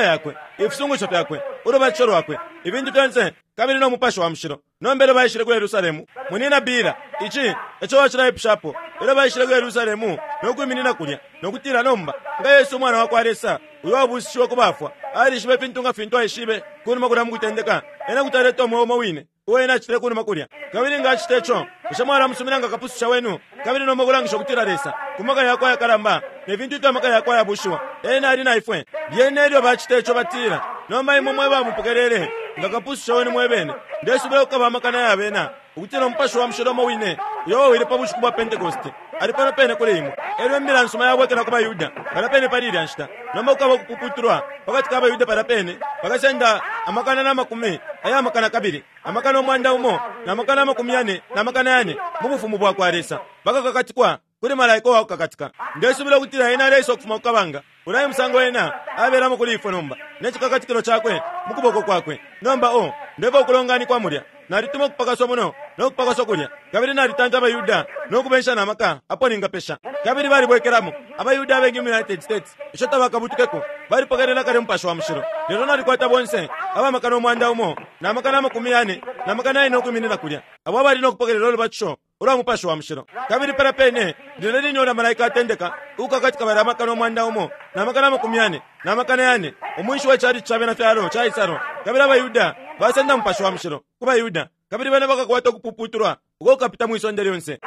yakwe, ifisungusho fyakwe, ulubatisho lwakwe, ifintu fyonse, kabili no Mupashi wa Mushilo. Nomba elyo baishile ku Yerusalemu, munina Bila, ici eco wacilaipushapo. Elyo baishile ku Yerusalemu no kwiminina kulya no kutila, nomba nga Yesu umwana wa kwa Lesa, uyo wabusishiwe ku bafwa, alishibe ifintu nga fintu aishibe kunuma kulya mu kutendeka, ena kuti aleta umweo umo wine uo ena acitile kunuma kulya. Kabili nga acita ico, bushe mwalamusumina nga kapususha wenu? Kabili nomba kulangisha ukutila Lesa, ku maka yakwe ayakalamba ne fintu ifyo amaka yakwe ayabushiwa, ena ali na ifwe. Lyene ilyo bacita ico, batila, nomba imwe mwe bamupokelele nga kapususha wenu mwe bene, ndesubila kukaba amakana ya bena ukutila Umupashi wa Mushilo umo wine uyo wawile pa bushiku bwa Pentekoste ali pano pene kuli imwe. Elyo imbila nsuma yabwekela ku baYuda palya pene pali ilya nshita. Nomba kukaba ukupuputulwa pakati ka baYuda palya pene, bakasenda amakana na makumi aya makana kabili amakana umwanda umo na makana amakumi yane na makana yane mu bufumu bwa kwa Lesa, bakakakatikwa kuli malaika uwa kukakatika. Ndesubila ukutila ena aleisa ukufuma ku kabanga. Ulya e musango ena abelamo kuli ifwe nomba, ne cikakatikilo cakwe mu kuboko kwakwe. Nomba o, ndefwaya ukulonganikwa mulya. Nalituma ukupakaswa muno no kupakaswa kulya, kabili nalitanta abaYuda no kubensha na maka apo ningapesha. Kabili balibwekelamo abaYuda abengi mu United States, ico tabakabutukeko, balipokelela kale Mupashi wa Mushilo. Lelo nalikwata bonse abamakana umwanda umo na makana amakumi yane na makana yane ukwiminina kulya, abo abali no kupokelela ulubatisho ulwa Mupashi wa Mushilo. Kabili palya pene lilya line ulya malaika atendeka ukukakatika balya amakana umwanda umo na makana amakumi yane na makana yane, umwinshi we calici ca bena fyalo caisalwa, kabili abaYuda basenda Mupashi wa Mushilo ku baYuda, kabili bena bakakwata ukupuputulwa uko kukapita mwi sonde lyonse.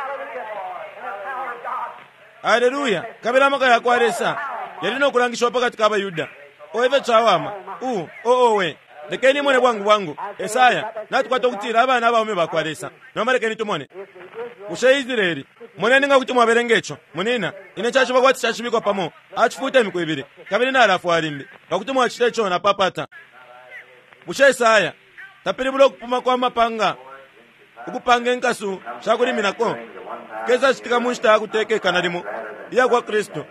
Aleluya! Kabili amaka ya kwa Lesa yali no kulangishiwa pakati ka baYuda. O ifyo cawama! U o owe! Lekeni imone bwangu bwangu. Esaya, natukwata ukutila abana abaume ba kwa Lesa. Nomba lekeni tumone. Bushe Israeli, moneni nga kuti mwabelenga ico, munina. Ine caciba kwati cacibikwa pamo, acifuuta imiku ibili, kabili nalafwa limbi. Nga kuti mwacita ico, napapata. Bushe Esaya tapilibula ukupuma kwa mapanga, ukupanga inkasu sha kuliminako? Kesa citika mu nshita ya kutekekana limo iya kwa Kristu,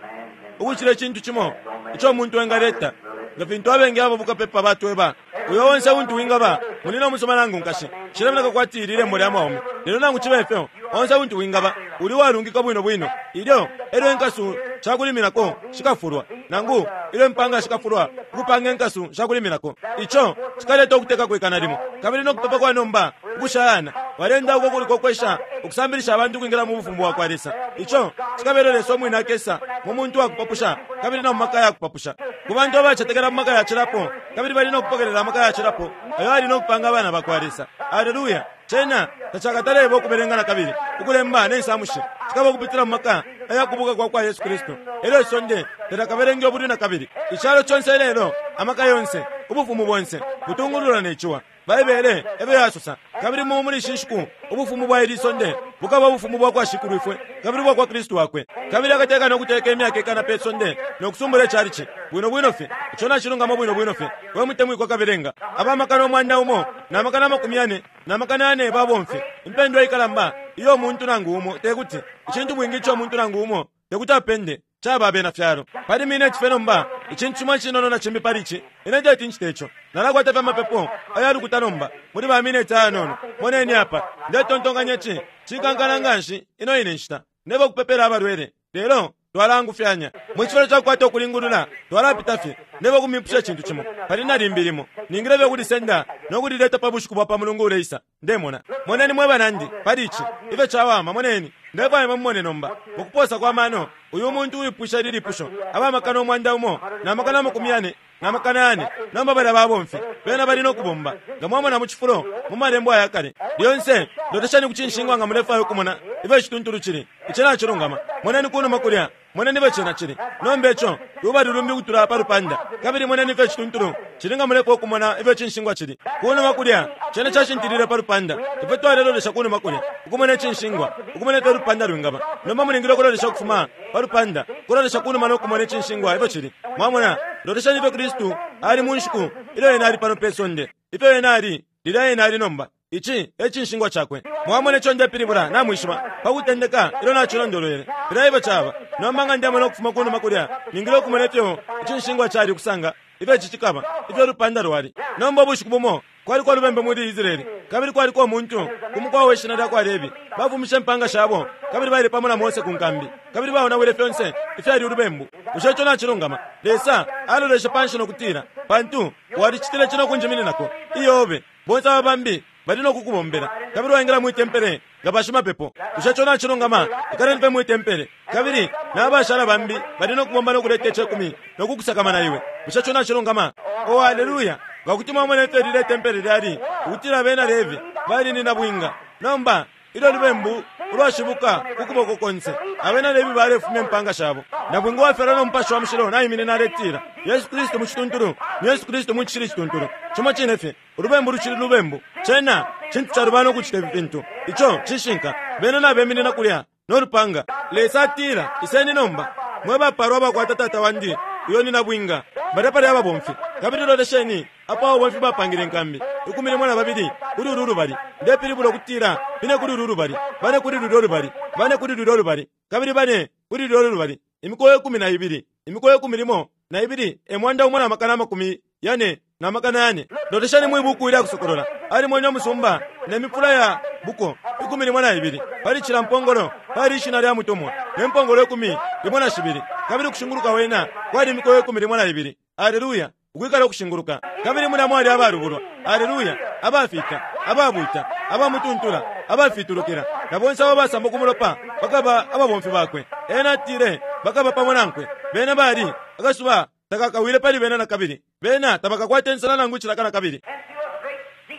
ukucila icintu cimo ico umuntu engaleta, nga fintu abengi abo bukapepa batweba. Uyo onse untu wingaba, munina umusoma nangu nkashi, cilemoneka kwati ili lembo lya mwaume, lelo nangu cibe fyo, onse untu wingaba uli walungika bwino bwino. Ilyo elyo inkasu shakuliminako shikafulwa, nangu ilyo impanga shikafulwa ukupanga inkasu shakuliminako, ico cikaleta ukuteka kwikana limo. Kabili no kupepa kwa nomba ukushayana balenda uko kuliko kwesha ukusambilisha abantu ukwingila mu bufumu bwa kwa Lesa, ico cikabela Lesa umwine akesa mu muntu wa kupapusha kabili na mu maka ya kupapusha ku bantu abacetekela mu maka yacilapo, kabili bali no kupokelela amaka yacilapo ayo ali no kupanga abana ba kwa Lesa. Aleluya! Cena tacakataleba ukubelenga na kabili ukulemba ne nsamushi, cikaba ukupitila mu maka ayakubuka kwa kwa Yesu Kristu. Elyo isonde talyakabelenge ubulwi na kabili. Icalo conse ilelo, amaka yonse, ubufumu bonse butungululwa ne ciwa. Baibele ebe yasosa kabili mu muli shinshiku ubufumu bwa ili sonde bukaba ubufumu bwa kwa Shikulwifwe kabili bwa kwa Kristu wakwe kabili akateka no kuteka imyaka ikana pe sonde no kusumbula icalici bwino bwino fye ico nacilungamo bwino bwino fye we mutemwikwa kabelenga abamakana umwanda umo na makana amakumi yane na makana yane babomfi impendwa ikalamba iyo umuntu nangu umo tekuti icintu bwingi ico umuntu nangu umo tekuti apende chaba abena fyalo pali mine chife nomba icintu chimwe chinono na chimbi pali ichi ine teti nchite icho nalakwata fye amapepo ayalukuta nomba muli ba mineti ayanono moneni apa ndetontonkanya ici cikankana nganshi ino ine nshita ndeba kupepela abalwele lelo twalangufyanya mu chifalo chakukwata okulingulula twalapita fye ndeba kumipusha icintu chimo pali nalimbi limo ningile fye kulisenda nokulileta pa bushiku bwa pa mulungu uleisa ndemona moneni mwe banandi pali ichi ifyo chawama moneni ndefwaya mumone nomba mukuposa kwa mano uyu muntu uipusha lilipusho abamakana omwanda umo na makana amakumi yane na makana yane nomba bali ababomfi bena bali nokubomba nga mwamona mu chifulo mu malembo ayakale lyonse loleshani kucinshingwa nga mulefwaya ukumona ifyo icituntulu cili ici nacilungama moneni kunuma kulya moneni ifyo cena cili nomba ico lubali lumbi kutula pa lupanda kabili moneni ifyo icituntulu cili nga mulefwaya ukumona ifyo icinshingwa cili kunuma kulya cena cashintilile pa lupanda ifyo twalelolesha kunuma kulya ukumona icinshingwa ukumona ifyo lupanda lwingaba nomba mulingile ukulolesha ukufuma pa lupanda kulolesha kunuma nokumona icinshingwa ifyo cili mwamona loleshani ifyo Kristu ali mu nshiku ilyo ena ali pano pe sonde ifyo ena ali lilya ena ali nomba ici e cinshingwa chakwe mwamona ico ndepilibula namwishiba pakutendeka ilyo nacilondolwele filya ifyo caba nomba nga ndemona ukufuma kunuma kulya ningile ukumona ifyo icinshingwa cali ukusanga ifyo ici cikaba ifyo lupanda lwali nomba ubushiku bumo kwaliko lubembe muli Israeli kabili kwaliko umuntu kumukwa we shina lya kwa Levi bafumishe impanga shabo kabili baile pamo na Mose ku nkambi kabili baonawile fyonse ifyali ulubembu bushe ico nacilungama Lesa aloleshe panshi nokutila pantu walicitile cino kunjimininako iyobe bonse aba bambi bali nokukubombela kabili waingila mwitempele nga bashimapepo bushe ico nacilungama ikaleni pe mwitempele kabili n'abashala bambi bali nokubomba nokuleta icekumi nokukusakamana iwe bushe ico nacilungama o haleluya ngakuti mwamona ifyo lile tempele lyali ukutila abena Levi bali ni nabwinga nomba ilyo lubembu ulwashibuka ukuboko konse abena Levi balefumya impanga shabo nabwinga wafyalwa no mupashi wa mushilo naiminina aletila Yesu Kristu mu cituntulu ni Yesu Kristu mu cishili cituntulu cimo cine fye ulubembu lucili lubembu cena cintu calubana ukucita ifi fintu ico cishinka bena nabeminina kulya nolupanga Lesa atila iseni nomba mwe bapalwa abakwata tata wandi uyo ni nabwinga balya pali ababomfi kabili lolesheni apo ababomfi bapangile inkambi ikumi limo na babili kuli ulu lubali ndepilibula ukutila bine kuli ulu lubali bane kuli lulyo lubali bane kuli lulyo lubali kabili bane kuli lulyo lubali imikoyo ikumi na ibili imikoyo ikumi limo na ibili emwanda umo na makana amakumi yane na makana yane lolesheni mwibuku ilya kusokolola alimwenye omusumba ne mifula ya buko ikumi limo na ibili pali cila mpongolo pali ishina lya mutumwa ne mpongolo ikumi limo na shibili kabili kushinguluka wena kwali imikoyo ikumi limo na ibili aleluya ukwikala ukushinguluka kabili mulya mwali abalubulwa aleluya abafita ababuta abamutuntula abafitulukila na bonse abo basamba kumulopa bakaba ababomfi bakwe ena atile bakaba pamo nankwe bena bali akasuba takakawile pali bena na kabili bena tabakakwata insala nangu icilaka na kabili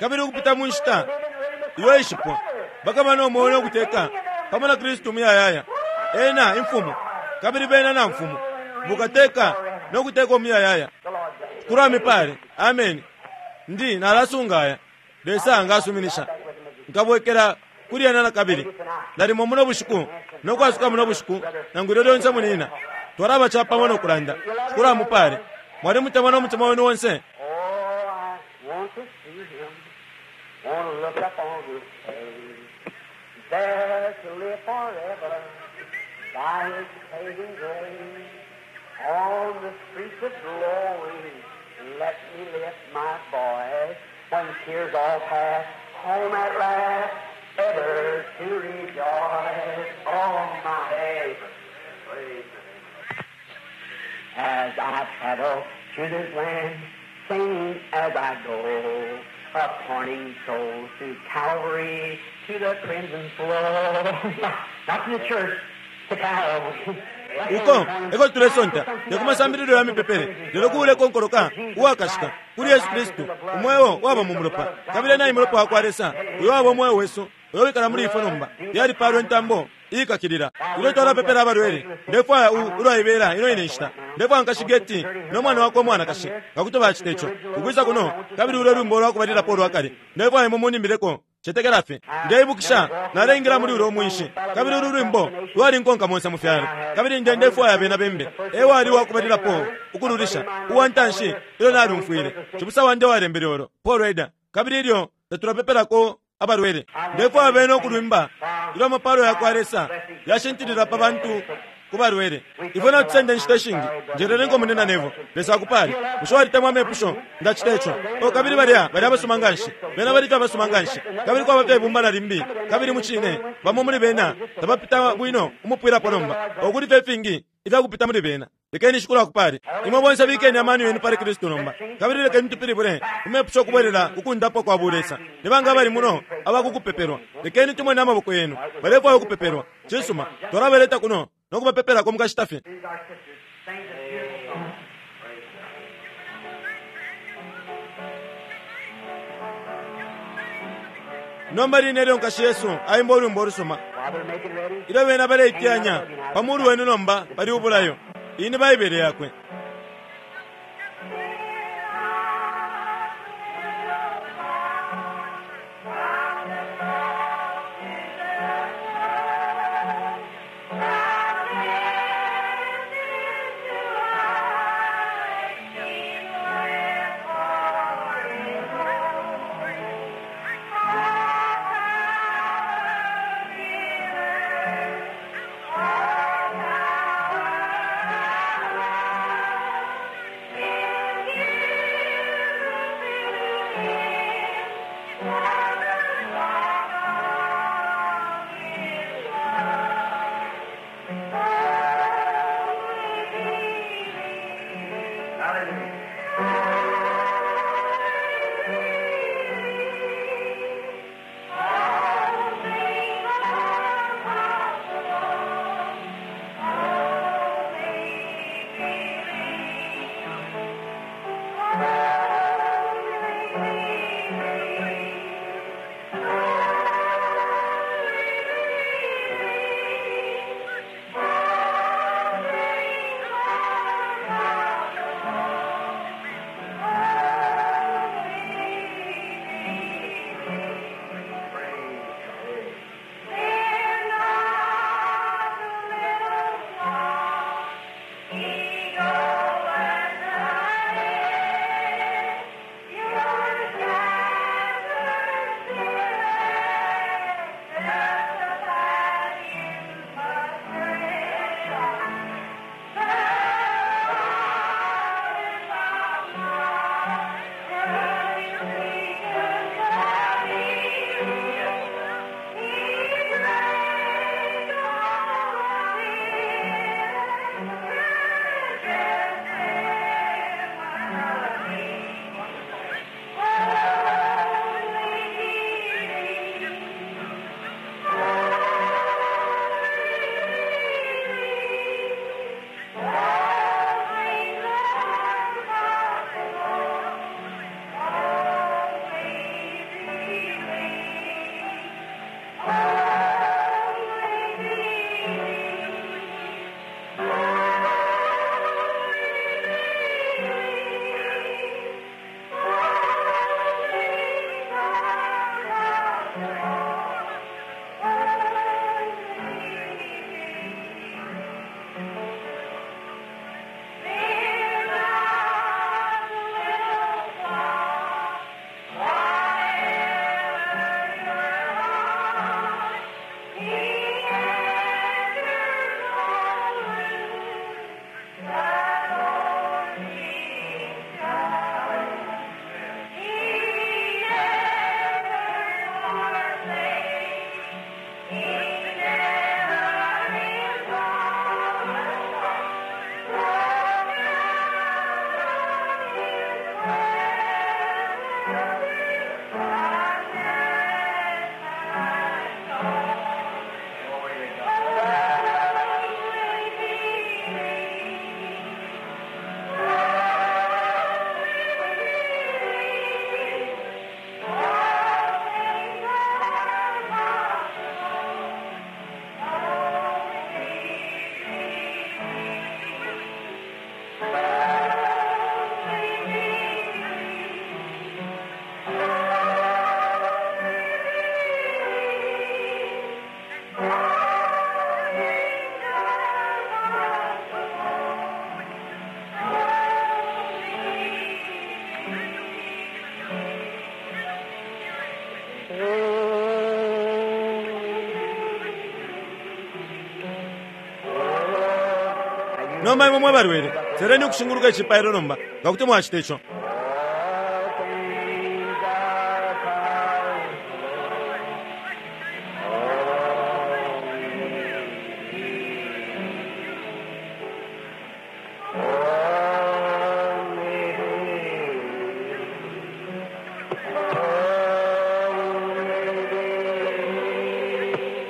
kabili ukupita mu nshita iyo ishipwa bakaba no moyo nokuteka pamo na Kristu muyayaya ena imfumu kabili bena na mfumu bukateka nokuteka omuyayaya kulamipale amen ndi nalasungaya Lesa ngasuminisha nkabwekela kuli ena na kabili nalimo muno bushiku nokwasuka muno bushiku nangu ilyo lyonse munina twalaba chapamo nokulanda kulamupale mwali mutemwa nomutima wenu wonse Oh, I want to see him. Want to look up on his face. There to live forever by his saving grace. On the streets of glory, let me lift my voice. When tears all pass, home at last, ever to rejoice. Oh, my praise. As I travel through this land, singing as I go, appointing souls to Calvary, to the crimson flow. Not to the church, to Calvary. Uko eko tulesonta tekumasambililo ya mipepele lelo kuuleka onkoloka uwakashika kuli Yesu Kristu umweo waba mu mulopa kabili nayi mulopa wakwa Lesa uyo waba omweo wesu uyo wikala muli ifwe nomba yalipalwa entambo iikakilila. Ilyo twalapepela abalwele, ndefwaya ulwaibela ino ine nshita. Ndefwaya nkashi Geti no mwana wakwe umwanakashi nga kuti bacita ico ukwisa kuno, kabili ulwe lwimbo lwakubalilapo ulwakale. Ndefwaya imwe munimbileko cetekela fye. Ndeibukisha naleingila muli ulo mwinshi, kabili ulu lwimbo lwalinkonka monse mu fyalo, kabili nde ndefwaya bena bembe. Ewali wakubalilapo ukululisha uwantanshi ilyo nalumfwile. Cibusa wandi walembele olo Paul Rader, kabili ilyo tatulapepelako abalwele, ndefwaya bena ukulwimba ilyo amapalo yakwa Lesa yashintilila pa bantu ku balwele. Ifwe natusenda inshita ishingi. Njerelenko munena nevo. Lesa akupale. Bushe walitemwa amepusho? Ndacita ico. O kabili balya bali abasuma nganshi. Bena bali fye abasuma nganshi. Kabili kwaba fye ibumba na limbi. Kabili mucine bamo muli bena tabapita bwino umupwilapo nomba. Okuli fye ifingi ifyakupita muli bena. Lekeni Shikulu akupale. Imwe bonse bikeni amano yenu pali Kristu nomba. Kabili lekeni tupilibule umepusho kubwelela kukundapwa kwa bulesa. Ni banga abali muno abakukupepelwa? Lekeni tumone amaboko yenu. Balefwaya ukupepelwa. Cisuma, twalabaleta kuno nokubapepelako mukashita fye. Nomba line ilyo nkashi Yesu aimba ulwimbo olusuma, ilyo bena baleiteyanya pa mulu wenu nomba pali ubulayo. Iyi ni Baibele yakwe. Nomba imwe mwe balwele, seleni ukushinguluka icipailo nomba, nga kuti mwacita ico. All things are possible. Only believe. Only believe.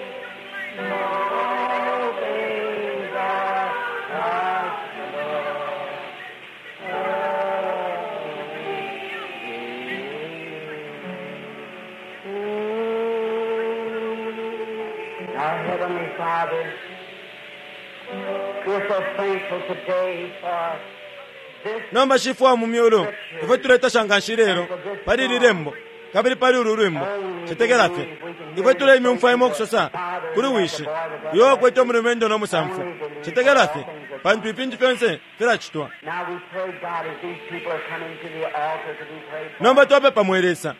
All things are possible. Our Heavenly Father, we're so thankful today for this Nomba shifwe wa mu myulu, ifwe tuletasha nganshi lelo pali ili lembo kabili pali ulu lwimbo. Cetekela fye ifwe tuleimyumfwa imwe ukusosa kuli wishi uyo wakwete umulumendo no musamfu. Cetekela fye, pantu ifintu fyonse filacitwa. Now we pray, God, as these people are coming to the altar to be prayed for. Nomba twapepa mwe Lesa,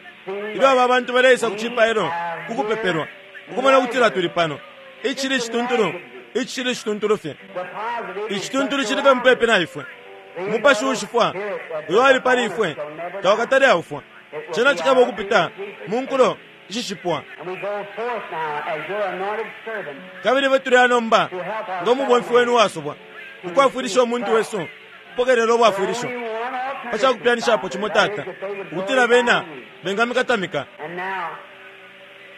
ilyo aba bantu baleisa ku cipailo kukupepelwa, ukumona kutila tuli pano. Icili cituntulu, icili cituntulu fye, The positive is icituntulu cili fye mupepi na ifwe. Umupashi ushifwa uyo ali pali ifwe tawakatale aufwa. Cena cikaba ukupita mu nkulo ishishipwa. And we go forth now as your anointed servant Kabili ifwe tuli nomba ngo mubomfi wenu wasubwa ukwafwilisha umuntu wesu kupokelela ubwafwilisho Only one alternative, pa cakupyanishapo cimo Tata, that is that they would ukutila glorify bena you. bengamikatamika. And now,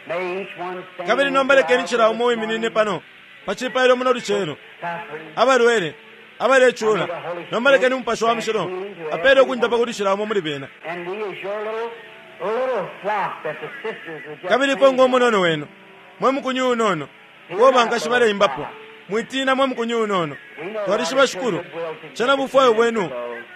may each one stand Kabili nomba lekeni cila umo wiminine pano pa cipailo muno lucelo, suffering. abalwele abalecula. Nomba lekeni Umupashi wa Mushilo apele ukundapa kuli cila umo muli bena. And we as your little, little flock that the sisters were just Kabili ifwe singing. ngo munono wenu mwe mukunyu unono uo bankashi baleimbapo, mwitina mwe mukunyu unono. Twalishiba Shikulu, cena bufwayo bwenu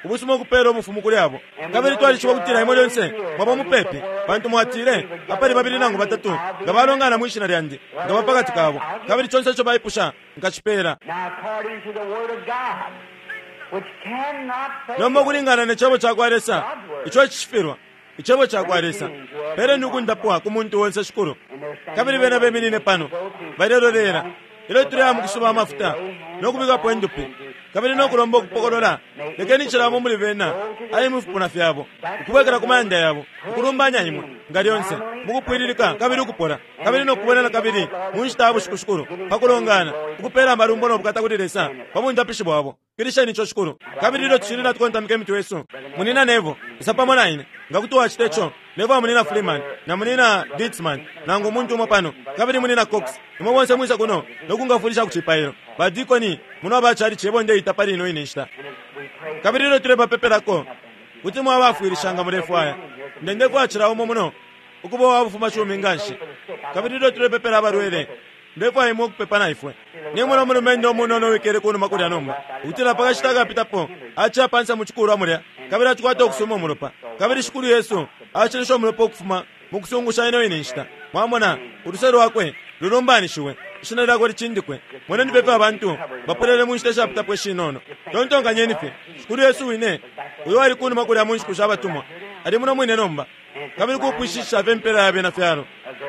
ubusuma ukupela ubufumu kuli abo. Kabili twalishiba kutila imwe lyonse mwaba mupepi, pantu mwatile apali babili nangu batatu nga balongana mwi shina lyandi, nga ba pakati kabo, kabili conse ico baipusha nkacipela. Now according to the word of God, which cannot fail. Nomba ukulingana ne cebo cakwa Lesa ico icishifilwa, icebo cakwa Lesa, peleni ukundapwa ku muntu wonse Shikulu. Kabili bena beminine pano balelolela ilyo tuleya mukusuba amafuta nokubikapo indupi kabili nokulomba ukupokolola. Lekeni cilamo muli bena ali mufipuna fyabo ukubwekela ku mayanda yabo ukulumbanya imwe nga lyonse mukupwililika kabili ukupola kabili nokubonana kabili mu nshita ya bushiku Shikulu pakulongana ukupela amalumbo nobukata kuli Lesa pa bundapishi bwabo. Kilisheni ico Shikulu. Kabili ilyo tushili natukontamika imitwe yesu, munina Nevo isa pamo na ine nga kuti wacita ico. Nevo wa munina Freeman na munina Ditzman nangu umuntu umo pano kabili munina Cox, imwe bonse mwisa kuno nokungafulisha ku cipailo. Badikoni muno abachalichi ebo ndeita pali ino ine nshita. And as we pray Kabili ilyo tulepapepelako kuti mwabafwilisha nga mulefwaya, ndendefwaya cila umo muno ukuba uwa bufumacumi nganshi. Kabili ilyo tulepepela abalwele, ndefwaya imwe ukupepa na ifwe. Nimona umulumendo umunono wikele kunuma kulya nomba, ukutila pakashita akapitapo aciya pansa mu cikulwa mulya, kabili acikwata ukusuma umulopa. Kabili Shikulu Yesu acilisha umulopa ukufuma mu kusungusha ino ine nshita. Mwamona uluse lwakwe lulumbanishiwe, ishina lyakwe licindikwe. Moneni fye abantu bapolele mu nshita ishapitapo ishinono. Tontonkanyeni fye, Shikulu Yesu wine uyo ali kunuma kulya mu nshiku sha batumwa ali muno mwine nomba, kabili kupwishisha fye impela ya bena fyalo.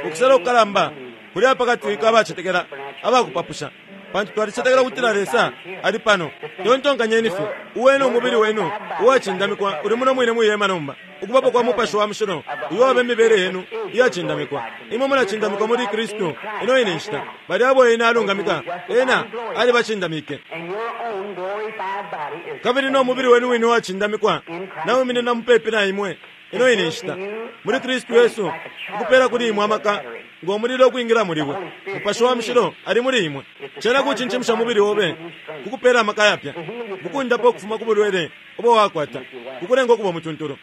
Ukusela ukukalamba kuli pakati kabacetekela abakupapusha, pantu twalicetekela ukutila Lesa ali pano. Tontonkanyeni fye, uwenu umubili wenu uwacindamikwa uli muno mwine mwihema nomba, ukubapo kwa Mupashi wa Mushilo uyo waba imibele yenu iyacindamikwa. Imwe mulacindamikwa muli Kristu ino ine nshita. Bali abo ena alungamika, ena alibacindamike. and your own glorified body is Kabili no mubili wenu wine uwacindamikwa nawiminina mupepi na imwe ino ine nshita muli Kristu Yesu, ukupela kuli imwe amaka ngo mulilo ukwingila muliwe. Mupashi wa Mushilo ali muli imwe. Cena kucincimusha mubili obe kukupela amaka yapya, kukundapa ukufuma ku bulwele ubo wakwata, kukulenga ukuba mutuntulu.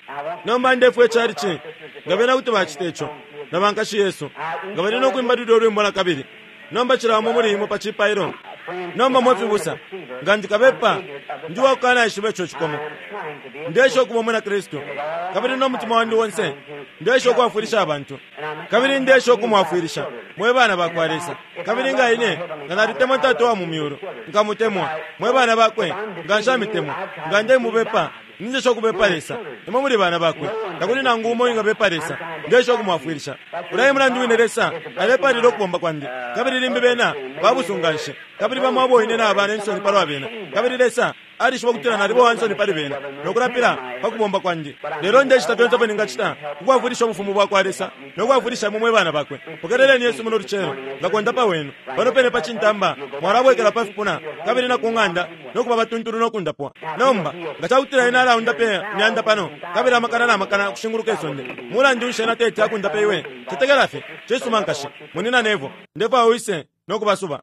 Nomba ndefwe chalichi nga bena kuti bacita ico na bankashi Yesu nga bali nokwimba lulyo lwimbo na kabili. Nomba cila umo muli imwe pa cipailo. Nomba mwefibusa, nga ndikabepa ndi wakukanaishiba ico cikomo, ndesha ukuba umwina Kristu kabili no mutima wandi wonse ndesha ukwafwilisha abantu, kabili ndesha ukumwafwilisha mwe bana bakwa Lesa. Kabili nga ine nga nalitemwa Tata wa mu myulu, nkamutemwa mwe bana bakwe, nga nshamitemwa, nga ndemubepa, Ninjesha ukubepa Lesa. Imwe muli bana bakwe. Takuli nangu umo wingabepa Lesa. Ndesha ukumwafwilisha. Ulya e mulandu wine Lesa alepalila ukubomba kwandi. Kabili limbi bena babusunganshi. Kabili bamo abo ine naba ne nsoni palwa bena. Kabili Lesa alishiba ukutila naliba uwa nsoni pali bena no kulapila pa kubomba kwandi. Lelo ndecita fyonse ifyo ningacita ku kwafwilisha ubufumu bwa kwa Lesa no kwafwilisha imwe mwe bana bakwe. Pokeleleni Yesu muno lucelo nga kondapa wenu. Pano pene pa cintamba mwalabwekela pa fipuna kabili na ku ng'anda no kuba batuntulu no kundapwa. Nomba nga ca kutila ena alaundape imyanda pano kabili amakana na makana ukushinguluka isonde, mulandu nshi ena teti akundape iwe? Cetekela fye. Cisuma, nkashi. Munyina Neville, ndefwaya wise no kubasuba.